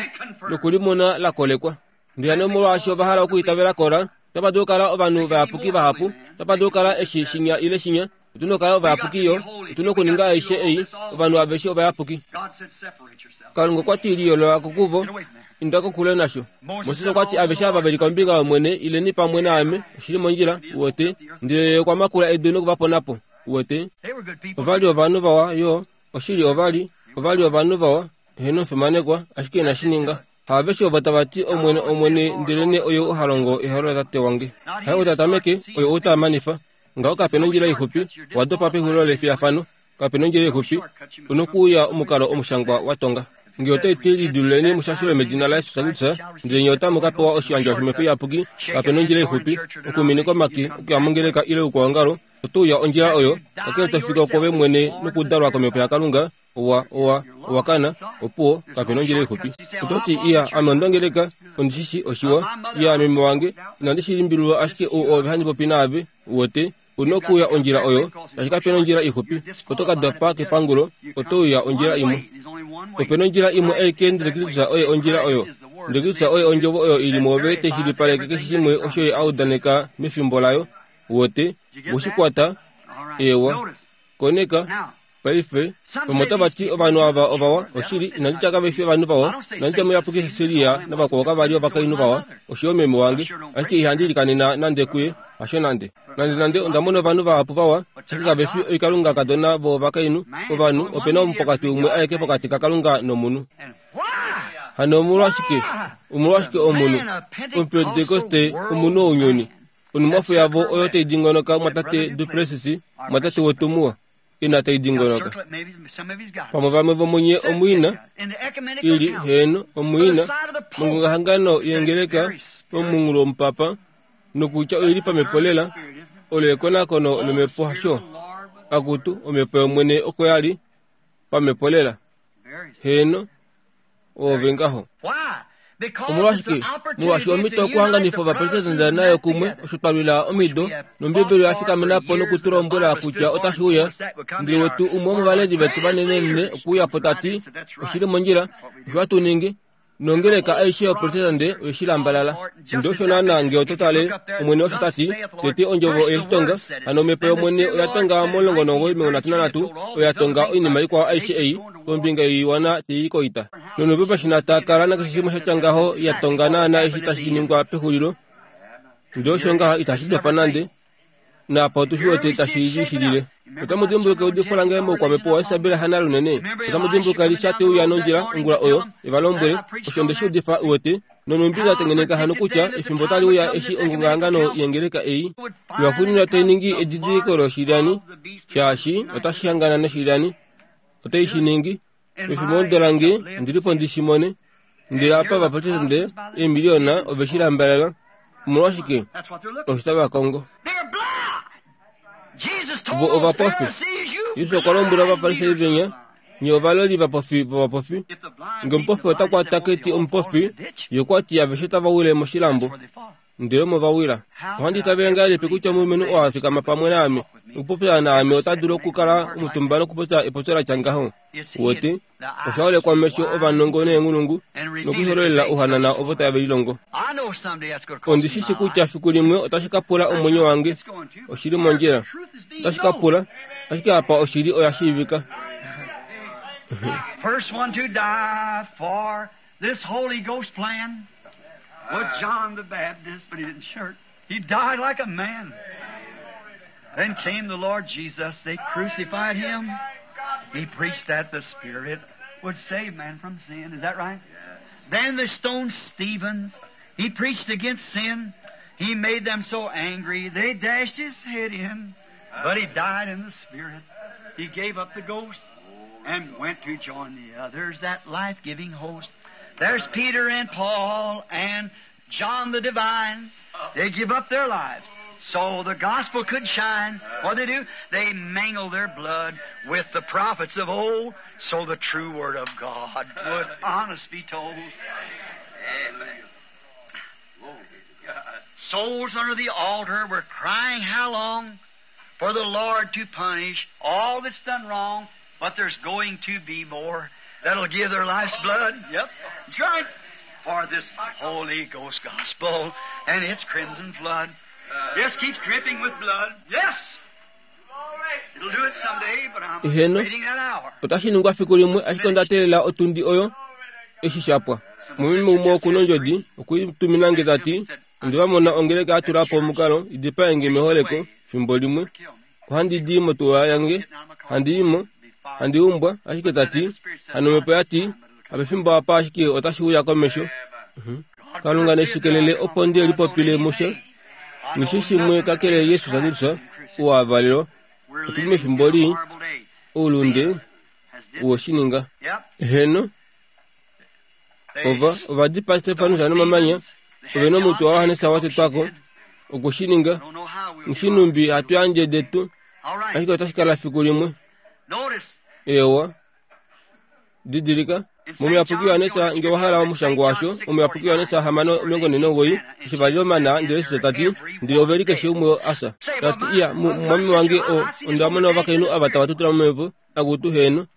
nokulimona la kolekwa. Ndele hano molwaashi ova hala okuitavela kola, otapa dulu okukala ovanhu vayapuki vahapu, otapa dulu okukala eshi shinya ile shinya, otuna okukala ovayapuki yo, otuna okuninga aishe ei, ovanhu aveshe ovayapuki. Kalunga okwa ti liyoolola ko kuvo, inda kokule nasho. Moses okwa ti aveshe ava ve li kombinga yOmwene ileni pamwe naame, oshili mondjila, wote, ndele ye okwa makula edu nokuvapona po, wote. Ova li ovanhu vawa yo, oshili ova li, ova li ovanhu vawa, eheno omufimanekwa, ashike inashi ninga. Haaveshe ovo tava ti Omwene, Omwene, ndelenee oye ha longo ehalo laTate wange. Haye ou ta tameke, oye ou ta manifa. Ngaho kape nondjila ixupi, owa dopa pexulilo lefiyafano. Kape nondjila ixupi, onokuuya omukalo omushangwa wa tonga. Ngee otai ti lidiluleni mushashilwe medina laJesus Kristus, ndele nye otamu ka pewa oshiyandjwa shOmhepo Iyapuki. Kape nondjila ixupi, okuminika omake, okuya mongeleka ile oukwaongalo, oto uya ondjila oyo, kakele to fika kwoove mwene nokudalwa kOmhepo yaKalunga, owa, owa, owa kana, opuwo, kape nondjila ixupi. Oto ti, iya, ame ondongeleka, ondi shi shi oshiwa, iya, meme wange, inandi shi limbililwa ashike ou ove handi popi naave, wote, una okuuya ondjila oyo, shaashi kape nondjila ixupi, oto ka dopa kepangulo, oto uya ondjila imwe. Ope nondjila imwe aike ndele Kristus oye ondjila oyo. Ndele Kristus oye ondjovo oyo ili mwoove tai shilipaleke keshe shimwe osho ye a udaneka mefimbo layo, wote, we shi kwata, ewa, koneka, paife. Vamwe otava ti ovanhu ava ovawa, oshili, inandi tya kave fi ovanhu vawa, inandi tya muyapuki Cecilia navakwao kava li ovakainhu vawa, osho yo meme wange, ashike ihandi likanena nande kuye, hasho nande. Nande nande onda mona ovanhu vahapu vawa, ashike kave fi oikalunga kadona vovakainhu, ovanhu, ope na omupokati umwe aeke pokati kaKalunga nomunhu. Hano omolwashike, omolwashike omunhu, Omupentekoste, omunhu wounyuni, onumwafo yavo oyo tai dingonoka mwatate Duplessis, mwatate wetu muwa, ina tai dingonoka. Pamwe vamwe vomunye omwiina, ili heeno omwiina, mongongahangano yengeleka pomunghulo womupapa, nokutya oili pamhepo lela, olo ekonakono lomhepo hasho, akutu omhepo yOmwene oko ya li, pamhepo lela. Heeno, ove ngaho. Omolwashike? Molwaashi omhito okuhanganifa ovaprotestante nayo kumwe osho twa lwila omido, nOmbibeli oya fikamena po nokutulombwela kutya otashi uya. Ndele wetu umwe womovaleli vetu vanenenene okuuya po ta ti, oshili mondjila, osho hatu ningi, nongeleka aishe yoprotestante oye shi lambalala. Ndele osho naana ngee oto tale, Omwene osho ta ti, tete ondjovo oye shi tonga, hano omhepo yOmwene oya tonga momulongo nomuwoi momilongo nhatu nanhatu, oya tonga oinima ikwao aishe ei, kombinga yoiwana tei i koita. Nonope pashina ta kala nakeshe shimwe sha tya ngaho ya tonga naana eshi tashi ningwa pexulilo. Ndele osho ngaha itashi dopa nande, naapa otu shi wete tashi lishilile. Otamu dimbuluka eudifo lange moukwamhepo waIsabel Hanna lunene? Otamu dimbuluka Elisa te uya nondjila ongula oyo, e va lombwele, osho nde shi udifa uwete, nonhumbi nda tengeneka hano kutya efimbo otali uya eshi ongongahangano yengeleka ei lwaxuuninwa tai ningi edidiliko loshilyani, shaashi otashi hangana noshilyani, otai shi ningi, Mefimbo lange ndilipo ndi shi mone. Ndele apa ovaprotestante eemiliona ove shi lambalala. Omolwashike? Osho tava kongo. Vo ovapofi. Jesus okwa lombwela ovafarisai venya, nye ovaloli vapofi vovapofi. Nge omupofi ota kwata keti omupofi, ye okwa ti aveshe otava wile moshilambo. Ndele omo va wila. Ohandi itavele ngahelipi kutya omulumenhu oo a fikama pamwe naame nokupopya naame ota dulu okukala omutumba nokupopya epopyo la tya ngaho? Wete, osha holekwa mesho ovanongo neenghulungu nokuhololela ouhanana ovo tave lilongo. Ondi shi shi kutya fiku limwe otashi ka pula omwenyo wange. Oshili mondjila. Otashi ka pula, ashike apa oshili oya shiivika. First one to die for this Holy Ghost plan was John the Baptist, but he didn't shirk. He died like a man. Then came the Lord Jesus. They crucified him. He preached that the Spirit would save man from sin. Is that right? Then they stoned Stephen. He preached against sin. He made them so angry they dashed his head in. But he died in the Spirit. He gave up the ghost and went to join the others, that life-giving host. There's Peter and Paul and John the Divine. They give up their lives so the gospel could shine. What they do? They mingle their blood with the prophets of old so the true word of God would honest be told. Amen. Souls under the altar were crying how long for the Lord to punish all that's done wrong, but there's going to be more that'll give their life's blood. Yep, that's right. For this Holy Ghost gospel and its crimson flood. Just keeps dripping with blood. Yes! It'll do it someday, but I'm Heno. waiting that hour. Otashi ningwa fiku limwe ashike onda teelela otundi oyo eshi shapwa. Mumime umwe okuna ondjodi okwiitumina nge tati onde va mona ongeleka ya tula po omukalo idipaenge meholeko fimbo limwe. Ohandi di motuwa yange, handi imo, handi umbwa, ashike tati hano omhepo yati apefimbo apa ashike otashi uya komesho. Kalunga neshikelele opo ndi lipopile mushe. Nishi shimwe kakele Yesus Kristus ou a valelwa. We're Otuli living mefimbo in a lii, horrible day. oulunde Has did- woshininga. Yep. Heno, They ova ovadipa Stefanus nomamanya, They ove had nomutwe John waJohannes wa tetwako did. okushininga. I don't know how we'll Nshinumbi hatu yandje detu, All right. ashike otashi kala fiku limwe. Notice Ewa. Didilika. Momuyapuki Yohannes nge wahala omushango washo, omuyapuki Yohannes hamano omilongo nhee nomugoyi, eshi vali omana ndele Jesus tati, ndele ove li keshe umwe asa. Tati iya, mumwameme wange o, onda mona ovakainhu ava tava tutula momhepo, akutu heno.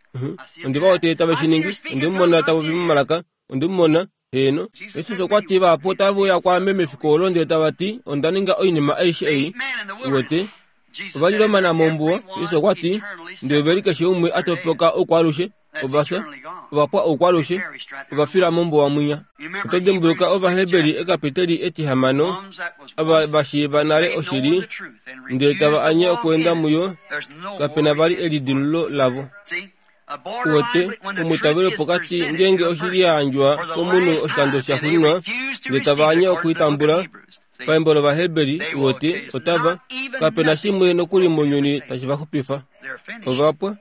Onde va wete tave shi ningi, onde mu mona tava popi momalaka, onde mu mona heno. Jesus okwa ti vahapu otave uya kwaame mefiku olo ndele tava ti, onda ninga oinima aishe ei. eight men in the wilderness. Uwete, Jesus ova li said, lomana mombuwa, everyone Jesus okwa ti, eternally ndele ove li keshe umwe a topoka oukwalushe, ovafya, ovapwa oukwalushe, ovafila mombuwa mwinya. Oto dimbuluka Ovaheberi ekapiteli etihamano, Ones that was ava once va shiiva nale made known oshili, the truth and ndele refused tava to anye walk okuenda in it. muyo, There's no kapena more vali repentance. elidilululo lavo. See? A Uwete, borderline when the omutavelo truth is pokati presented ngeenge to a oshili person ya yandjwa for the komunhu last oshikando time, sha and they xuuninwa, refuse to ndele receive tava anye it according to the book of okuitambula, Hebrews. See? paembo lOvaheberi, They will- uwete, there's otava, not even kapena nothing shimwe nokuli mounyuni to tashi va xupifa. They're finished. Ovapwa,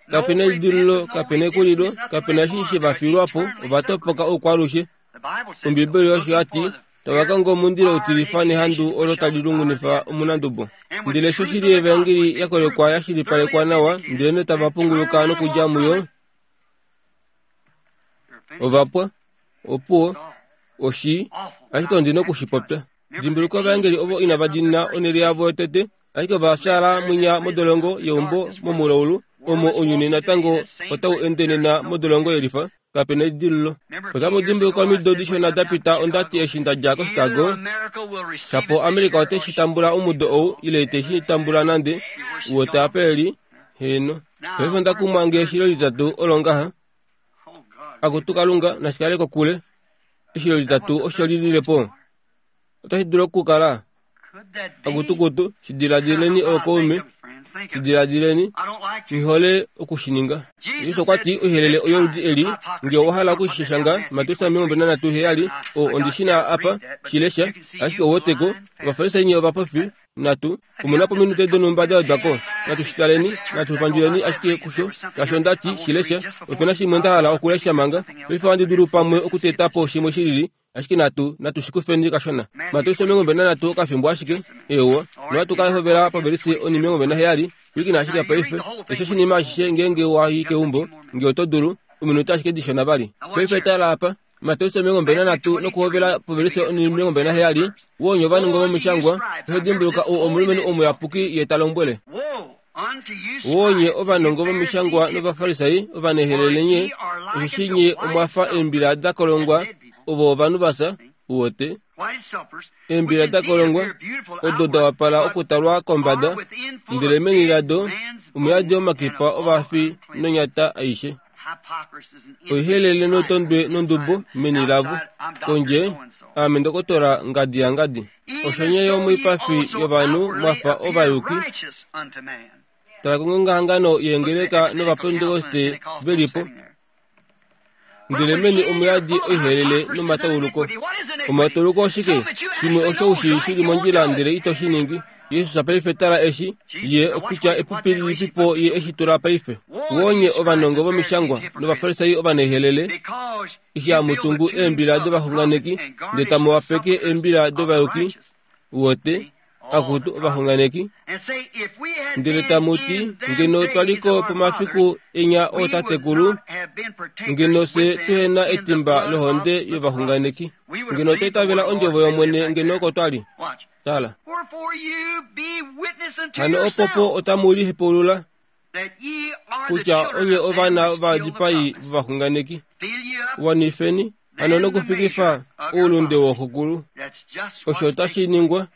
No kapena elidilululo, repentance, no kapena ekulilo, redemption, nothing kapena left eshi for she them. va filwa po, Eternally ova topoka separated. oukwalushe. The Bible says so. Ombibeli osho Looking yati for the tava kongo omundilo utilifa nehandu fire olo tali shall lungunifa omunandubo. And when Ndele the sho truth shili of the gospel evangeli has ya been kolekwa proven, ya shilipalekwa thoroughly nawa, vindicated, ndele ne tava and punguluka turn around nokudja and walk muyo, from it, they're finished. ovapwa, opuwo, It's all oshii, awful. ashike ondina okushipopya. Dimbuluka ovaengeli ovo inava diinina onhele yavo yotete, ashike ova fyaala mwinya modolongo yeumbo momulaulu, omo ounyuni natango otau ende nena modolongo yelifa, kapena elidilululo. Otamu dimbuluka omido dishona da pita onda ti eshi nda dja koChicago, America will receive shapo it this America year ote or shi tambula omudo ou ile ite shi tambula nande, uwete apa eli, heno. Paife onda kumwa nge eshilo litatu olo ngaha, Oh God. akutu Kalunga nashikale kokule. Eshilo litatu osho li lile po. Otashi dulu okukala Could that be? akutukutu, shi diladileni ookaume, Shidiladileni, nghihole okushininga. Jesus okwa ti oihelele oyoludi eli, nge owa hala okushishanga Mateus omilongo mbali nanhatu heyali, o ondishina apa shilesha, ashike ouweteko, Ovafarisai nye ovapofi natu omuna pominute donhumba da wedwako. Natu shitaleni, natu panduleni ashike kusho, shaashi onda ti shilesha, opena shimwe nda hala okulesha manga. Paife ohandi dulu pamwe okuteta po shimwe shilili, ashike natu natu shikufeni kashona. Mateus omilongo mbali nanhatu okafimbo ashike, eewa, nohatu ka hovela povelise onimilongo mbali naheyali. Pwilikina ashike paife, lesha oshinima ashishe ngeenge wa i keumbo, nge oto dulu, ominute ashike dishona vali. Paife tala apa, Mateus omilongo mbali nanhatu nokuhovela povelise onimilongo mbali naheyali, wonye ovanongo vomishangwa, ihe dimbuluka ou omulumenhu omuyapuki ye ta lombwele. Wonye ovanongo vomishangwa novafarisai ovanehelele nye, osheshi nye omwafa eembila da kolongwa ovo ovanhu vasa, uwote. Eembila da kolongwa odo da wapala okutalwa kombada, ndele meni lado omuyadi omakipa ovafi nonyata aishe. Oihelele notondwe nondubo meni lavo, kondje aame ndokotola ngadi ya ngadi. Osho nye yo moipafi yovanhu mwafa ovayuki. Tala kongongahangano yeengeleka novapentekoste velipo, ndele meni omuyadi oihelele nomatauluko. Omatauluko oshike? Shimwe osho ushi shili mondjila ndele ito shi ningi. Jesus paife tala eshi ye okutya epupi lilipipo ye eshi tula paife. Wonye ovanongo vomishangwa novafarisai ovanehelele, eshi hamutungu eembila dovaxunganeki ndele tamu wapeke eembila dovayuki, uwote, akutu ovaxunganeki, ndele tamu ti ngeno twaliko pomafiku enya ootatekulu, ngeno fye tuhena etimba lohonde yovaxunganeki, ngeno twa itavela ondjovo yOmwene ngeno oko twali. Tala. Hano opopo otamu lihepaulula kutya onye ovana vadipai vovaxunganeki. Wanifeni hano nokufikifa oulunde wooxokulu. Osho otashi ningwa.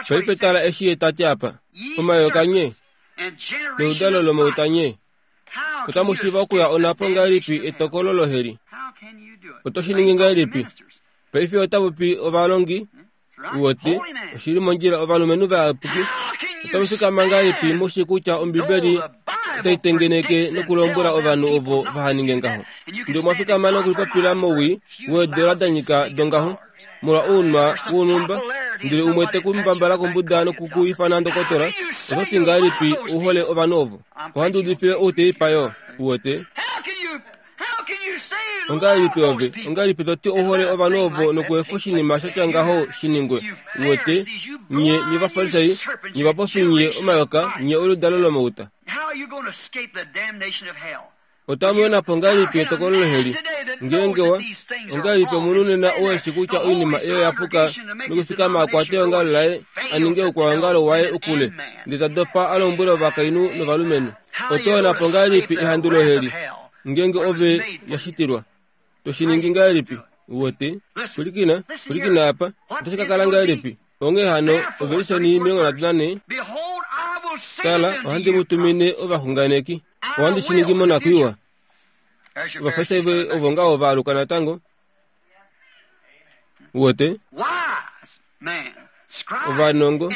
Paife tala eshi ye ta ti apa. Omayoka nye, neudalo lomauta nye, otamu shiiva okuya onhapo ngahelipi etokolo loheli? Oto shi ningi ngahelipi? Paife ota popi ovalongi, uwote, oshili mondjila ovalumenhu vayapuki. Otamu fikama ngahelipi mushi kutya Ombibeli otai tengeneke nokulombwela ovanhu ovo vahaninge ngaho? Ndele omwa fikama nokulipopila mowii weedola da nyika dongaho, molwa ounwa wonhumba, ndele umwe te ku mbambala kombuda noku ku ifana ndokotola, oto ti ngahelipi u hole ovanhu ovo? Ohandi udifile outeipa yo, uwete. Ongahelipi ove, ongahelipi to ti u hole ovanhu ovo nokuefa oshinima shatya ngaho shi ningwe? Uwete, nye nye Ovafarisai, nye ovapofi nye omayoka, nye oludalo lomauta. Otamu yonapo ngahelipi etokolo loheli? Ngeenge wa, ongahelipi omunhu nena oo eshi kutya oinima eyo ya puka nokufikama akwate eongalo laye a ninge oukwaongalo waye ukule, ndele ta dopa a lombwele ovakainhu novalumenhu? Oto yonapo ngahelipi ehandu loheli ngeenge ove ya shitilwa? To shi ningi ngahelipi? Uwete? Pwilikina, pwilikina apa. Otashi ka kala ngahelipi? Onghee hano, ovelisoni omilongo nhatu nanhe, tala, ohandi mu tumine ovaxunganeki. Ohandi shi ningi monakwiiwa. Ovafarisai ovo ngaho va aluka natango. Uwete? Ovanongo,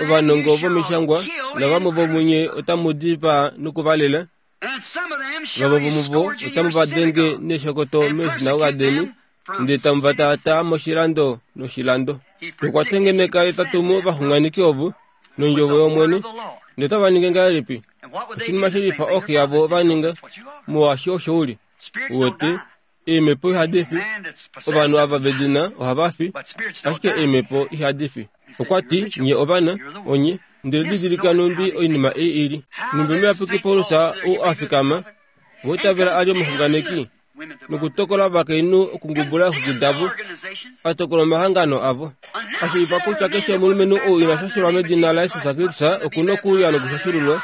ovanongo vomishangwa, navamwe vomunye otamu dipaa nokuvalela, vamwe vomuvo otamu va denge neshokoto meeshinagoga deni, ndele tamu va taataa moshilando noshilando. Okwa tengeneka ye ta tumu ovaxunganeki ovo nondjovo yOmwene, ndele otava ningi ngahelipi? Oshinima shelifa oxi yavo va ninga, molwaashi osho uli. Uwete, eemhepo ihadi fi, ovanhu ava vedina ohava fi, ashike eemhepo ihadi fi. Okwa ti, nye ovana, onye, ndele didilika nhumbi oinima ei ili. Nhumbi omuyapuki Paulus ou a fikama, voitavela a li omuxunganeki, nokutokola ovakainhu okungubula eexwiki davo, a tokola omahangano avo. A shiiva kutya keshe omulumenhu ou ina shashelwa medina laJesus Kristus oku na okuuya nokushashululwa.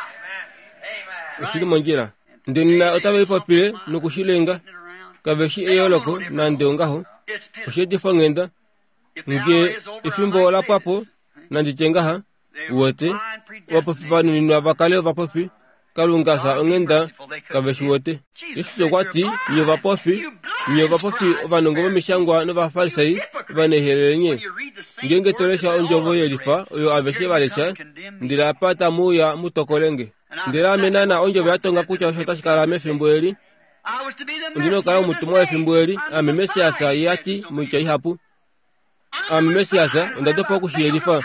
Oshili mondjila. Ndele nena otave lipopile nokushilenga. Kave shi eyooloko nande ongaho. Osheetifo onghenda. Nge efimbo ola pwa po, nandi tye ngaha, uwete, ovapofi va nuninwa va kale ovapofi, Kalunga fya onghenda kave shi wete. Jesus okwa ti, nye ovapofi, nye ovapofi ovanongo vomishangwa novafarisai ovanehelele nye. Ngeenge to lesha ondjovo yelifa oyo aveshe va lesha, ndele apa tamu uya mu tokolenge. Ndele ame naana ondjovo ya tonga kutya osho tashi kala mefimbo eli. Ondina okukala omutumwa wefimbo eli, ame Messias ye ati moitya ihapu. Ame Messias onda dopa okushiyelifa.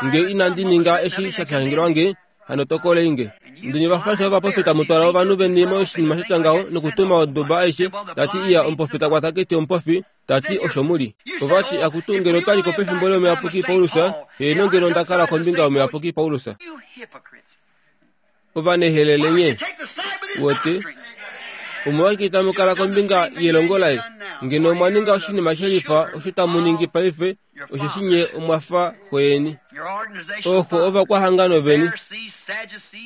Nge inandi ninga eshi sha shangelwa nge, hano tokolei nge. Ndele ovafarisai ovaprofeta mutwala ovanhu veni moshinima sha tya ngaho nokutuma oduba aishe, tati iya omuprofeta kwataketi omupofi, tati osho muli. Ovati akutu ngeno twaliko pefimbo lomuyapuki Paulus, heeno ngeno onda kala kombinga yomuyapuki Paulus. Ovanehelele nye, wote omolwashike tamu kala kombinga yelongo laye? Ngeno omwa ninga oshinima shelifa osho tamu ningi paife, osheshi nye omwa fa xo yeni. Oxo ovakwahangano veni,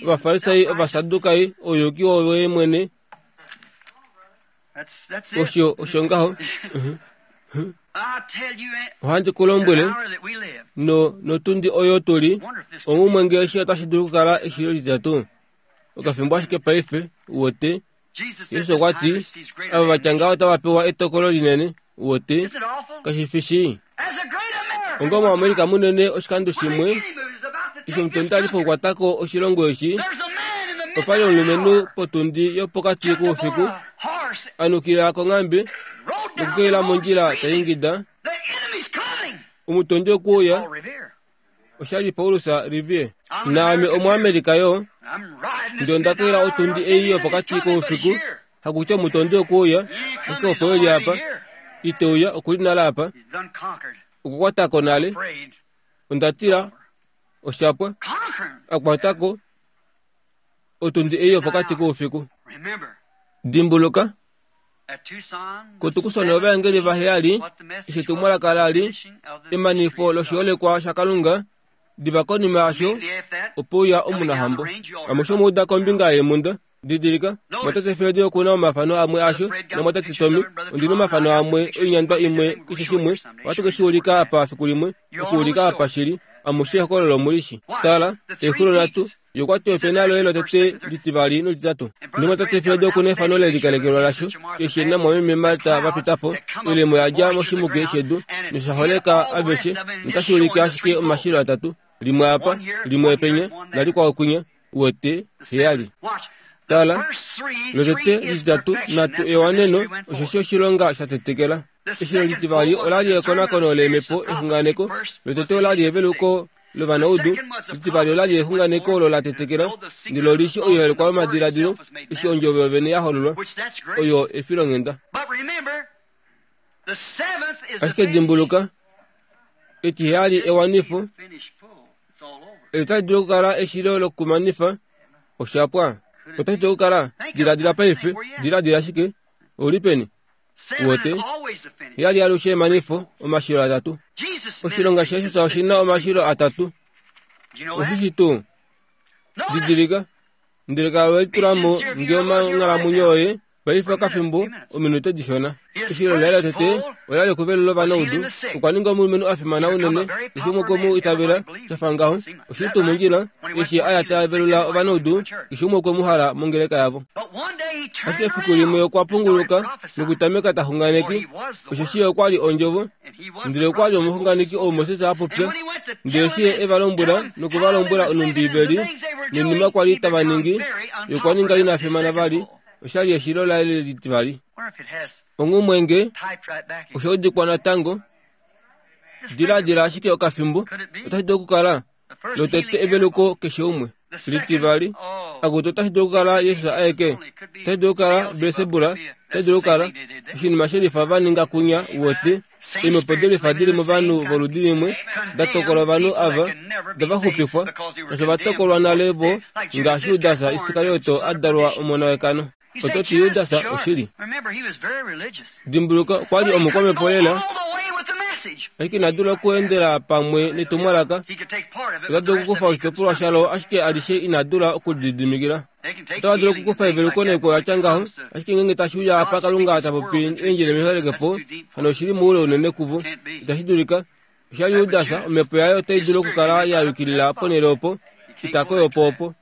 ovafarisai, ovasadukai, ouyuki woye mwene. Osho osho ngaho. Ohandi ku lombwele, no notundi oyo tuli, ongumwe nge eshi otashi dulu okukala eshilo lititatu. Okafimbo ashike paife, wote. Jesus okwa ti, ava vatya ngaho otava pewa etokolo linene, wote. Kashi fi shii. Onga omuAmerika munene oshikando shimwe, eshi omutondi ali pokukwatako oshilongo eshi, opali omulumenhu potundi yopokati koufiku, anukila konghambe, nokukelela mondjila ta ingida, omutondi okuuya, oshali Paulus Revere. Naame omuAmerika yo, ndele onda kelela otundi ei yopokati koufiku, hakutya omutondi okuuya, ashike opo eli apa, ite uya okuli nale apa, okukwatako nale, onda tila, oshapwa, akwatako, otundi ei yopokati koufiku. Dimbuluka, kotukusona ovaengeli vaheyali, eshi etumwalaka lali, emanifo loshiholekwa shaKalunga, diva konima yasho, opo uya omunahambo. Amushe omwa uda kombinga yeemhunda. Didilika, mwatate Fred okuna omafano amwe asho, namwatate Tommy, ondina omafano amwe, oinyandwa imwe, keshe shimwe, ohatu ke shi ulika apa fiku limwe, okuulika apa shili, amushe ehokololo omulishi. Tala, exulo nhatu, ye okwa ti ope na loye lotete, litivali nolititatu. Nomwatate Fred okuna efano lelikalekelwa lasho, eshi namwameme Marta va pita po, oilemo ya dja moshimuke shedu, nosha holeka aveshe, notashi ulike ashike omashilo atatu, limwe apa, limwe penya, nalikwao kwinya, wete, heyali. Tala, lotete lititatu nhatu ewaneno, osheshi oshilonga sha tetekela. Eshilo litivali olali ekonakono leemhepo exunganeko, lotete olali eveluko lovanaudu, litivali olali exunganeko olo la tetekela, ndele olishi oiholekwa yomadiladilo, eshi ondjovo yovene ya hololwa, oyo efilonghenda. Ashike dimbuluka, etiheyali ewanifo, eli otali dulu okukala eshilo lokumanifa, oshapwa. Otashi dulu okukala, diladila paife, diladila ashike, ouli peni? Wote, heyali alushe emanifo, omashilo atatu. Oshilonga shaJesus oshina omashilo atatu. Oshishi tuu? Didilika, ndele kala we litula mo nge onghalamwenyo yoye, paife okafimbo, ominute dishona. Eshilo laye lotete olali okuvelula ovanaudu, okwa ninga omulumenhu a fimana unene, keshe umwe okwe mu itavela, shafa ngaho. Oshili tuu mondjila, eshi a ya ta velula ovanaudu, keshe umwe okwe mu hala mongeleka yavo. Ashike efiku limwe okwa punguluka nokutameka ta xunganeke, osheshi ye okwa li ondjovo, ndele okwa li omuxunganeki ou Moses a popya, ndele eshi ye e va lombwela noku va lombwela Ombibeli noinima kwa li tava ningi, ye okwa ninga ina fimana vali, oshali eshilo laye litivali. Ongumwe nge osha udikwa natango, diladila ashike okafimbo, otashi dulu okukala lotete eveluko keshe umwe. Litivali, akutu otashi dulu okukala Jesus aeke, otashi dulu okukala Belsebula, otashi dulu okukala oshinima shelifa va ninga kunya wote, eemhepo delifa dili movanhu voludi limwe, da tokola ovanhu ava, dava xupifwa, shaashi ova tokolwa nale vo, ngaashi Judas Iskarioto a dalwa omona wekano. Oto ti Judas oshili. Dimbuluka, okwa li omukwamhepo lela, ashike ina dula okuendela pamwe netumwalaka. Ota dulu okukufa oshitopolwa shalo, ashike alishe ina dula okulididimikila. Otava dulu okukufa eveluko naikwao ya tya ngaho, ashike ngeenge tashi uya apa Kalunga ta popi eendjila meholekepo, hano oshili moule unene kuvo. Itashi dulika. Osha Judas, omhepo yaye otai dulu okukala ya yukilila ponhele opo, ita koyo po opo.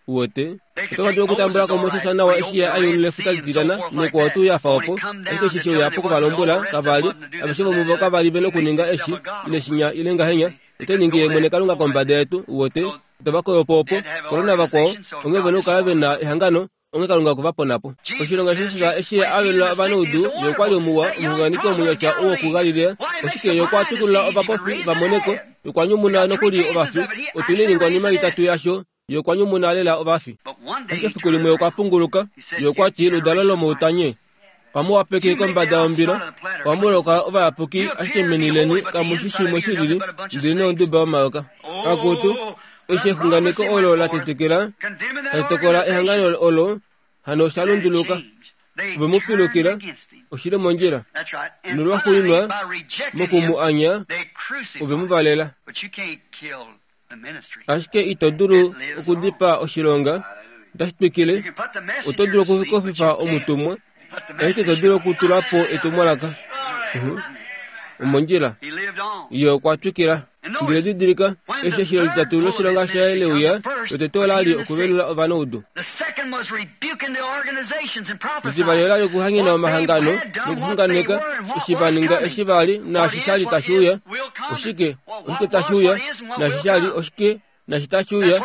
Uwete otava dulu okutambula ko Moses nawa eshi ye a yulula efuta litilana nekwao tuu ya fa opo, ashike eshi she uya po kuvalombwela kavali, aveshe vomuvo kava li ve nokuninga eshi ile shinya ile ngahenya, ote ningi ye mwene Kalunga kombada yetu. Uwete otava koyo po opo korona vakwao onge ve nokukala ve na ehangano onge Kalunga okwe va pona po. Oshilonga shaJesus eshi a velula ovanaudu, ye okwa li omuwa, omuxunganeki omunyasha wokuGalilea, oshike ye okwa tukulula ovapofi va mone ko, ye okwa nyumuna nokuli ovafi. Otu na oiningwanima itatu yasho, ye okwa nyumuna lela ovafi. Ashike efiku limwe okwa punguluka, ye okwa ti ludalo lomoutanye, ohamu wapeke kombada yombila, ohamu loka ovayapuki, ashike meni leni kamu shi shimwe shilili ndele nonduba yomayoka. Akutu, eshi exunganeko olo la tetekela, tali tokola ehangano olo, hano osha lunduluka. Ove mu pilukila, oshili mondjila. Nolwaxuuninwa, moku mu anya, ove mu valela. Ashike ito dulu okudipaa oshilonga, otashi twikile. Oto dulu okukofifa omutumwa, ashike ito dulu okutula po etumwalaka. Omondjila. Ye okwa twikila. Ndele didilika, eshi eshilo litatu loshilonga shaye leuya, lotete ola li okuvelula ovanaudu. Etivali ola li okuhangena omahangano nokuxunganeka eshi va ninga eshi va li naashi sha li tashi uya. Oshike? Oshike tashi uya? Naashi sha li oshike? Naashi tashi uya?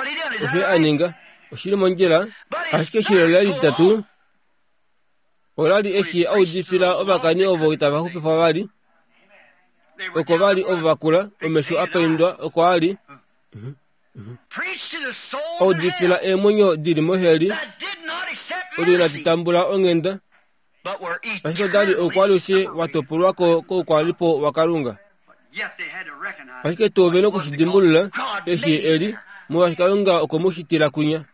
Osho a ninga. Oshili mondjila. Ashike eshilo laye litatu ola li eshi a udifila ovakani ovo itava xupifwa vali. Oko va li ovo vakula, omesho a paindwa, oko a li a udifila eemwenyo di li moheli, odo inadi tambula onghenda, ashike oda li oukwalushe wa topolwa ko koukwalipo waKalunga. Ashike tuu ve nokushidimbulula eshi e li, molwaashi Kalunga okwe mu shitila kwinya.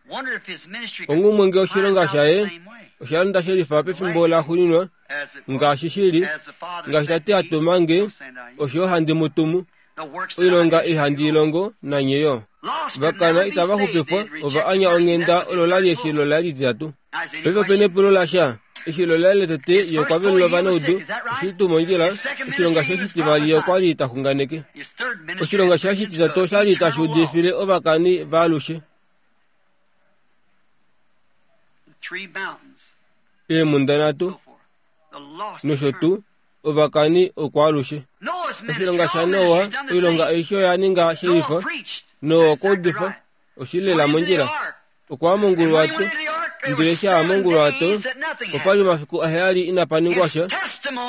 Onghumwe nge oshilonga shaye osha londa shelifa pefimbo laxuuninwa, ngaashi shili, ngaashi Tate a tuma nge, osho handi mu tumu. Oilonga ei handi i longo, nanye yo. Vakana itava xupifwa, ova anya onghenda olo la li eshilo laye lititatu. Paife ope na epulo lasha. Eshilo laye lotete ye okwa velula ovanaudu, oshili tuu mondjila. Oshilonga shaye shitivali ye okwa li ta xunganeke. Oshilonga shaye shititatu osha li tashi udifile ovakani vaalushe. Eemhunda nhatu nosho tuu ovakani okwaalushe. Oshilonga shaNoa, oilonga aishe oya ninga shelifa. Noa okwa udifa, oshili lela mondjila. Okwa ya monguluwato, ndele eshi a ya monguluwato, opa li omafiku aheyali inapa ningwa sha.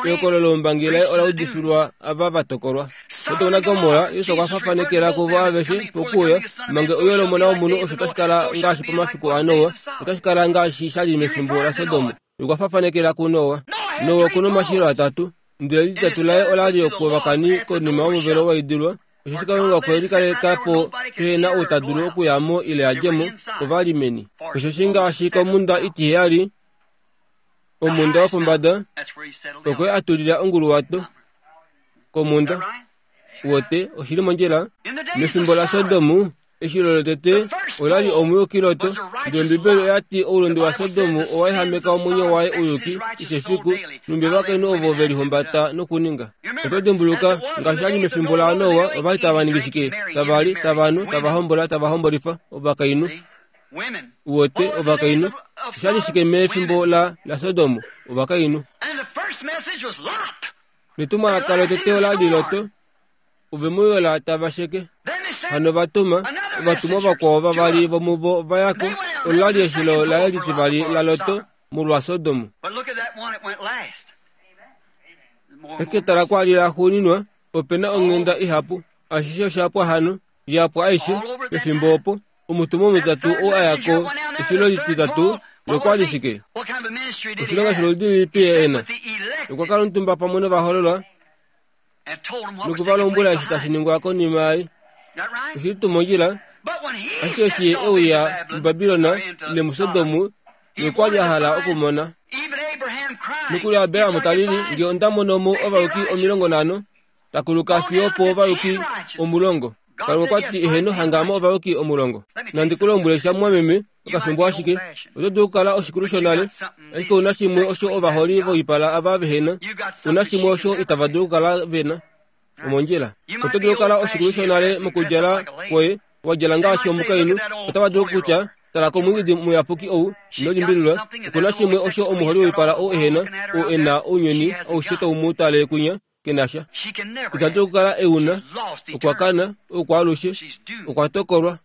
Ehokololo loumbangi laye ola udifilwa ava va tokolwa. Sodom naGomorra, Jesus okwa fafanekela kuvo aveshe pokuuya, manga euyo lOmona wOmunhu osho tashi kala ngaashi pomafiku aNoa, otashi kala ngaashi sha li mefimbo laSodom. Okwa fafanekela kuNoa. Noa oku na omashilo atatu, ndele lititatu laye ola li okovakani konima yomuvelo wa idilwa. Osheshi Kalunga okwe likaleka po pehe na ou ta dulu okuya mo ile a dje mo, ova li meni. Osheshi ngaashi komhunda itiheyali, omhunda yopombada, okwe a tulila onguluwato komhunda. Wote oshili mondjila. Mefimbo laSodom, eshilo lotete ola li omuyuki Lot, ndele Ombibeli oya ti oulunde waSodom owa ehameka omwenyo waye ouyuki keshe efiku, numbi ovakainhu ovo ve lihumbata nokuninga. Oto dimbuluka, ngaashi sha li mefimbo laNoa, ova li tava ningi shike? Tava li, tava nu, tava hombola, tava hombolifa ovakainhu. Wote ovakainhu. Osha li shike mefimbo la laSodom? Ovakainhu. Netumwalaka lotete ola li Lot, ove mu yola tava sheke. Hano va tuma ovatumwa vakwao vavali vomuvo va ya ko. Olo la li eshilo laye litivali laLot molwaSodom. Ashike tala kwa li laxuuninwa, ope na onghenda ihapu. Ashishe osha pwa hano, ya pwa aishe pefimbo opo. Omutumwa omutitatu oo a ya ko eshilo lititatu nokwa li shike? Oshilonga sholudi lilipi ye e na? Okwa kala omutumba pamwe novahololwa noku va lombwela eshi tashi ningwa konima yaye. Oshili tuu mondjila, ashike eshi ye e uya muBabilon ile muSodom, nokwa li a hala okumona. Nokuli Abraham ta lili, nge onda mono mo ovayuki omilongo nhano, takuluka fiyo opo ovayuki omulongo. Kalunga okwa ti eheno hanga mo ovayuki omulongo. Nandi ku lombwele sha mumwameme, okafimbo ashike. Oto dulu okukala oshikulu shonale, ashike ouna shimwe osho ovaholi voipala ava vehena, ouna shimwe osho itava dulu okukala vena. Omondjila. Oto dulu okukala oshikulu shonale mokudjala kwoye, wa djala ngaashi omukainhu, otava dulu okutya, Tala komwiidi muyapuki ou, ino limbililwa. Okuna shimwe osho omuholi woipala ou ehena, ou e na ounyuni aushe tau mu tale kunya, ke na sha. Ita dulu okukala e u na, okwa kana, oukwaalushe, okwa tokolwa.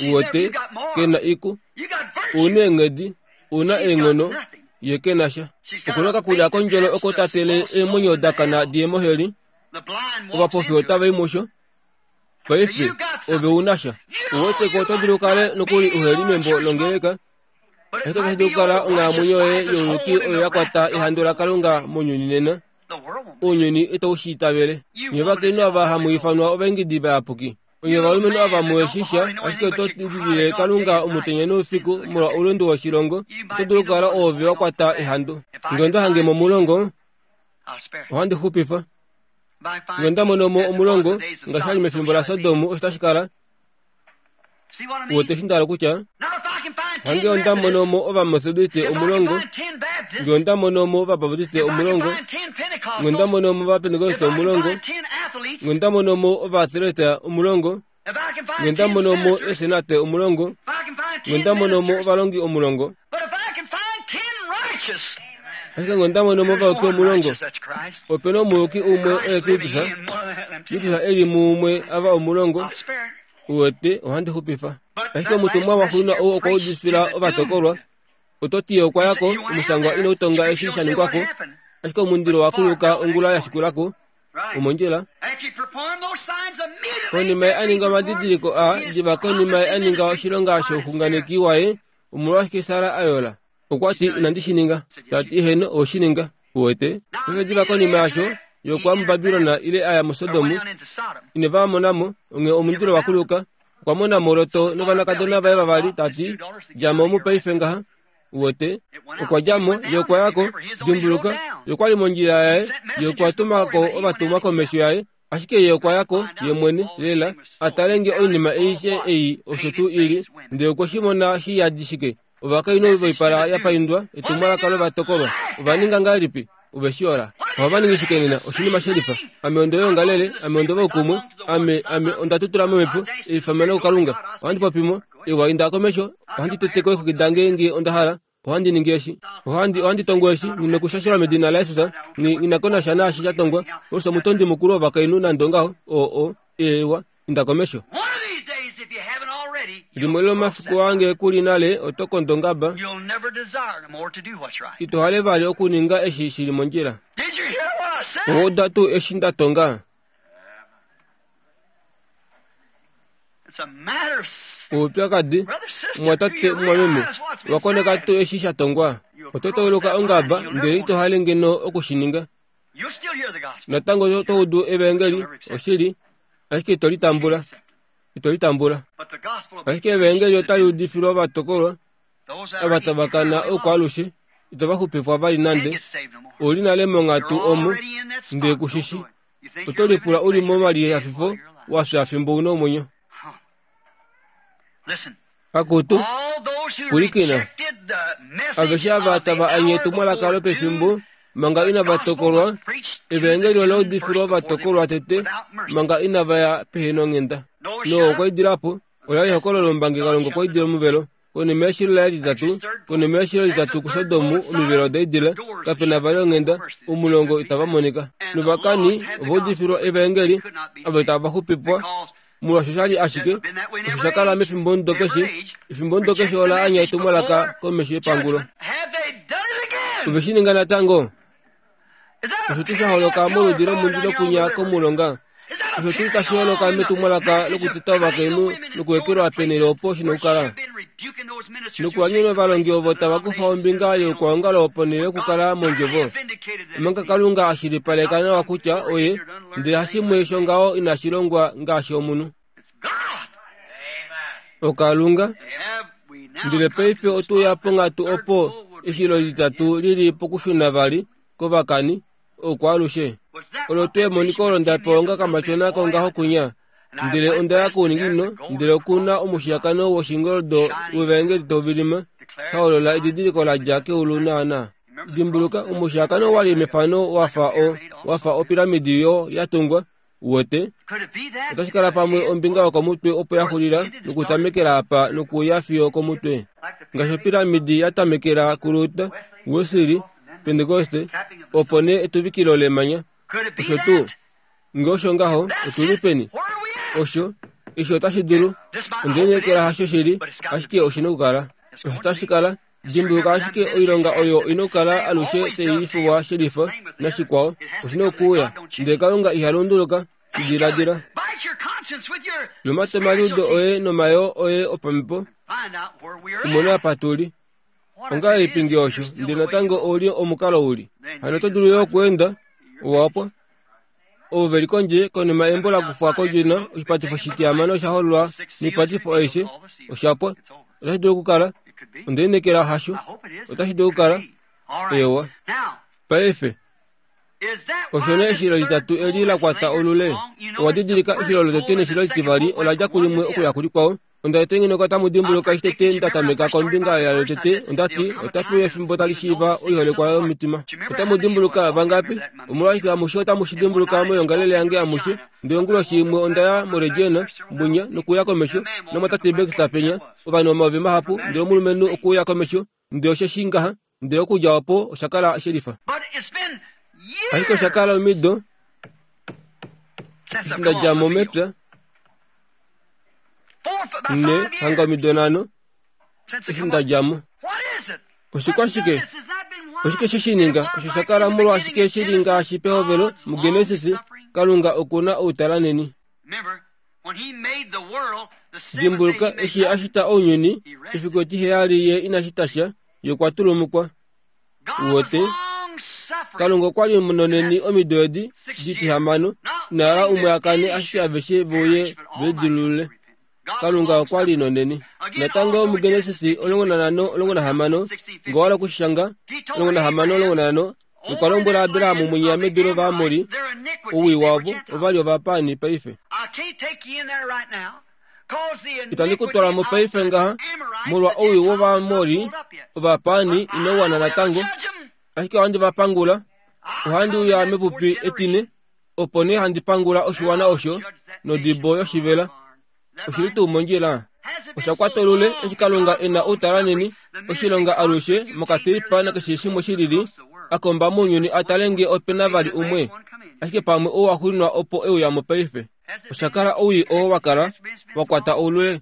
Uwete, ke na iku. Ouna eenghedi, ouna eenghono, ye ke na sha. Okuna okakulya kondjolo oko ta tele eemwenyo dakana diye moheli, ovapofi otava i musho. Paife, ove una sha. Uweteko oto dulu okukala nokuli uheli membo longeleka, ashike otashi dulu okukala onghalamwenyo yoye youyuki oyo ya kwata ehandu laKalunga mounyuni nena. Ounyuni itau shi itavele. Nye ovakainhu ava hamu ifanwa ovaingidi vayapuki. Onye ovalumenhu ava muheshi sha, ashike oto lilile Kalunga omutenya noufiku molwa oulunde woshilongo, oto dulu okukala oove wa kwata ehandu. Ngee onda hange mo omulongo, ohandi xupifa. Ngee onda mono mo omulongo, ngaashi sha li mefimbo laSodom, osho tashi kala. Uwete eshi nda hala okutya? Hangee onda mono mo Ovametodiste omulongo, ngee onda mono mo Ovabaptiste omulongo, ngee onda mono mo Ovapentekoste omulongo, ngee onda mono mo Ovaathleta omulongo, ngee onda mono mo eesenate omulongo, ngee onda mono mo ovalongi omulongo, ashike ngee onda mono mo ovayuki omulongo, opena omuyuki umwe oye Kristus, Kristus e li muumwe ava omulongo, uwete ohandi xupifa. Ashike omutumwa waxuuninwa ou okwa udifila ovatokolwa. Oto ti ye okwa yako, omushangwa inau tonga eshi sha ningwako, ashike omundilo wa kuluka ongula ya shikulako, omondjila. Konima ye a ninga omadidiliko aa, diva konima ye a ninga oshilonga shouxunganeki waye, omolwashike Sara a yola? Okwa ti, inandi shi ninga. Ta ti, heeno, owe shi ninga. Uwete? Paife diva konima yaasho, ye okwa ya muBabilon ile a ya muSodom, ine va mona mo, onghee omundilo wa kuluka. Okwa mona mo Lot novanakadona vaye vavali, ta ti, dja mo omu paife ngaha. Uwete? Okwa dja mo, ye okwa ya ko, dimbuluka, ye okwa li mondjila yaye, ye okwa tuma ko ovatumwa komesho yaye, ashike ye okwa ya ko, ye mwene, lela, a tale nge oinima aishe ei osho tuu ili, ndele okwe shi mona shi yadi shike. Ovakainhu voipala ya paindwa, etumwalaka lovatokolwa. Ova ninga ngahelipi? Ove shi yola. Ohava ningi shike nena? Oshinima shelifa. Ame ondo yoongalele, ame ondo voukumwe, ame, ame onda tutula momhepo, eifameno kuKalunga. Ohandi popi mo, ewa inda komesho, ohandi teteko eexwiki dange ngee onda hala, ohandi ningi eshi. Ohandi, ohandi tongo eshi, nghi nokushashelwa medina laJesus, nghi, nghi na ko nasha naashi sha tongwa. Paulus omutondi mukulu wovakainhu nande ongaho, oo, o, eewa, inda komesho. Limwe lomomafiku ange kuli nale oto kondo ongaba, ito hale vali okuninga eshi shi li mondjila. Owa uda tuu eshi nda tonga? Oupyakadi, mumwatate mumwameme, owa koneka tuu eshi sha tongwa? Oto tauluka ongaba ndele ito hale ngeno oku shi ninga. Natango oto udu evaengeli, oshili, ashike ito litambula. Ito litambula. Ashike evaengeli otali udifilwa ovatokolwa, ava tava kana oukwaalushe, itava xupifwa vali nande. Ouli nale monghatu omo, ndele ku shi shii. Oto lipula u li momalihafifo wa fya fimbo u na omwenyo. Akutu, pwilikina. Aveshe ava tava anye etumwalaka lopefimbo manga inava tokolwa, evaengeli ola udifilwa ovatokolwa tete manga inava ya pehena onghenda. Noa okwa idila po, ola li ehokololo lombangi Kalunga okwa idila omuvelo. Konima yeshilo laye litatu, konima yeshilo litatu kuSodom, omivelo oda idila, kape na vali onghenda, omulongo itava monika. Novakani ova udifilwa evaengeli, ava itava xupifwa, molwaashi osha li ashike osho sha kala mefimbomudo keshe, efimbomudo keshe ola anya etumwalaka komesho yepangulo. Ove shi ninga natango? Osho tuu sha holoka moludi lomundilo kunya komulonga, osho tuu tashi holoka metumwalaka lokuteta ovakainhu nokuekelwa penhele opo shi nokukala. Nokuhanyena ovalongi ovo tava kufa ombinga youkwaongalo ponhele yokukala mondjovo. Omanga Kalunga a shilipaleka nawa kutya oye, ndele hashimwe shongaho inashi longwa ngaashi omunhu. OKalunga. Ndele paife otu ya ponghatu opo eshilo litatu lili pokushuna vali kovakani, oukwaalushe. Olo tuu emoniko olo nda pewa onga kamatyona kongaho kunya. Ndele onda ya kouninginino, ndele oku na omushiyakano woshingoldo wevaengeli tau vilima, sha holola edidiliko la dja keulu naana. Dimbuluka, omushiyakano wa li mefano wa fa o, wa fa opiramidi yo ya tungwa, Uwete otashi kala pamwe ombinga yokomutwe opo ya xulila nokutamekela apa nokuya fiyo komutwe. Ngaashi opiramidi ya tamekela kuLuther, Wesley, Pentecoste, opo nee etuvikilo lemanya. Osho tuu. Nge osho ngaho, otuli peni? Osho, eshi otashi dulu. Ondiinekela hasho shili, ashike oshi na okukala. Osho tashi kala. Dimbuluka ashike oilonga oyo ina okukala alushe tai shelifa nashikwao. Oshi na okuuya. Ndele Kalunga iha lunduluka. Diladila. Lomata omaliudo oye nomayoo oye opamhepo. Umone apa tuli. Ongahelipi nge osho, ndele natango ouli omukalo uli. Hano oto dulu yo okweenda, owapwa. Ovo veli kondje konima embo la kufwa kodjina oshipatifo shitihamano osha hololwa noipatifo aishe oshapwa. Otashi dulu okukala. Ondiinekela hasho. Otashi dulu okukala. Ewa. Paife. Osho nee eshilo litatu eli la kwata olule. Owa didilika eshilo lotete neshilo litivali ola dja kulimwe okuya kulikwao. Onda tengeneka otamu dimbuluka eshi tete nda tameka kombinga yalo tete, onda ti otape uya efimbo tali shiiva oiholekwa yomitima. Otamu dimbuluka vangapi? Omolwashike amushe otamu shi dimbuluka moyongalele yange amushe. Ndele onguloshi imwe onda ya moRegina, munya, nokuya komesho, nomwatate Baxter penya, ovanhu omayovi mahapu, ndele omulumenhu okuya komesho, ndele osheshi ngaha, ndele okudja opo osha kala shelifa. Ashike osha kala omido, eshi nda dja mo mepya, ne hanga omido nhano, eshi nda dja mo. Oshikwashike? Oshike she shi ninga? Osho sha kala molwashike shi li ngaashi pehovelo muGenesis, Kalunga oku na outalanheni. Dimbuluka, eshi a shita ounyuni, efiku etiheyali ye ina shita sha, ye okwa tulumukwa. Uwete, Kalunga okwa li nonheni omido edi ditihamano, ina hala umwe a kane ashike aveshe veuye velidilulule. Kalunga okwa li nonheni. Natango muGenesis omulongo nanhano omulongo nahamano, nge owa hala okushishanga, omulongo nahamano omulongo nanhano, okwa lombwela Abraham munya medu lOvaamori, owii wavo ova li ovapaani paife. Itandi ku twala mo paife ngaha, molwa owii wOvaamori, ovapaani inau wana natango, ashike ohandi va pangula. Ohandi uya mepupi etine, opo nee handi pangula oshiwana osho nodibo yoshivela. Oshili tuu mondjila? Osha kwata olule eshi Kalunga e na outalanheni, oshilonga alushe mokateipa nakeshe shimwe shilili, a komba mounyuni a tale nge ope na vali umwe, ashike pamwe ou a xulinwa opo e uya mo paife. Osha kala owii oo wa kala wa kwata oulule.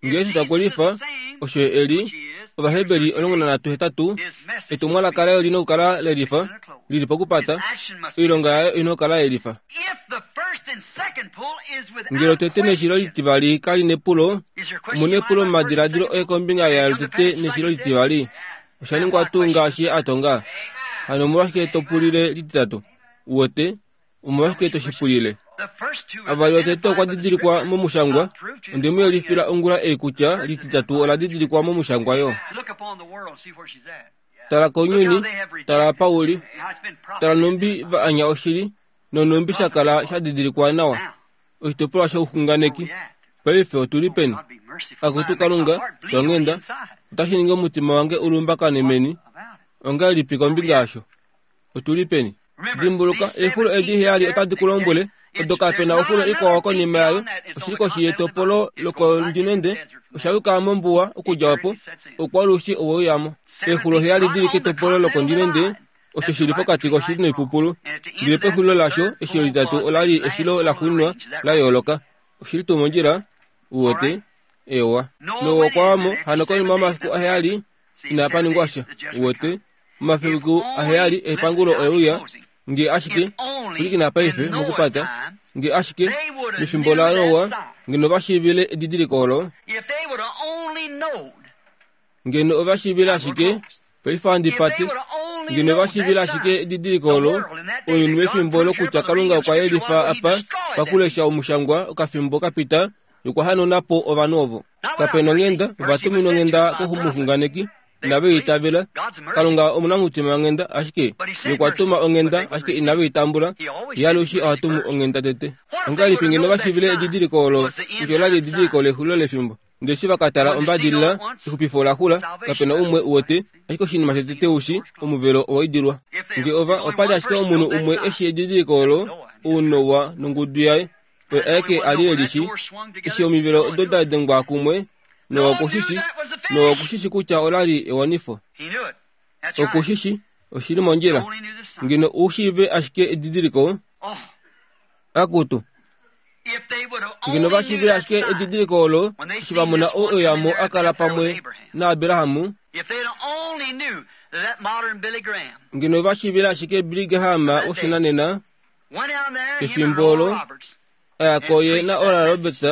Nge Jesus okwe lifa, osho e li, Ovaheberi omulongo nanhatu hetatu, etumwalaka laye oli na okukala lelifa, lili pokupata, oilonga yaye oi na okukala yelifa. Ngele otete neshilo litivali kali nepulo, omu nepulo momadiladilo oye kombinga yaalo tete neshilo litivali. Osha ningwa tuu ngaashi ye a tonga? Hano omolwashike to pulile lititatu? Uwete, omolwashike to shi pulile? Avali otete okwa didilikwa momushangwa. Onde mu yelifila ongula ei kutya lititatu ola didilikwa momushangwa yo. Tala kounyuni, tala apa u li, tala nhumbi va anya oshili, nonhumbi sha kala sha didilikwa nawa, oshitopolwa shouxunganeki. Paife otu li peni? Akutu Kalunga, shonghenda, otashi ningi omutima wange u lumbakane meni. Ongahelipi kombinga yasho? Otu li peni? Dimbuluka, eexulo edi heyali otadi ku lombwele, odo kape na oxulo ikwao konima yayo, oshili koshi yetopolo lokondinende, osha yuka mombuwa okudja opo, oukwalushi owe uya mo. Eexulo heyali di li ketopolo lokondinende, osho shi li pokati koshili noipupulu. Ndele pexulilo lasho, eshilo litatu ola li eshilo laxuuninwa la yooloka. Oshili tuu mondjila? Uwete? Ewa. Noa okwa wa mo, hano konima yomafiku aheyali, inapa ningwa sha. Uwete? Omafiku aheyali epangulo oye uya, nge ashike, pwilikina paife mokupata, nge ashike, mefimbo laNoa, ngeno va shiivile edidiliko olo, ngeno ova shiivile ashike, paife handi pate, ngeno va shiivile ashike edidiliko olo, ounyuni mefimbo lokutya Kalunga okwa yelifa apa pakulesha omushangwa okafimbo kapita, okwa hanauna po ovanhu ovo. Kape nonghenda, ova tuminwa onghenda komuxunganeki, inave i itavela. Kalunga omunamutima wanghenda, ashike ye okwa tuma onghenda, ashike inave i tambula. Ye alushe oha tumu onghenda tete. Ongahelipi ngeno va shiivile edidiliko olo kutya ola li edidiliko lexulilo lefimbo? Ndele eshi va ka tala ombadilila, exupifo ola xula, kape na umwe uwete, ashike oshinima shotete u shi, omuvelo owa idilwa. Nge ova, opa li ashike omunhu umwe e shii edidiliko olo, Noa nongudu yaye oye aeke a li e lishi eshi omivelo odo da dengwa kumwe. Noa okushishi, Noa okushishi kutya ola li ewanifo. Okushishi oshili mondjila. Ngeno u shiive ashike edidiliko. Akutu ngeno va shiivile ashike edidiliko olo eshi va mona ou eyamo a kala pamwe naAbrahamu. Ngeno va shiivile ashike Billy Graham woshinanena shefimbo olo aya koye na Oral Roberts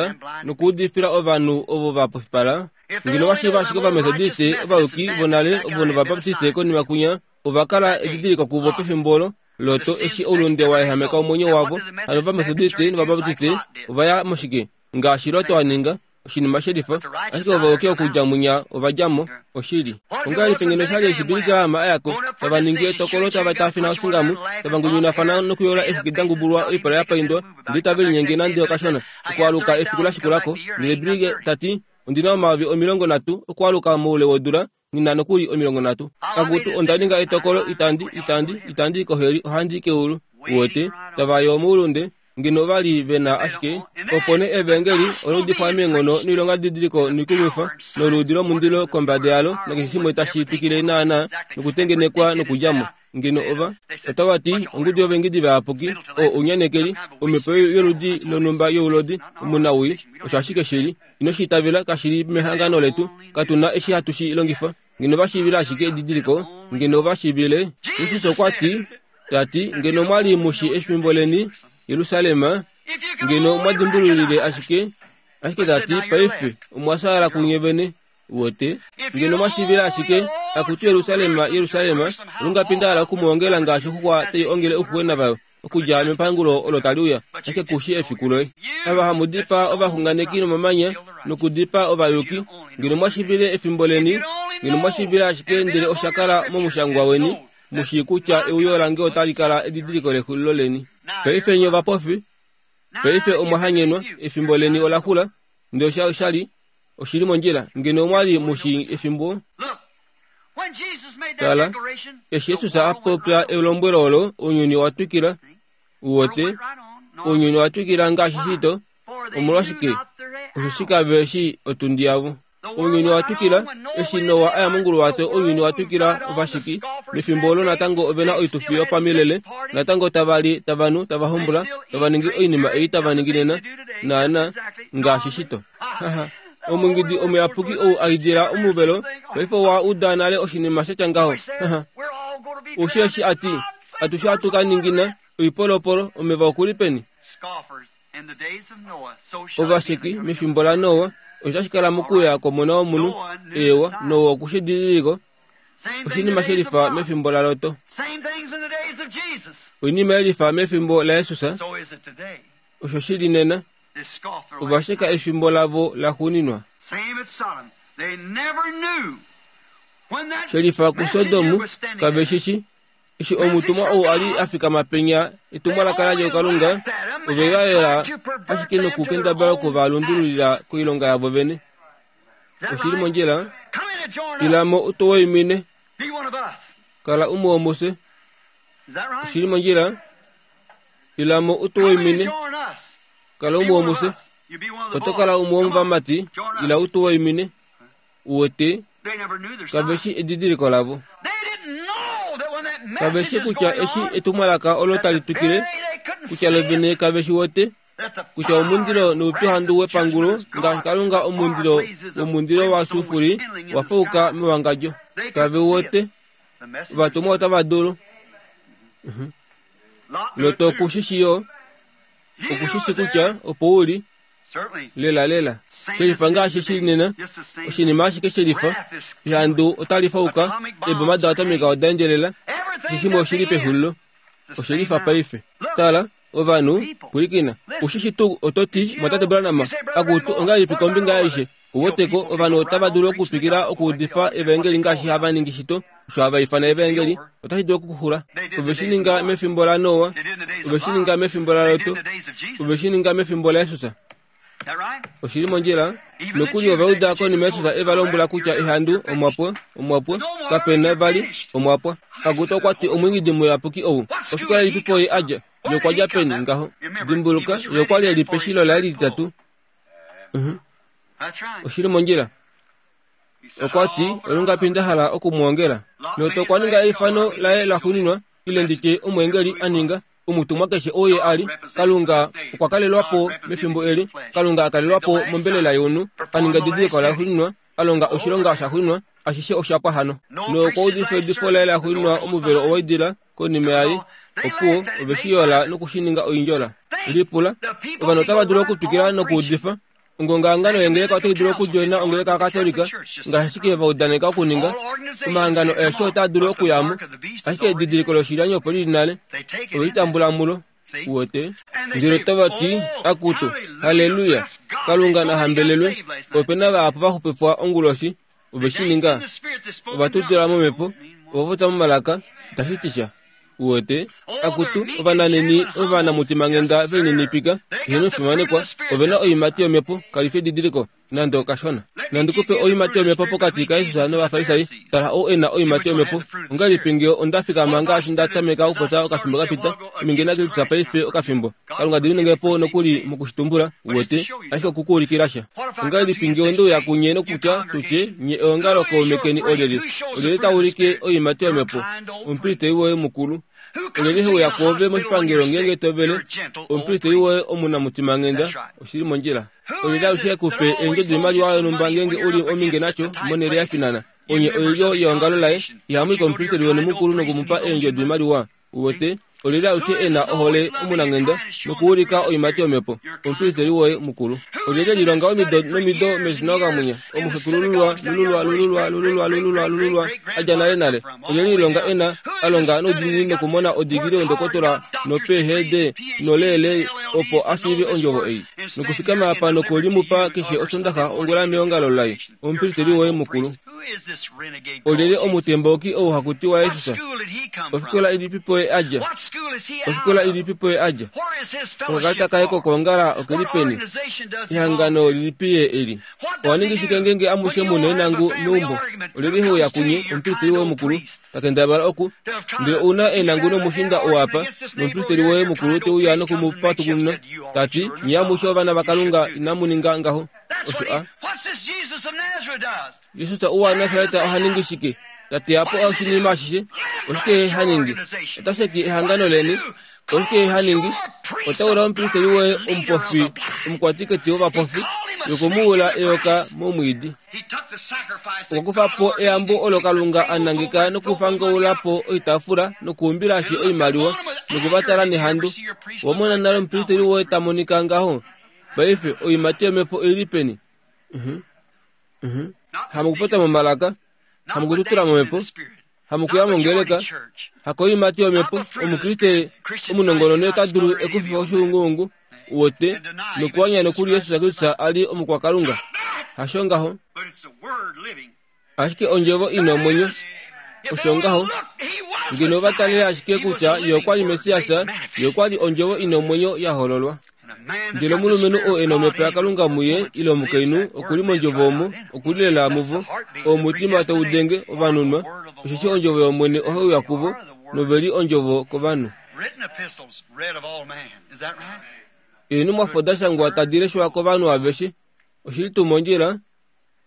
nokuudifila ovanhu ovo va pofipala. Ngeno va shiiva ashike Ovamethodiste ovayuki vonale ovo nOvabaptiste konima kunya ova kala edidiliko kuvo pefimbo olo Loto eshi oulunde wa ehameka omwenyo wavo. Hano Ovamethodiste nOvabaptiste ova ya moshike ngaashi Loto a ninga oshinima shelifa, ashike ovayuki okudja munya ova dja mo oshili. Ongahelipi ngeno sha li eshi Billy Graham a ya ko, tava ningi etokolo, tava taafina osingamu, tava ngunyunafana nokuyola eexwiki da ngubulwa oipala ya paindwa, ndele tave linyenge nande okashona okwaluka efiku la shikula ko. Ndele Billy ta ti, ondina omayovi omilongo nhatu okwaluka moule wodula nina nokuli omilongo nhatu. Akutu onda ninga etokolo, itandi itandi itandi koheli, ohandi keulu. Uwete tava yo moulunde ngeno va li ve na ashike opo nee evangeli ola udifwa meenghono noilonga didiliko noikumwifa noluudi lomundilo kombada yalo nakeshe shimwe tashi twikile naana nokutengenekwa nokudja mo. Ngeno ova otava ti ongudu yovengidi vayapuki o ounyanekeli omhepo yoludi lonhumba youlodi omunawii osho ashike shili. Ino shi itavela, kashili mehangano letu, katuna eshi hatu shi longifa. Ngeno va shiivile ashike edidiliko, ngeno va shiivile. Jesus okwa ti tati ngeno mwali mushi efimbo leni Jerusalem, ngeno mwa dimbululile ashike ashike tati paife omwa sala kunye vene wote. Ngeno mwa shiivile ashike akutu Jerusalem, Jerusalem, lungapinda okumuongela ngaashi oxuxwa tai ongele ouxuxwena vayo okudja mepangulo olo tali uya, ashike kushi efiku loye. Ava hamu dipaa ovaxunganeki nomamanya nokudipaa ovayuki, ngeno mwa shiivile efimbo leni, ngeno mwa shiivile ashike ndele osha kala momushangwa weni, mushi kutya euyo lange otali kala edidiliko lexulilo leni. Paife nye ovapofi, paife omwa hanyenwa, efimbo leni ola xula, ndele osha oshali oshili mondjila. Ngeno omwa li mushi efimbo. Tala, eshi Jesus a popya elombwelo olo, ounyuni owa twikila. Uwote, ounyuni owa twikila ngaashi shito. Omolwashike? Osheshi kave shi otundi yavo. Ounyuni owa twikila eshi Noa aya monguluwato, ounyuni owa twikila ovashiki. Mefimbo olo natango ove na oitufi yopamilele, natango tava li, tava nu, tava hombola, tava ningi oinima ei tava ningi nena naana ngaashi shito. Haha, omungidi omuyapuki ou a idila omuvelo, paife owa uda nale oshinima sha tya ngaho. Haha, osheshi a ti atushe hatu ka ningina oipolopolo omeva okuli peni. Ovasheki mefimbo laNoa osho tashi kala mokuya kwomona womunhu. Eewa, Noa okushi didiliko oshinima shelifa mefimbo laLoto, oinima yelifa mefimbo laJesus, osho shili nena. Ovasheka efimbo lavo laxuuninwa. Shelifa kuSodomu kave shishi eshi omutumwa ou a li a fikama penya etumwalaka ladja kuKalunga, ove va yela ashike nokukendabala okuvalundululila koilonga yavo vene. Oshili mondjila. Ilamo utuwaimine, kala umwe womufye. Oshili mondjila. Ilamo utuwaimine, kala umwe womufye. Oto kala umwe womovamati, ila utuwaimine. Uwete kave shi edidiliko lavo. Kave shi kutya eshi etumwalaka olo tali twikile, kutya lovene kave shi wete, kutya omundilo noupyuhandu wepangulo ngaashi Kalunga omundilo womundilo wa sufuri wa fauka mewangadjo. Kave wete ovatumwa otava dulu. Loto okushishi yo, okushishi kutya opo uli lela lela. Shelifa ngaashi shili nena, oshinima ashike shelifa, ehandu otali fauka, eeboma doatomika oda endjelela, keshe shimwe oshili pexulilo. Oshelifa paife. Tala, ovanhu, pwilikina. Ushishi tuu oto ti, mwatate Branham, akutu ongahelipi kombinga yaishe? Uweteko, ovanhu otava dulu okutwikila okuudifa evangeli ngaashi hava ningi shito, osho hava ifana evangeli, otashi dulu okuxula. Ove shi ninga mefimbo laNoa, ove shi ninga mefimbo laLoto, ove shi ninga mefimbo laJesus. Oshili mondjila. Nokuli ova uda konima Jesus e va lombwela kutya ehandu omwapwa, omwapwa, kape na vali omwapwa. Akutu okwa ti omwiingidi muyapuki ou, ofikola ilipipo ye a dja? Ye okwa dja peni ngaho? Dimbuluka, ye okwa li e li peshilo laye lititatu. Oshili mondjila. Okwa ti, olungapi nda hala okumwoongela. Lot okwa ninga eifano laye laxuuninwa, ile nditye omweengeli a ninga, omutumwa keshe oo ye a li. Kalunga okwa kalelwa po mefimbo eli, Kalunga a kalelwa po mombelela younhu, a ninga edidiliko laxuuninwa, a longa oshilonga shaxuuninwa, ashishe osha pwa hano. Nokwa udifa eudifo laye laxuuninwa omuvelo owaidila konima yaye, opuwo ove shi yola nokushininga oindjola. Lipula, ovanhu otava dulu okutwikila nokuudifa. Ongongahangano yengeleka otai dulu okudjoina ongeleka yaKatolika, ngaashi ashike va udaneka okuninga. Omahangano aeshe otaa dulu okuyamo, ashike edidiliko loshilyani opo lili nale, ove litambula mulo. Uwete? Ndele otava ti, akutu, halleluya, Kalunga na hambelelwe, ope na vahapu va xupifwa onguloshi, ove shi ninga. Ova tutula momhepo, ova popya momalaka, itashi ti sha. Uwete? Akutu, ovananeni ovanamutimwanghenda velininipika, eheno fimanekwa, ove na oiimati yomhepo, kali fi edidiliko, nande okashona. Nandi kupe oiimati yomhepo pokati kaJesus nOvafarisai, tala ou e na oiimati yomhepo. Ongahelipi ngee onda fikama ngaashi nda tameka okupopya okafimbo ka pita, ame naKristus paife okafimbo. Kalunga diminenge po nokuli mokushitumbula, uwete, ashike okukuulikila sha. Ongahelipi ngee onde uya kunye nokutya tutye, nye eongalo kaume keni olyelye, olyelye ta ulike oiimati yomhepo? Omupristeli woye mukulu. Olyelye he uya kwoove moshipangelo ngeenge to vele? Omupristeli woye omunamutimanghenda, oshili mondjila. Olyelye alushe kupe eendjo doimaliwa yonhumba ngeenge u li ominge nasho monhele ya finana? Onye oilyo yeongalo laye, ihamu i komupristeli weni mukulu nokumupa eendjo doimaliwa. Uwete, olyelye alushe e na ohole omunanghenda nokuulika oiimati yomhepo? Omupristeli woye mukulu. Olyelye lilonga omido nomido meshinagoga mwinya, omuxekulululwa lululwa lululwa lululwa lululwa lululwa a dja nale nale. Olyelye lilonga e na a longa noudiinini nokumona odigili yondokotola no-P H D noleele opo a shiive ondjovo ei, nokufikama apa nokulimupa keshe osondaxa ongula meongalo laye? Omupristeli woye mukulu. Olyelye omutembauki ou haku tiwa Jesus? Ofikola ilipipo ye a dja? Ofikola ilipipo ye a dja? Okakalata kaye kokwoongala okeli peni? Ehangano lilipi ye eli? Owa ningi shike ngeenge amushe mu neenangu meumbo? Olyelye he uya kunye, omupristeli woye mukulu, ta kendabala oku? Ndele ou na eenangu nomushinda oo apa, nomupristeli woye mukulu te uya noku mu patukununa, ta ti, nye amushe ovana vaKalunga inamu ninga ngaho. Osho a. Jesus ou waNasaret oha ningi shike? Ta teya po oshinima ashishe. Oshike ye ha ningi? Ota sheki ehangano leni. Oshike ye ha ningi? Ota ula omupristeli woye omupofi, omukwatiketi wovapofi, nokumuula eyoka momwiidi. Okwa kufa po eyambo olo Kalunga a nangeka nokufangaula po oitaafula nokuumbilashi oimaliwa nokuvatala nehandu. Owa mona nale omupristeli woye ta monika ngaho? Paife oiimati yomhepo oili peni? Hamukupopya momalaka, hamukututula momhepo, hamukuya mongeleka, hakoiimati yomhepo. Omukriste omunongononi ota dulu ekufifa oshiunguungu, uwete, nokuwanya nokuli Jesus Kristus a li omukwakalunga. Hasho ngaho. Ashike ondjovo ina omwenyo. Osho ngaho. Ngeno ova talele ashike kutya ye okwa li Messias, ye okwa li ondjovo ina omwenyo ya hololwa. Ndele omulumenhu oo e na omhepo yaKalunga muye ile omukainhu oku li mondjovo omo, oku li lela muvo, oo omutima tau denge ovanunwa, osheshi ondjovo yOmwene ohai uya kuvo, nove li ondjovo kovanhu. Eenhumwafo da shangwa tadi leshwa kovanhu aveshe. Oshili tuu mondjila,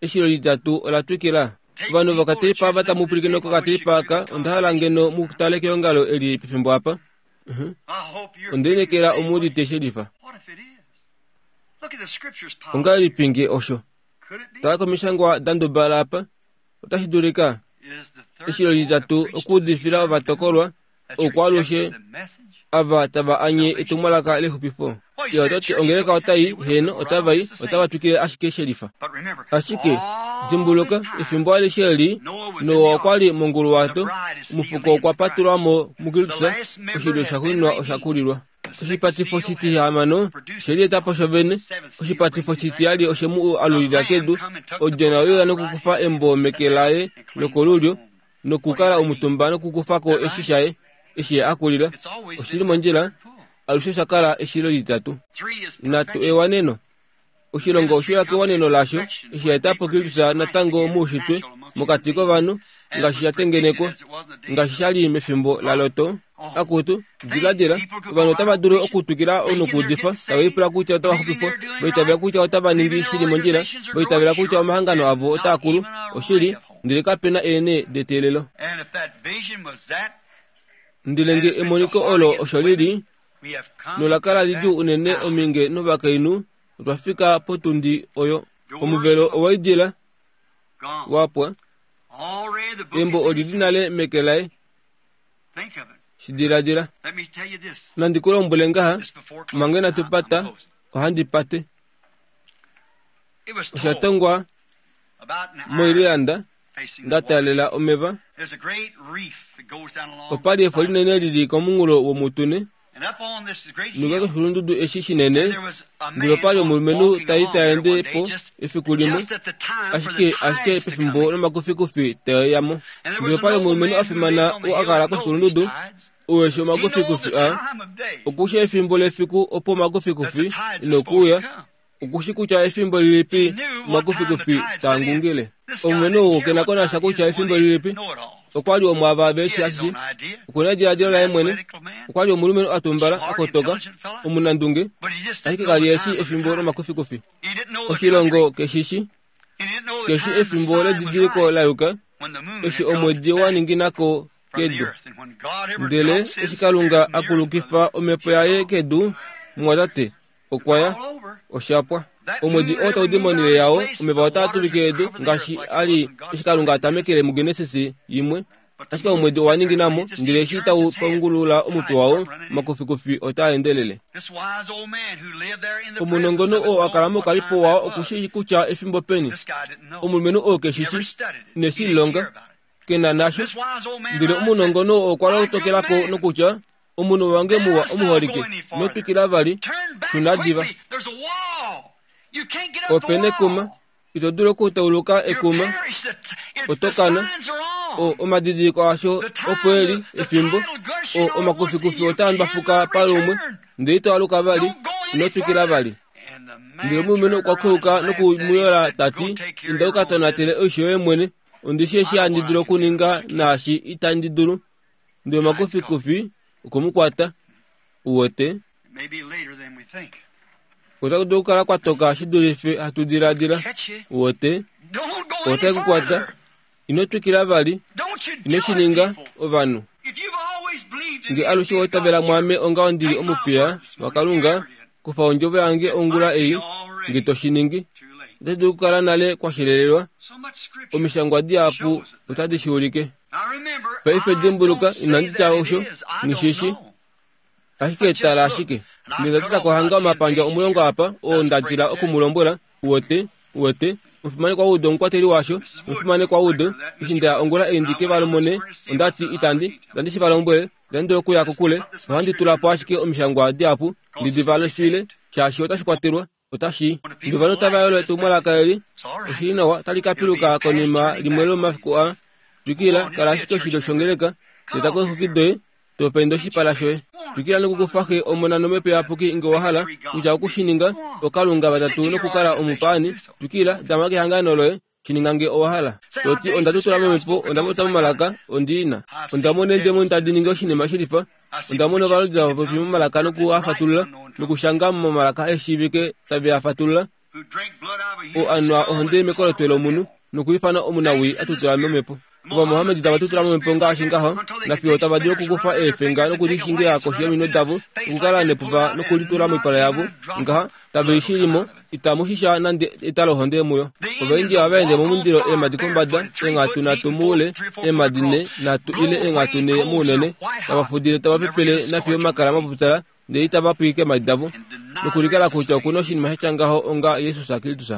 eshilo litatu ola twikila. Ovanhu vokateipa ava tamu pwilikine kokateipa aka, onda hala ngeno mu tale keongalo eli pefimbo apa. Onde lineekela omu udite shelifa. Ongahelipi nge osho? Tala komishangwa da ndubala apa. Otashi dulika eshilo litatu okuudifila ovatokolwa oukwaalushe ava tava anye etumwalaka lexupifo. Ye ota ti ongeleka otai, heeno, otava i, otava twikile ashike shelifa. Ashike, dimbuluka, efimbo alishe eli, Noa okwa li monguluwato, omufuko okwa patulwa mo muKristus, oshilyo shaxuuninwa osha kulilwa. Oshipatifo shitihamano oshe lieta po shovene, oshipatifo shitiyali oshe mu alulila kedu, odjona oye uya nokukufa embo meke laye lokolulyo, nokukala omutumba nokukufa ko eshi shaye, eshi ye a kulila. Oshili mondjila, alushe osha kala eshilo litatu. Natu ewaneno. Oshilongo oshe uya kewaneno lasho, eshi sha eta po Kristus natango moushitwe, mokati kovanhu, ngaashi sha tengenekwa, ngaashi sha li mefimbo laLot. Akutu, diladila, ovanhu otava dulu okutwikila nokuudifa, tava lipula kutya otava xupifwa, vaitavela kutya otava ningi shili mondjila, vaitavela kutya omahangano avo otaa kulu, oshili, ndele kape na eene deteelelo. Ndele nge emoniko olo osho lili, nola kala lidjuu unene ominge novakainhu, otwa fika potundi oyo. Omuvelo owaidila, wapwa, embo olili nale meke laye. Shidiladila. Nandi ku lombwele ngaha, manga inatu pata, ohandi pate. Osha tongwa moIreland, nda taalela omeva. Opa li efo linene lili komunghulo womutune, nokuya koshikulundudu eshi shinene, ndele opa li omulumenhu tali ta ende po efiku limwe, ashike ashike pefimbo lomakufikufi te ya mo. Ndele opa li omulumenhu a fimana oo a kala koshikulundudu, oo eshi omakufikufi a, okushi efimbo lefiku opo omakufikufi inokuuya, okushi kutya efimbo lilipi omakufikufi taa ngungile. Omulumenhu ou ke na ko nasha kutya efimbo lilipi, okwa li omwaava veshi ashishe, okuna ediladilo laye mwene, okwa li omulumenhu a tumbala, a kotoka, omunandunge, ashike kali eshi efimbo lomakufikufi. Oshilongo keshishi, keshi efimbo ledidiliko la yuka, eshi omwedi wa ninginako kedu. Ndele eshi Kalunga a kulukifa omhepo yaye kedu, mumwatate, okwa ya, oshapwa. Omwedi oo tau di monhele yao, omeva otaa tuvike edu, ngaashi a li eshi Kalunga a tamekele muGenesis imwe. Ashike omwedi owa ninginamo, ndele eshi tau pangulula omutwe wao, omakufikufi otaa endelele. Omunongono oo a kala mokalipo wao okushi kutya efimbo peni. Omulumenhu oo keshishi, ineshi lilonga, ke na nasho. Ndele omunongono oo okwa lotokelako nokutya, omunhu wange muwa omuholike, ino twikila vali, shuna diva. Ope nekuma, ito dulu okutauluka ekuma, oto kana. O omadidiliko asho opo eli efimbo, o omakufikufi otaa ndwafuka palumwe, ndele ito aluka vali, ino twikila vali. Ndele omulumenhu okwa keuka nokumuyola ta ti, inda u ka tonatele oisho yoye mwene, ondishi eshi handi dulu okuninga naashi itandi dulu. Ndele omakufikufi okwe mu kwata. Uwete? Otaku dulu okukala kwa toka shi dulife hatu diladila. Uwete? Otai ku kwata. Ino twikila vali. Ino shi ninga, ovanhu. Nge alushe wa itavela mwaame onga ondili omupiya waKalunga, kufa ondjovo yange ongula ei, nge to shi ningi. Otashi dulu okukala nale kwa shelelelwa. Omishangwa dihapu otadi shi ulike. Paife dimbuluka, inandi tya osho, nghishishi. Ashike tala ashike. Ndele nda teta hanga omapandja omulongo apa, oo nda dila okumulombwela, uwete, uwete, omufimanekwa Wood omukwateli washo, omufimanekwa Wood, eshi nda ongula ei ndike va mone, onda ti itandi, itandi shi va lombwele, itandi dulu okuya kokule, ohandi tula po ashike omishangwa dihapu, ndi di valefile, shaashi otashi kwatelwa, otashi. Ndele ovanhu otava yolo etumwalaka eli, oshili nawa, otali ka piluka konima limwe lomafiku a. Twikila, kala ashike oshilyo shongeleka, teta ko eexwiki doye, to penda oshipala shoye. Twikila nokukufa xe omona nomhepo iyapuki nge wa hala, kutya okushininga, okalunga vatatu nokukala omupaani. Twikila, dama kehangano loye, shininga nge owa hala. Toti onda tutula momhepo, onda popya momalaka, ondiina. Onda mona eendemoni tadi ningi oshinima shilifa. Onda mona ovalodi tava popi momalaka nokuafatulula, nokushanga momalaka eshiivike tave a fatulula. O anwa ohonde mekolotwe lomunhu, nokwiifana omunawii a tutula momhepo. Ovamohamedi tava tutula momhepo ngaashi ngaho, nafiyo tava dulu okukufa eefenga nokulishingila koshi yominwe davo, nokukala nepupa nokulitula moipala yavo, ngaha, tave i shilimo, itamu shisha nande etalohonde muyo. Ovaindia ohava ende momundilo eemhadi kombada, eenghatu nhatu moule, eemhadi nhe nhatu ile eenghatu nhe mounene, tava fudile tava pepele nafiyo omakala mapupyala, ndele itava pwike eemhadi davo, nokulikala kutya okuna oshinima sha tya ngaho onga Jesus Kristus.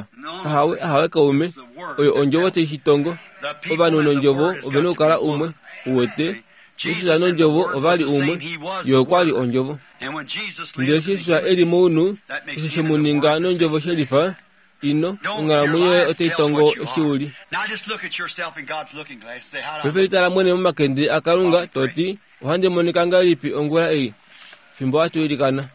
Ahawe, ahawe kaume, oyo ondjovo tai shi tongo. Ovanhu nondjovo ovena okukala umwe, uwete. Jesus nondjovo ova li umwe, ye okwa li ondjovo. Ndele eshi Jesus e li mounhu, osho she mu ninga nondjovo shelifa, ino, onghalamwenyo yoye otai tongo eshi u li. Paife litala mwene momakende aKalunga, to ti, ohandi monika ngahelipi ongula ei, fimbo hatu ilikana.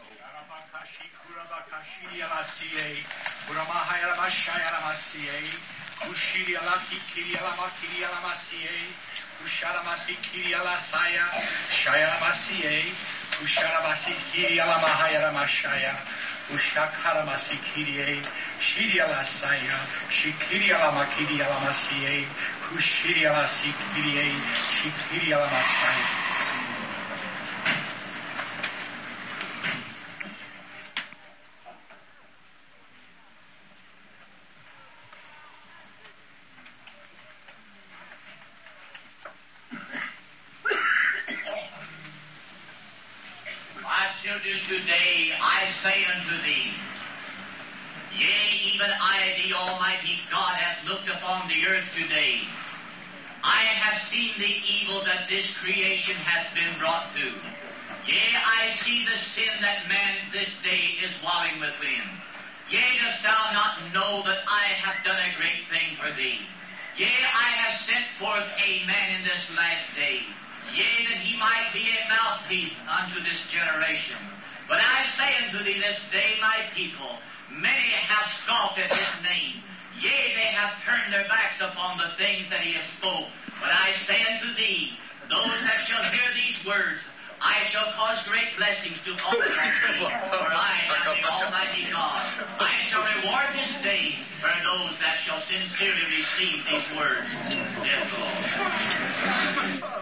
My children, today I say unto thee, yea, even I, the Almighty God, hath looked upon the earth today. I have seen the evil that this creation has been brought to. Yea, I see the sin that man this day is wallowing within. Yea, dost thou not know that I have done a great thing for thee? Yea, I have sent forth a man in this last day. Yea, that he might be a mouthpiece unto this generation. But I say unto thee this day, my people, many have scoffed at his name. Yea, they have turned their backs upon the things that he has spoke. But I say unto thee, those that shall hear these words, I shall cause great blessings to fall upon thee, for I am the Almighty God. I shall reward this day for those that shall sincerely receive these words, saith the Lord.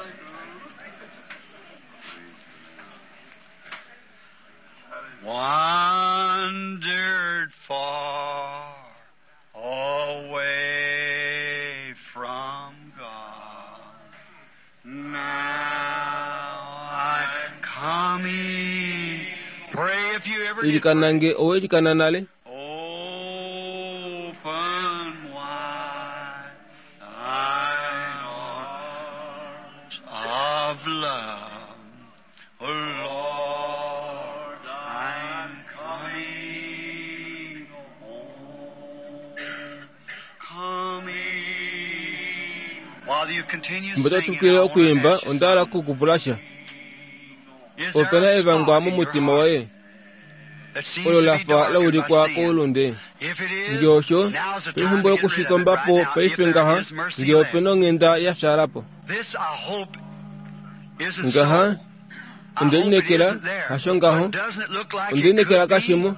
Wandered far away from God. Now I come in. Pray if you ever did. Ilikana nge owelikana nale. Open wide thine arms of love. O Lord, I'm coming home. Coming. While you continue Mbo singing, totukile I want to okuimba ask you ondala kukupulasha. Is there Opena a evangwa spot in your mumutima heart waye. that seems Olo to be lafa darkened by laulikwa sin? koulunde. If it is, Nge osho, now's the time pefimbo to get rid of it lokushikombapo right now, if paife there ngaha, is mercy nge left. opena onghenda ya fyalapo. This I hope isn't Ngaha, so. I hope it ondelinekela isn't there. hasho ngaho, But doesn't it look like it ondelinekela could be? kashimo,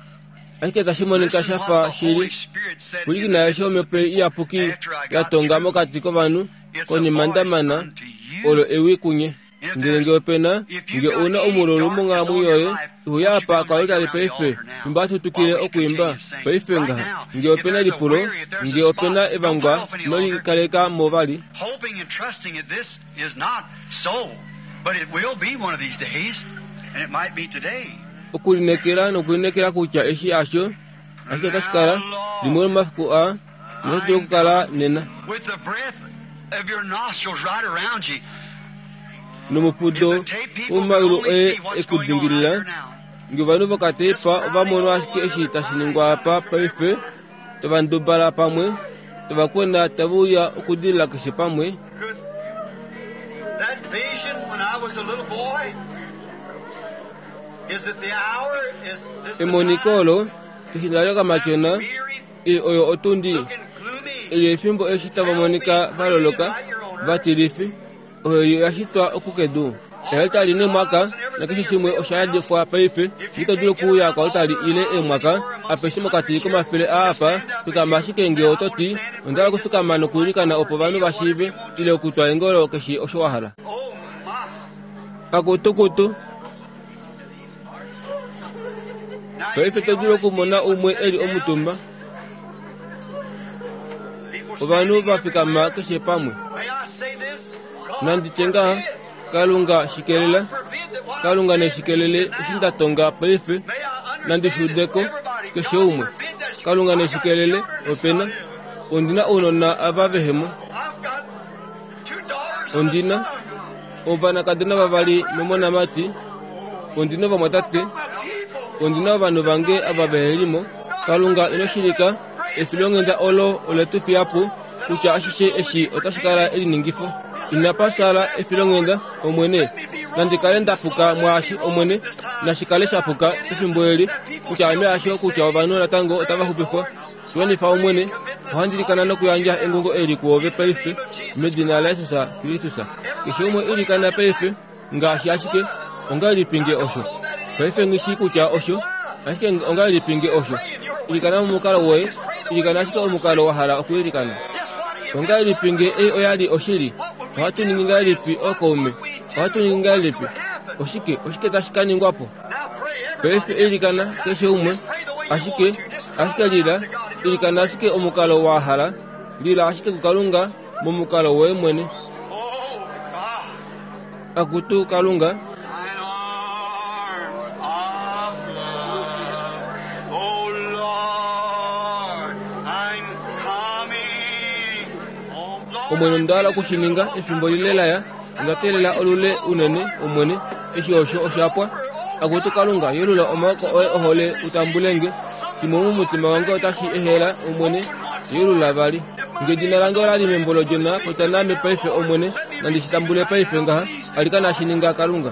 ashike tashi monika Listen shafa what the shili, Holy Spirit said in kulikina the yasho omhepo iyapuki after I got yatonga through. mokati kovanhu It's a konima voice ndamana unto you. olo ewi kunye. If Ndele nge there's- opena if you've nge got una any omululu darkness monghalamwenyo on your yoye life, won't you ihuyapa come right kwalutali around the paife altar now imba atutukile while we okuimba continue singing? paife Right ngaha now, nge if opena there's a lipulo weary, if there's nge a opena spot, don't put evangwa off any longer. nolikaleka movali hoping and trusting that this is not so, but it will be one of these days, and it might be today. okulinekela nokulinekela kutya eshi asho ashike otashi kala limwe lomafiku a notashi dulu okukala nena With the breath of your nostrils right around you, if nomufudo the tape people could womayulu only e see what's going on out ekudingilila here now. nge ovanhu vokateipa ovamono ashike eshi tashi ningwa apa paife tovandubala pamwe tovakwena taveuya okudilila keshe pamwe Could that vision when I was a little boy? Is it the hour? Is this the emoniko time? olo eshi ndali okamatyona Weary, ili oyo otundi looking gloomy. ili efimbo eshi tavamonika valoloka vatilifi oyo yashitwa okukedu ealitali nemwaka nakeshe shimwe oshayadifwa paife ito dulu okuuya kwalitali ile emwaka apeshe mokati komafele aapa fikama ashike nge ototi ondala okufikama nokuilikana opo ovanhu vashiive ile okutwa engolo keshe osho wahala Oh my. kakutukutu Now you paife can't to dulu hardly okumona see anyone umwe eli sitting down. omutumba People ovanhu standing vafikama everywhere. keshe pamwe May I say this? God nanditye ngaha forbid. kalunga shikelela God forbid that what I've kalunga said neshikelele is now. eshi ndatonga paife May I understand nandishudeko that everybody, keshe God umwe forbid that kalunga I got neshikelele children that's opena not in. ondina ounona ava vehemo I've got two daughters and a ondina son. ovanakadona vavali nomonamati ondina ovamwatate I've got my people. ondina ovanhu vange ava vehelimo kalunga inoshilika efilonghenda olo oletu fiyapo kutya ashishe eshi otashi kala eliningifo inapasala efilonghenda omwene nandikale ndapuka mwaashi omwene nashikale shapuka pefimbo eli kutya ame asho kutya ovanhu natango otava xupifwa shiwanifa omwene Ohandi ilikana nokuyandja engungo eli kuove paife medina laJesus Kristus. Keshe umwe ilikana paife ngaashi ashike ongahelipi nge osho. Paife nghi kutya osho, ashike ongahelipi nge osho. Ilikana momukalo woye, ilikana ashike omukalo wa hala okuilikana. Ongahelipi nge ei oya li oshili? Ohatu ningi ngahelipi ookaume? Ohatu ningi ngahelipi? Oshike oshike tashi ka ningwa po? Paife ilikana keshe umwe, ashike ashike lila, ilikana ashike omukalo wa hala, lila ashike kuKalunga momukalo woye mwene. Akutu Kalunga, Omwene onda hala okushininga efimbo lile laya, onda teelela olule unene Omwene, eshi osho oshapwa. Akutu Kalunga, yelula omaoko oye ohole utambulenge. Shimwe momutima wange otashi ehela Omwene, yelula vali. Ngedina lange ola li membo lodjona, popya naame paife Omwene, nandi shi tambule paife ngaha, alikana shi ninga Kalunga.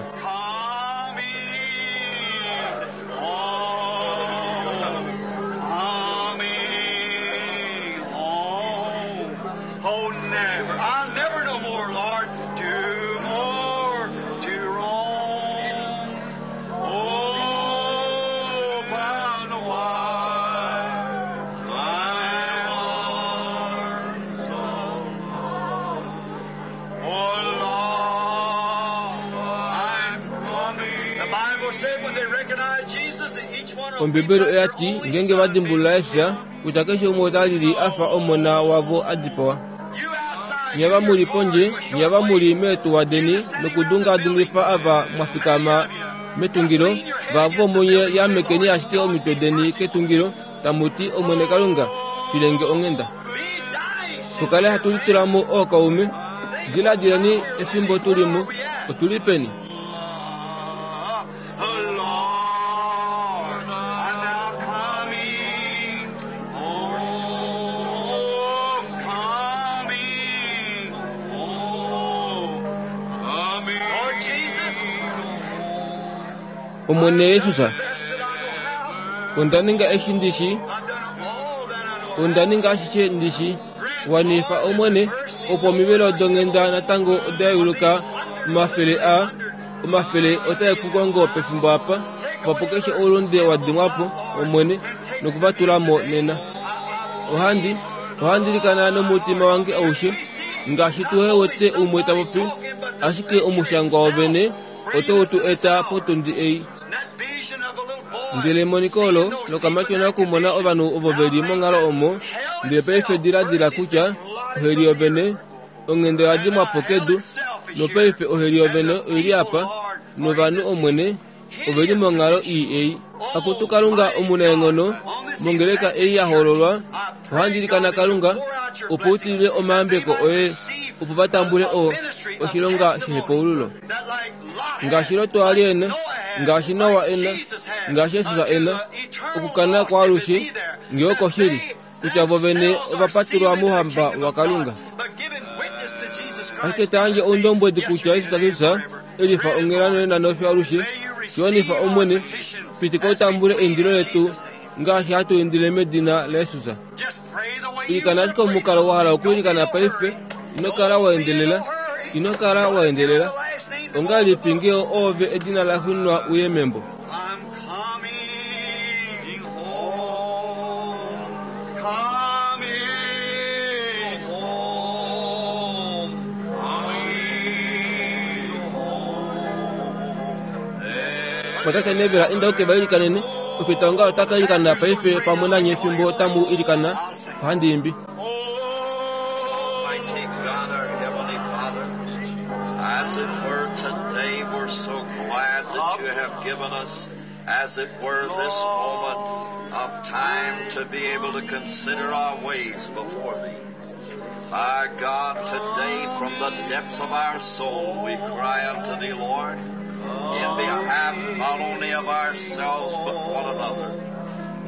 Ombibeli oya ti ngenge va dimbulula Jesus kutya keshe umwe ota lili a fa omona wavo a dipawa. Nye ava muli pondje, nye ava muli meetuwa deni nokudungadungifa ava mwa fikama metungilo, vavo munye yamekeni ashike omitwe deni ketungilo, tamu ti Omwene Kalunga, filenge onghenda. Tukale hatu litulamo ookaume, diladileni efimbo tulimo, otuli peni? Omwene Jesus, onda ninga eshi ndishi, onda ninga ashishe ndishi, wanifa Omwene, opo omivelo donghenda natango oda yeuluka omafele a omafele otae ku kongo pefimbo apa, opo keshe oulunde wa dimwa po Omwene nokuvatula mo nena. Ohandi ohandi ilikana nomutima wange aushe, ngaashi tuhe wete umwe ta popi, ashike omushangwa wovene otau tu eta potundi ei. Ndele emoniko olo lokamatyona okumona ovanhu ovo ve li monghalo omo, ndele paife diladila kutya oheli yovene onghenda oya dimwa po kedu, nopaife oheli yovene oili apa, novanhu Omwene ove li monghalo ii ei. Akutu Kalunga omunaenghono, mongeleka ei ya hoololwa, ohandi ilikana Kalunga, opo u tilile omayambeko oye, opo va tambule o oshilonga shehepaululo. Ngaashi Lot a li ena, ngaashi Noa ena, ngaashi Jesus ena, okukana kwaalushe ngee okoshili, kutya vo vene ova patulwa mouhamba waKalunga. Ashike ta yandje oundombwedi kutya Jesus Kristus elifa onghela nonena nofiyo alushe, shiwanifa Omwene, pitika utambule eindilo letu ngaashi hatu indile medina laJesus. Ilikana ashike omukalo wa hala okuilikana paife, ino kala wa endelela, ino kala wa endelela. Ongahelipi ngee oove edina la xunwa uye membo? Mwatate Neville inda uke va ilikanene, ofita onga otaka ilikana paife pamwe nanye efimbo tamu ilikana, ohandi imbi. Almighty God, our Heavenly Father, as it were today, we're so glad that you have given us, as it were, this moment of time to be able to consider our ways before thee. Our God, today from the depths of our soul we cry unto thee, Lord, in behalf not only of ourselves but one another.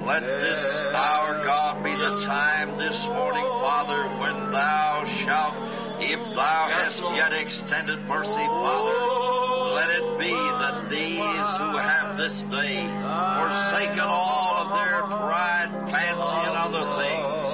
Let this, our God, be the time this morning, Father, when thou shalt, if thou hast yet extended mercy, Father, let it be that these who have this day forsaken all of their pride, fancy, and other things,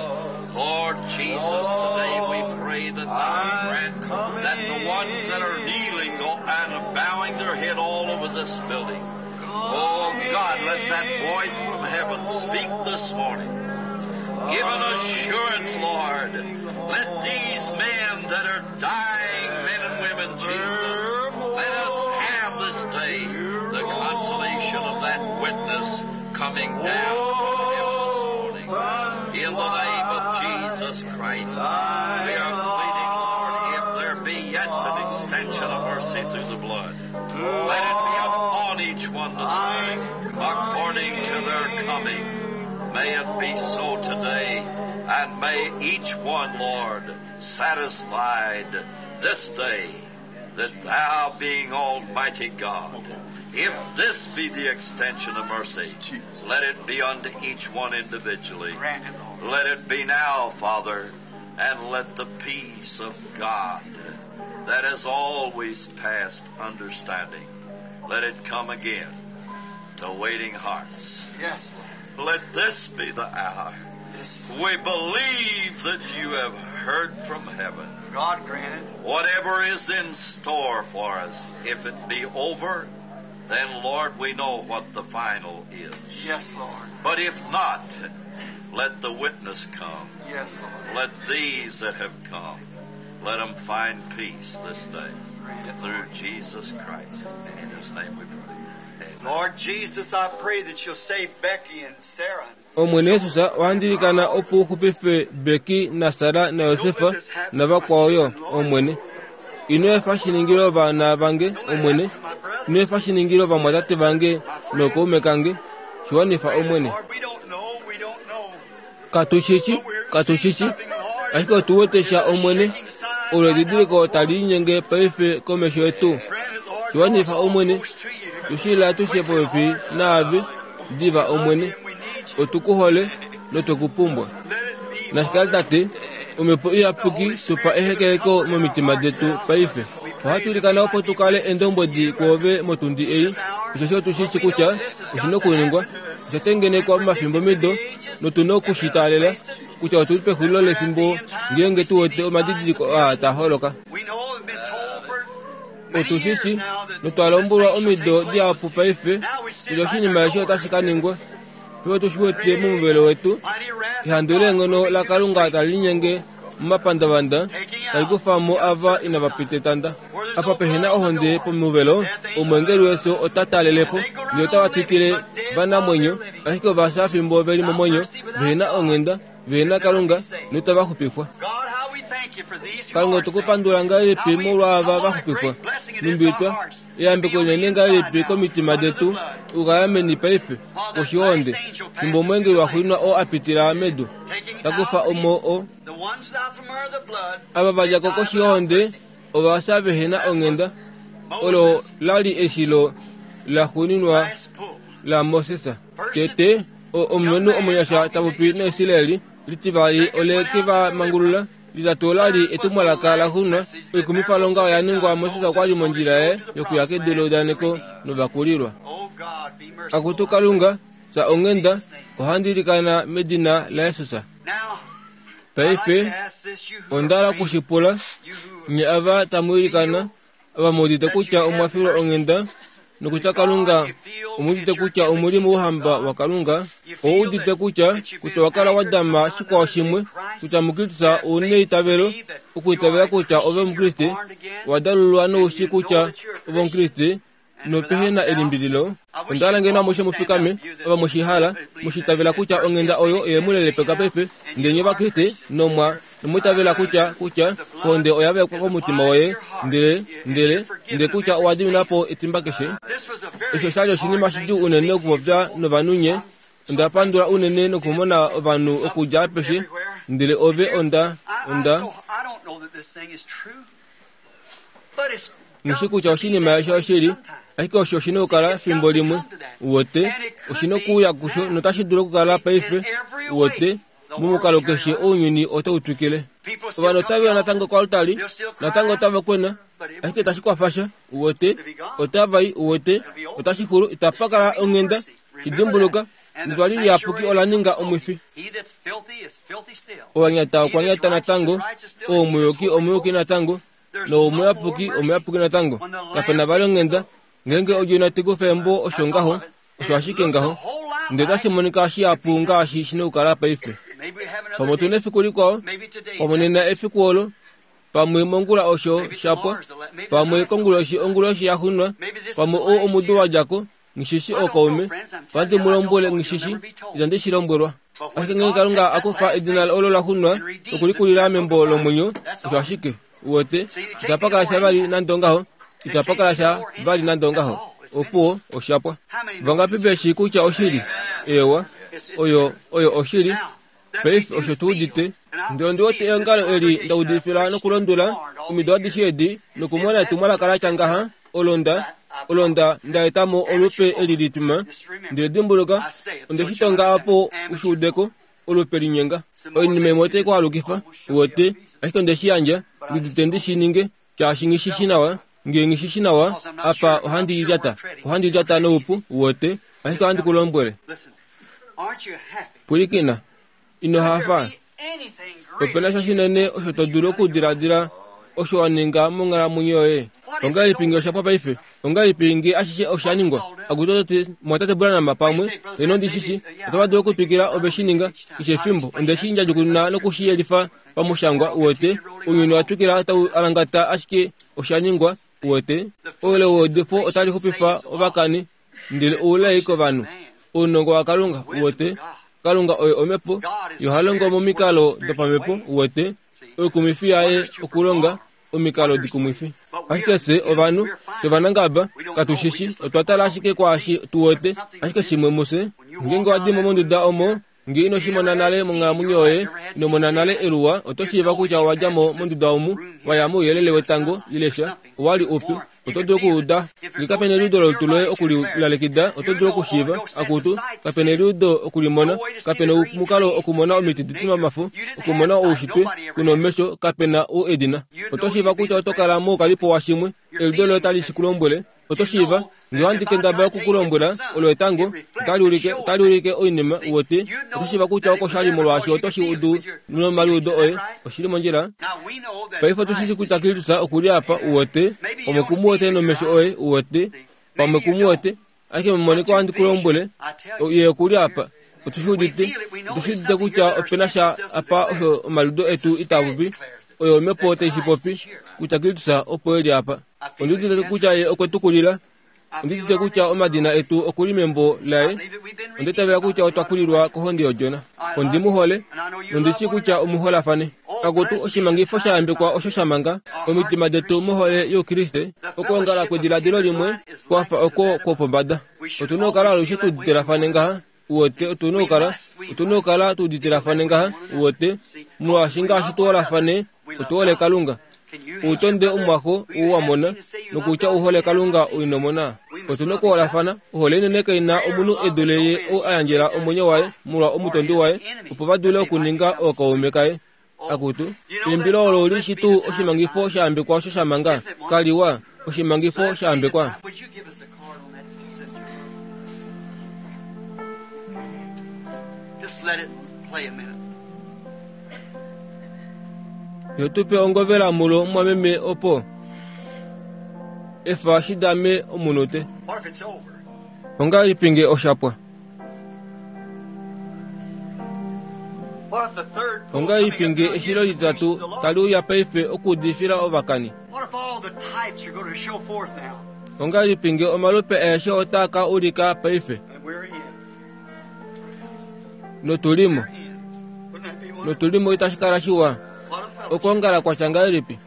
Lord, Lord Jesus, today we pray that thou grant that the ones that are kneeling and bowing their head all over this building, oh God, let that voice from heaven speak this morning. Give an assurance, Lord. Let these men that are dying, men and women, Jesus, let us have this day the consolation of that witness coming down from heaven this morning. In the name of Jesus Christ, we are pleading, Lord, if there be yet an extension of mercy through the blood, let it be upon each one this morning, according to their coming. May it be so today, and may each one, Lord, satisfied this day that thou being Almighty God, if this be the extension of mercy, let it be unto each one individually. Let it be now, Father, and let the peace of God that is always past understanding, let it come again to waiting hearts. Yes, Lord. Let this be the hour. This, We believe that you have heard from heaven. God grant it. Whatever is in store for us, if it be over, then, Lord, we know what the final is. Yes, Lord. But if not, let the witness come. Yes, Lord. Let these that have come, let them find peace this day Grant it, through Lord. Jesus Christ. And in His name we pray. Amen. Lord Jesus, I pray that you'll save Becky and Sarah. Omwene Yesus wandilikana opo uxupife Beki na Sara na Yosefa na vakwaoyo Omwene. Ino efa shiningile ovana vange Omwene, ino efa shiningile ovamwatate vange nookaume kange, shiwanifa Omwene. Lord, we don't know, we don't know. Katuxici, katuxici, ashike otu wete sha Omwene, olo edidiliko tali linyenge paife komesho yetu. Grant it, Lord, Shiwanifa Omwene, close to you. tushila tushe popepi naave, diva Omwene, And we need you. otukuhole notukupumbwa. Let it be, Nashikali Father. tate, omhepo iyapuki tupa ehekeleko momitima detu paife. Ohatu ilikana opo tukale endombwedi kwoove motundi ei, oshoshi otushishi kutya oshina okuningwa, osha tengenekwa momafimbo mido, notuna okushitaalela kutya otuli pexulilo lefimbo ngeenge tuwete omadidiliko aa taa holoka. We know we've been told for many years Otushishi now that notwa lombwelwa this thing shall omido take place. dihapu paife Now we see kutya right oshinima eshi our otashi door. ka ningwa. Paife otushi wete momuvelo wetu, Mighty wrath of ehandu God leenghono moving la through the Kalunga streets. tali linyenge momapandavanda tali kufamo ava inava pita etanda. Apa pehena ohonde pomuvelo, omwengeli wefyo ota talelepo, ndele otava twikile vanamwenyo, ashike ovafya fimbo veli momwenyo, vehena onghenda, vehena Kalunga, notava xupifwa. God, how we thank you for these who Kalunga are otu ku saved. pandula ngahelipi How we- molwa ava how va what a xupifwa. great blessing it is to our Numbitwa, hearts to eyambeko be on the linene inside ngahelipi now, komitima under the detu, blood. ukaya meni paife, While that koshihonde, last angel fimbo passes omwengeli through the wa xuuninwa oo a pitila medu, taking takufa out omo o the ones out from under the blood, ava va dja ko they die koshihonde without mercy. ovafya vehena onghenda olo Moses, lali eshilo la xuuninwa last pull. la Moses. Tete, o- omulumenhu omunyasha tapopi naIsraeli, litivali ole ke va mangulula, litatu olali etumwalaka la xuuninwa, oikumifalonga oya ningwa Moses okwali mondjila yaye yokuya kedu leudaneko novakulilwa. Oh God, be merciful. Akutu Kalunga, fya onghenda, ohandi ilikana medina laJesus. Now, I'd like Paife, to ask this, you who are onda hala praying, okushipula, you who nye ava tamu ilikana, ava muudite kutya omwa filwa onghenda, nokutya Kalunga omuudite kutya omuli mouhamba waKalunga, ouudite kutya kutya wakala wa dama shikwao shimwe, kutya muKristus ouna eitavelo, okuitavela kutya ove Omukriste, wa dalululwa noushi kutya ove Omukriste, nopehe na elimbililo. Onda hala ngeno amushe mufikame, ava mushihala, mushitavela kutya onghenda oyo oye mu lelepeka paife, ndele nye Ovakriste nomwa nomwiitavela kutya kutya ohonde oya vekwa komutima woye, ndele ndele ndele kutya owa dimina po etimba keshe. This was a very Osho oshali oshinima hard thing shidjuu to unene speak to okupopya people. novanhu nye. Onda pandula unene nokumona ovanhu okudja apeshe, ndele ove onda I, I, onda so, I don't know that this thing is true, but it's nishi got kutya to be oshinima that eshi way oshili, sometime. ashike osho oshina okukala fimbo limwe. Uwete, oshina okuuya kusho notashi dulu okukala paife. Uwete, momukalo keshe ounyuni otau twikile. People still Ovanhu come otava to natango koaltari, They'll still cry natango out, otava kwena, but it ashike itashi kwafasha. Uwete, otava i, uwete, otashi xulu, itapa kala onghenda. Shidimbuluka, Netwali liyapuki ola ninga omwifi. Owanyata okwanyata natango, oumuyuki omuyuki natango, noumuyapuki omuyapuki natango. Kapena vali onghenda, ngeenge odjona tekufa embo osho ngaho, osho ashike ngaho. Ndele otashi monika shihapu ngaashi shina okukala paife. Pamwe otuna efiku likwao, pamwe nena efiku olo, pamwe mongula osho shapwa, pamwe konguloshi onguloshi yaxunwa, pamwe ou omudo wadjako, ngishishi okaume, ohandi mu lombwele ngishishi, itandi shi lombwelwa. Ashike ngeenge Kalunga akufa edina olo laxunwa nokulikulila membo lomwenyo, osho ashike, uwete, itapa sha vali nande ongaho, itapa sha vali nande ongaho. Opuwo oshapwa. Vangapi veshi kutya oshili? Ewa, oyo oyo oshili. Paife osho tuudite. Ndele ondi wete eongalo eli ndaudifila nokulondwela omido adishe edi nokumona etumwalaka latya ngaha olonda olonda ndaetamo olupe eli lituma. Ndele dimbuluka, onde shi tonga apo ushuudeko olupe linyenga. Oinima imwe otai ku alukifa, uwete, ashike onde shi yandja, ndidite ndi shi ninge, shaashi nghishishi nawa, ngee nghishishi nawa, apa ohandi lyata, ohandi lyata noupu, uwete, ashike ohandi ku lombwele. Pwilikina, ino hafa. Opena sha shinene osho to dulu okudiladila osho wa ninga monghalamwenyo yoye. Ongahelipi ngee oshapwa paife? Ongahelipi ngee ashishe osha ningwa? Akutoti mwatate Branham pamwe, eno ndishishi, otava dulu okutwikila ove shi ninga keshe efimbo. Onde shi ndjadjukununa nokushiyelifa pamushangwa, uwete, ounyuni wa twikila tau alangata ashike osha ningwa, uwete. Oule weudifo otali xupifa ovakani, ndele oulai kovanhu. Ounongo waKalunga, uwete. Kalunga oye omhepo, yo ha longo momikalo dopamhepo, uwete. Oikumwifi yaye okulonga omikalo dikumwifi. Ashike fye ovanhu, fye ovanangaba, katushishi, otwa tala ashike kwaashi tuwete, ashike shimwe mufye. Ngeenge wadimo monduda omo, ngee ino shi mona nale monghalamwenyo yoye, ino mona nale eluwa, oto shiiva kutya owadja mo monduda omu, waya mouyelele wetango, ile sha, owali upi, oto dulu okuuda. Ngee kapena eliudo lolutu loye okulilalekida, oto dulu okushiiva, akutu, kapena eliudo okulimona, kapena omukalo okumona omiti ditima omafo, okumona oushitwe, kuna omesho, kapena ou edina. Oto shiiva kutya oto kala moukalipo washimwe, eliudo loye otali shi kulombwele. Oto shiiva, ngee ohandi kendabala okukulombwela, olo etango, otali ulike, otali ulike oinima, uwete. Oto shiiva kutya oko shali molwaashi oto shi udu nomaliudo oye, oshili mondjila. Paife otu shishi kutya Kristus okuli apa, uwete, pamwe kumuwete nomesho oye, uwete, pamwe kumuwete, ashike memoniko ohandi kulombwele, ye okuli apa. Otu shi udite, otu shi udite kutya opena sha apa osho omaliudo etu itaa popi, oyo omhepo tai shi popi, kutya Kristus opo eli apa. Ondi udite kutya ye okwe tu kulila. Ondi udite kutya omadina etu okuli membo laye. Onde tavela kutya otwa kulilwa kohonde yodjona. Ondi mu hole, nondi shii kutya omuholafane. Kakutu oshimangifo sha yambekwa osho sha manga omitima detu mohole youKriste. Okwoongala kwediladilo limwe kwafa oko kwopombada. Otuna okukala alushe tuuditelafane ngaha, uwete. Otuna okukala, otuna okukala tuuditelafane ngaha, uwete, molwaashi ngaashi tuholafane, otuhole Kalunga. Outonde omwaxo ou wa mona, nokutya uhole Kalunga oinomona. Otuna okuholafana. Ohole inene kaina omunhu e dule ye ou a yandjela omwenyo waye molwa omutondi waye, opo va dule okuninga ookaume kaye. Akutu, eimbilo olo oli shi tuu oshimangifo sha yambekwa osho sha manga? Kaliwa, oshimangifo sha yambekwa. Yo tupe ongovela mulo mwameme opo efa shidame omunute. Ongahelipi ngee oshapwa? Ongahelipi ngee eshilo litatu tali uya paife okuudifila ovakani? Ongahelipi ngee omalupe aeshe otaa ka ulika paife? Notulimo, notulimo itashi kala shiwa. Okwoongala kwatya ngahelipi?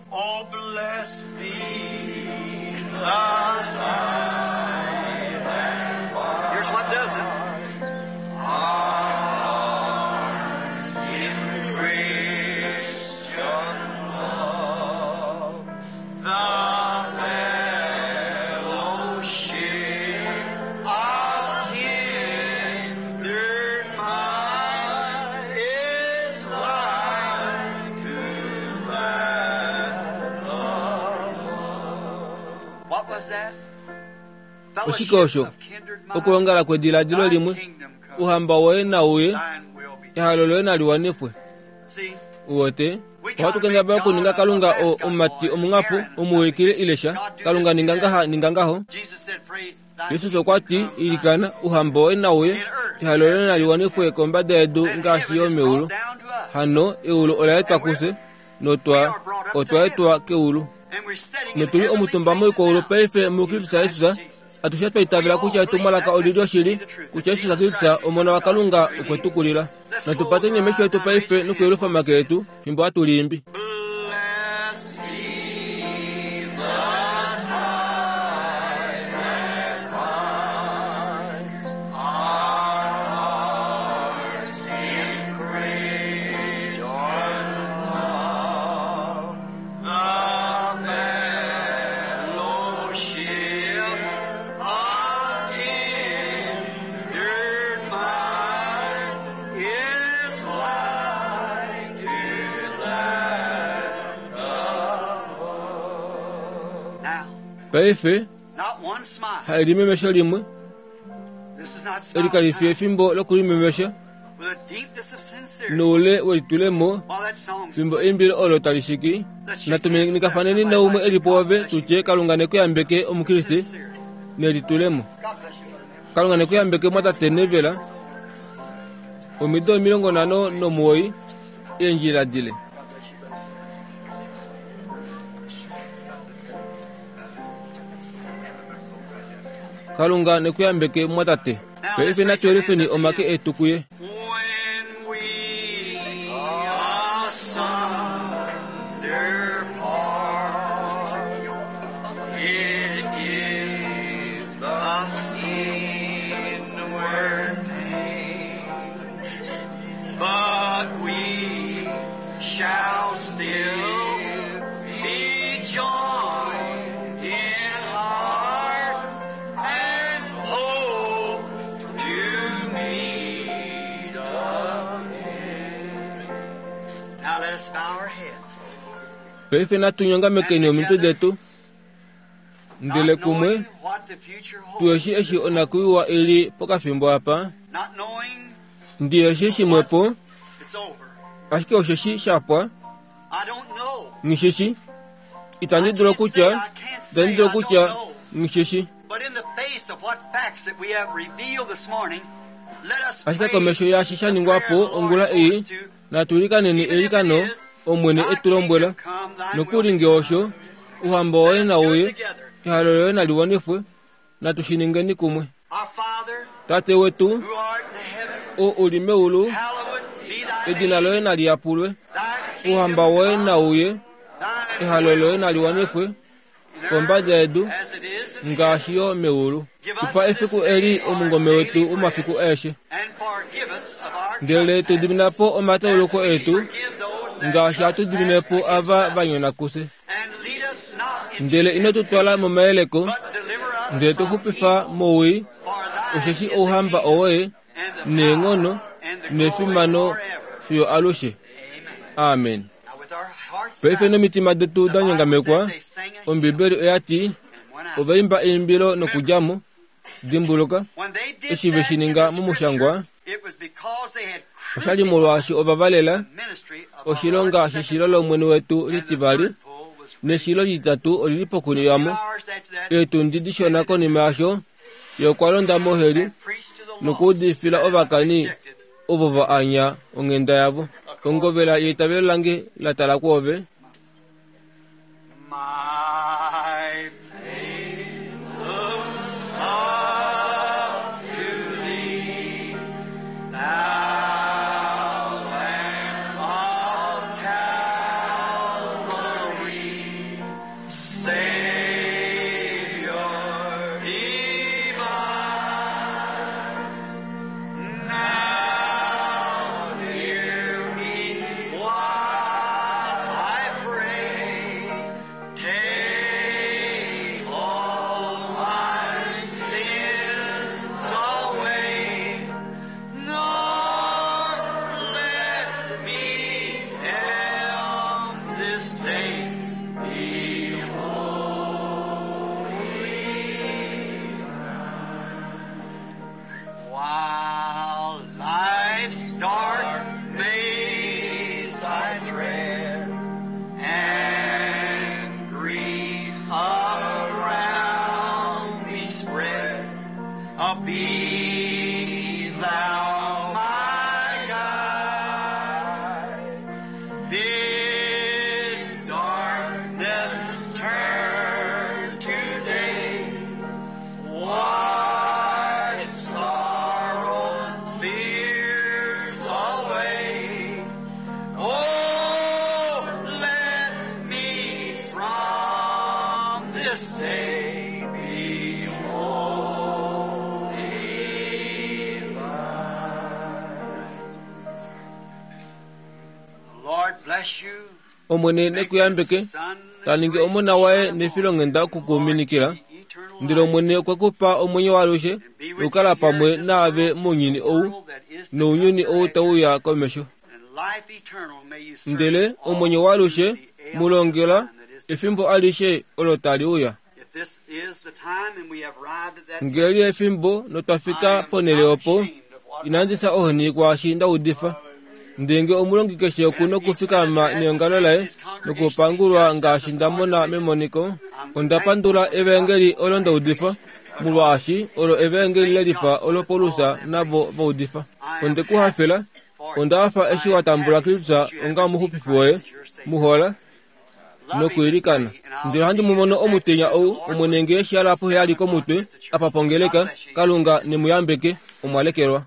Here's what does it. Arms in Christian love, the fellowship of kindred mind is like to that above. What was that? Oshike osho? Okwoongala kwediladilo limwe, Uhamba woye nauye, ehalo loye nali wanifwe. Uwete ohatu kendabala okuninga Kalunga omumati omunghapo omuulikile ile sha. Kalunga ninga ngaha, ninga ngaho. Jesus okwa ti, ilikana, uhamba woye nauye, ehalo loye nali wanifwe kombada yedu ngaashi yo meulu. Hano eulu ola etwa kufye, notwa otwa etwa keulu. Notuli omutumba moikwaulu paife muKristus Jesus. Atushe twa itavela kutya etumwalaka olili oshili, kutya Jesus Kristus Omona waKalunga okwe tu kulila. Natu pateni omesho etu paife nokuyelufa omake etu fimbo hatu liimbi. Paife hailimemesho limwe eli kali fi efimbo lokulimemesha noule welitulemo fimbo eimbilo olo tali shiki. Natuminikafaneni naumwe eli pwoove tutye Kalunga nekuyambeke omukriste nelitulemo. Kalunga nekuyambeke mwatate Nevela omido omilongo nhano nomuwoi eendjila dile. Kalunga nekuyambeke mwatate. Paife natuyelifeni omake etu kuye. Paife natunyongamekeni omitwe detu ndele kumwe tuyeshi eshi onakuiwa ili pokafimbo apa. Ndiyeshi shimwepo ashike osheshi shapwa. Ngisheshi itandi dulu kutya itandi dulu kutya ngisheshi. Ashike komesho yaashi sha ningwapo ongula ei natulikaneni eilikano Omwene etu lombwela nokuli nge osho uhamba woye nauye, ehalo loye nali wanifwe, natu shi ningeni kumwe. Tate wetu o uli meulu, edina loye nali yapulwe, uhamba woye nauye, ehalo loye nali wanifwe kombada yedu ngaashi yo meulu. Tupa efiku eli omungome wetu womafiku aeshe, ndele tu diminapo omatauluko etu ngaashi hatu diminepo ava va nyona kufye. Ndele ino tu twala momayeleko, ndele tu xupifa mowii, osheshi ouhamba owoye neenghono nefimano fiyo alushe. Amen. Paife nomitima detu da nyongamekwa, Ombibeli oya ti ovaimba eimbilo nokudjamo. Dimbuluka eshi ve shi ninga momushangwa, oshali molwaashi ova valela oshilonga sheshilo lOmwene wetu litivali, neshilo lititatu olili pokuniyamo. Eetundi dishona konima yasho ye okwa londa moheli nokuudifila ovakani ovo va anya onghenda yavo. Ongovela yeitavelo lange la tala kwoove. Now hear me while I Oh, be thou my guide. Bid darkness turn to day. Wash sorrows, fears away. Oh, let me from this day be wholly thine. The Lord bless you. Omwene nekuyambeke taningi omona waye nefilonghenda okukuminikila ndele Omwene okwe kupa omwenyo waalushe nokukala pamwe naave mounyuni ou nounyuni ou tauya komesho. Ndele omwenyo waalushe mulongela efimbo alishe olo tali uya. Ngele efimbo notwafika ponhele opo, inandi fya ohoni kwaashi nda udifa. Ndele omulongi keshe okuna okufikama neongalo laye nokupangulwa ngaashi nda mona memoniko. Onda pandula evaengeli olo nda udifa, molwaashi olo evaengeli lelifa olo Paulus navo va udifa. Onde ku hafela, onda hafa eshi wa tambula Kristus onga omuxupifi woye, muhola nokwiilikana. Ndele ohandi mu mono omutenya ou, Omwene ngee shi hala poheyali komutwe, apa pongeleka, Kalunga nemuyambeke, omwa lekelwa.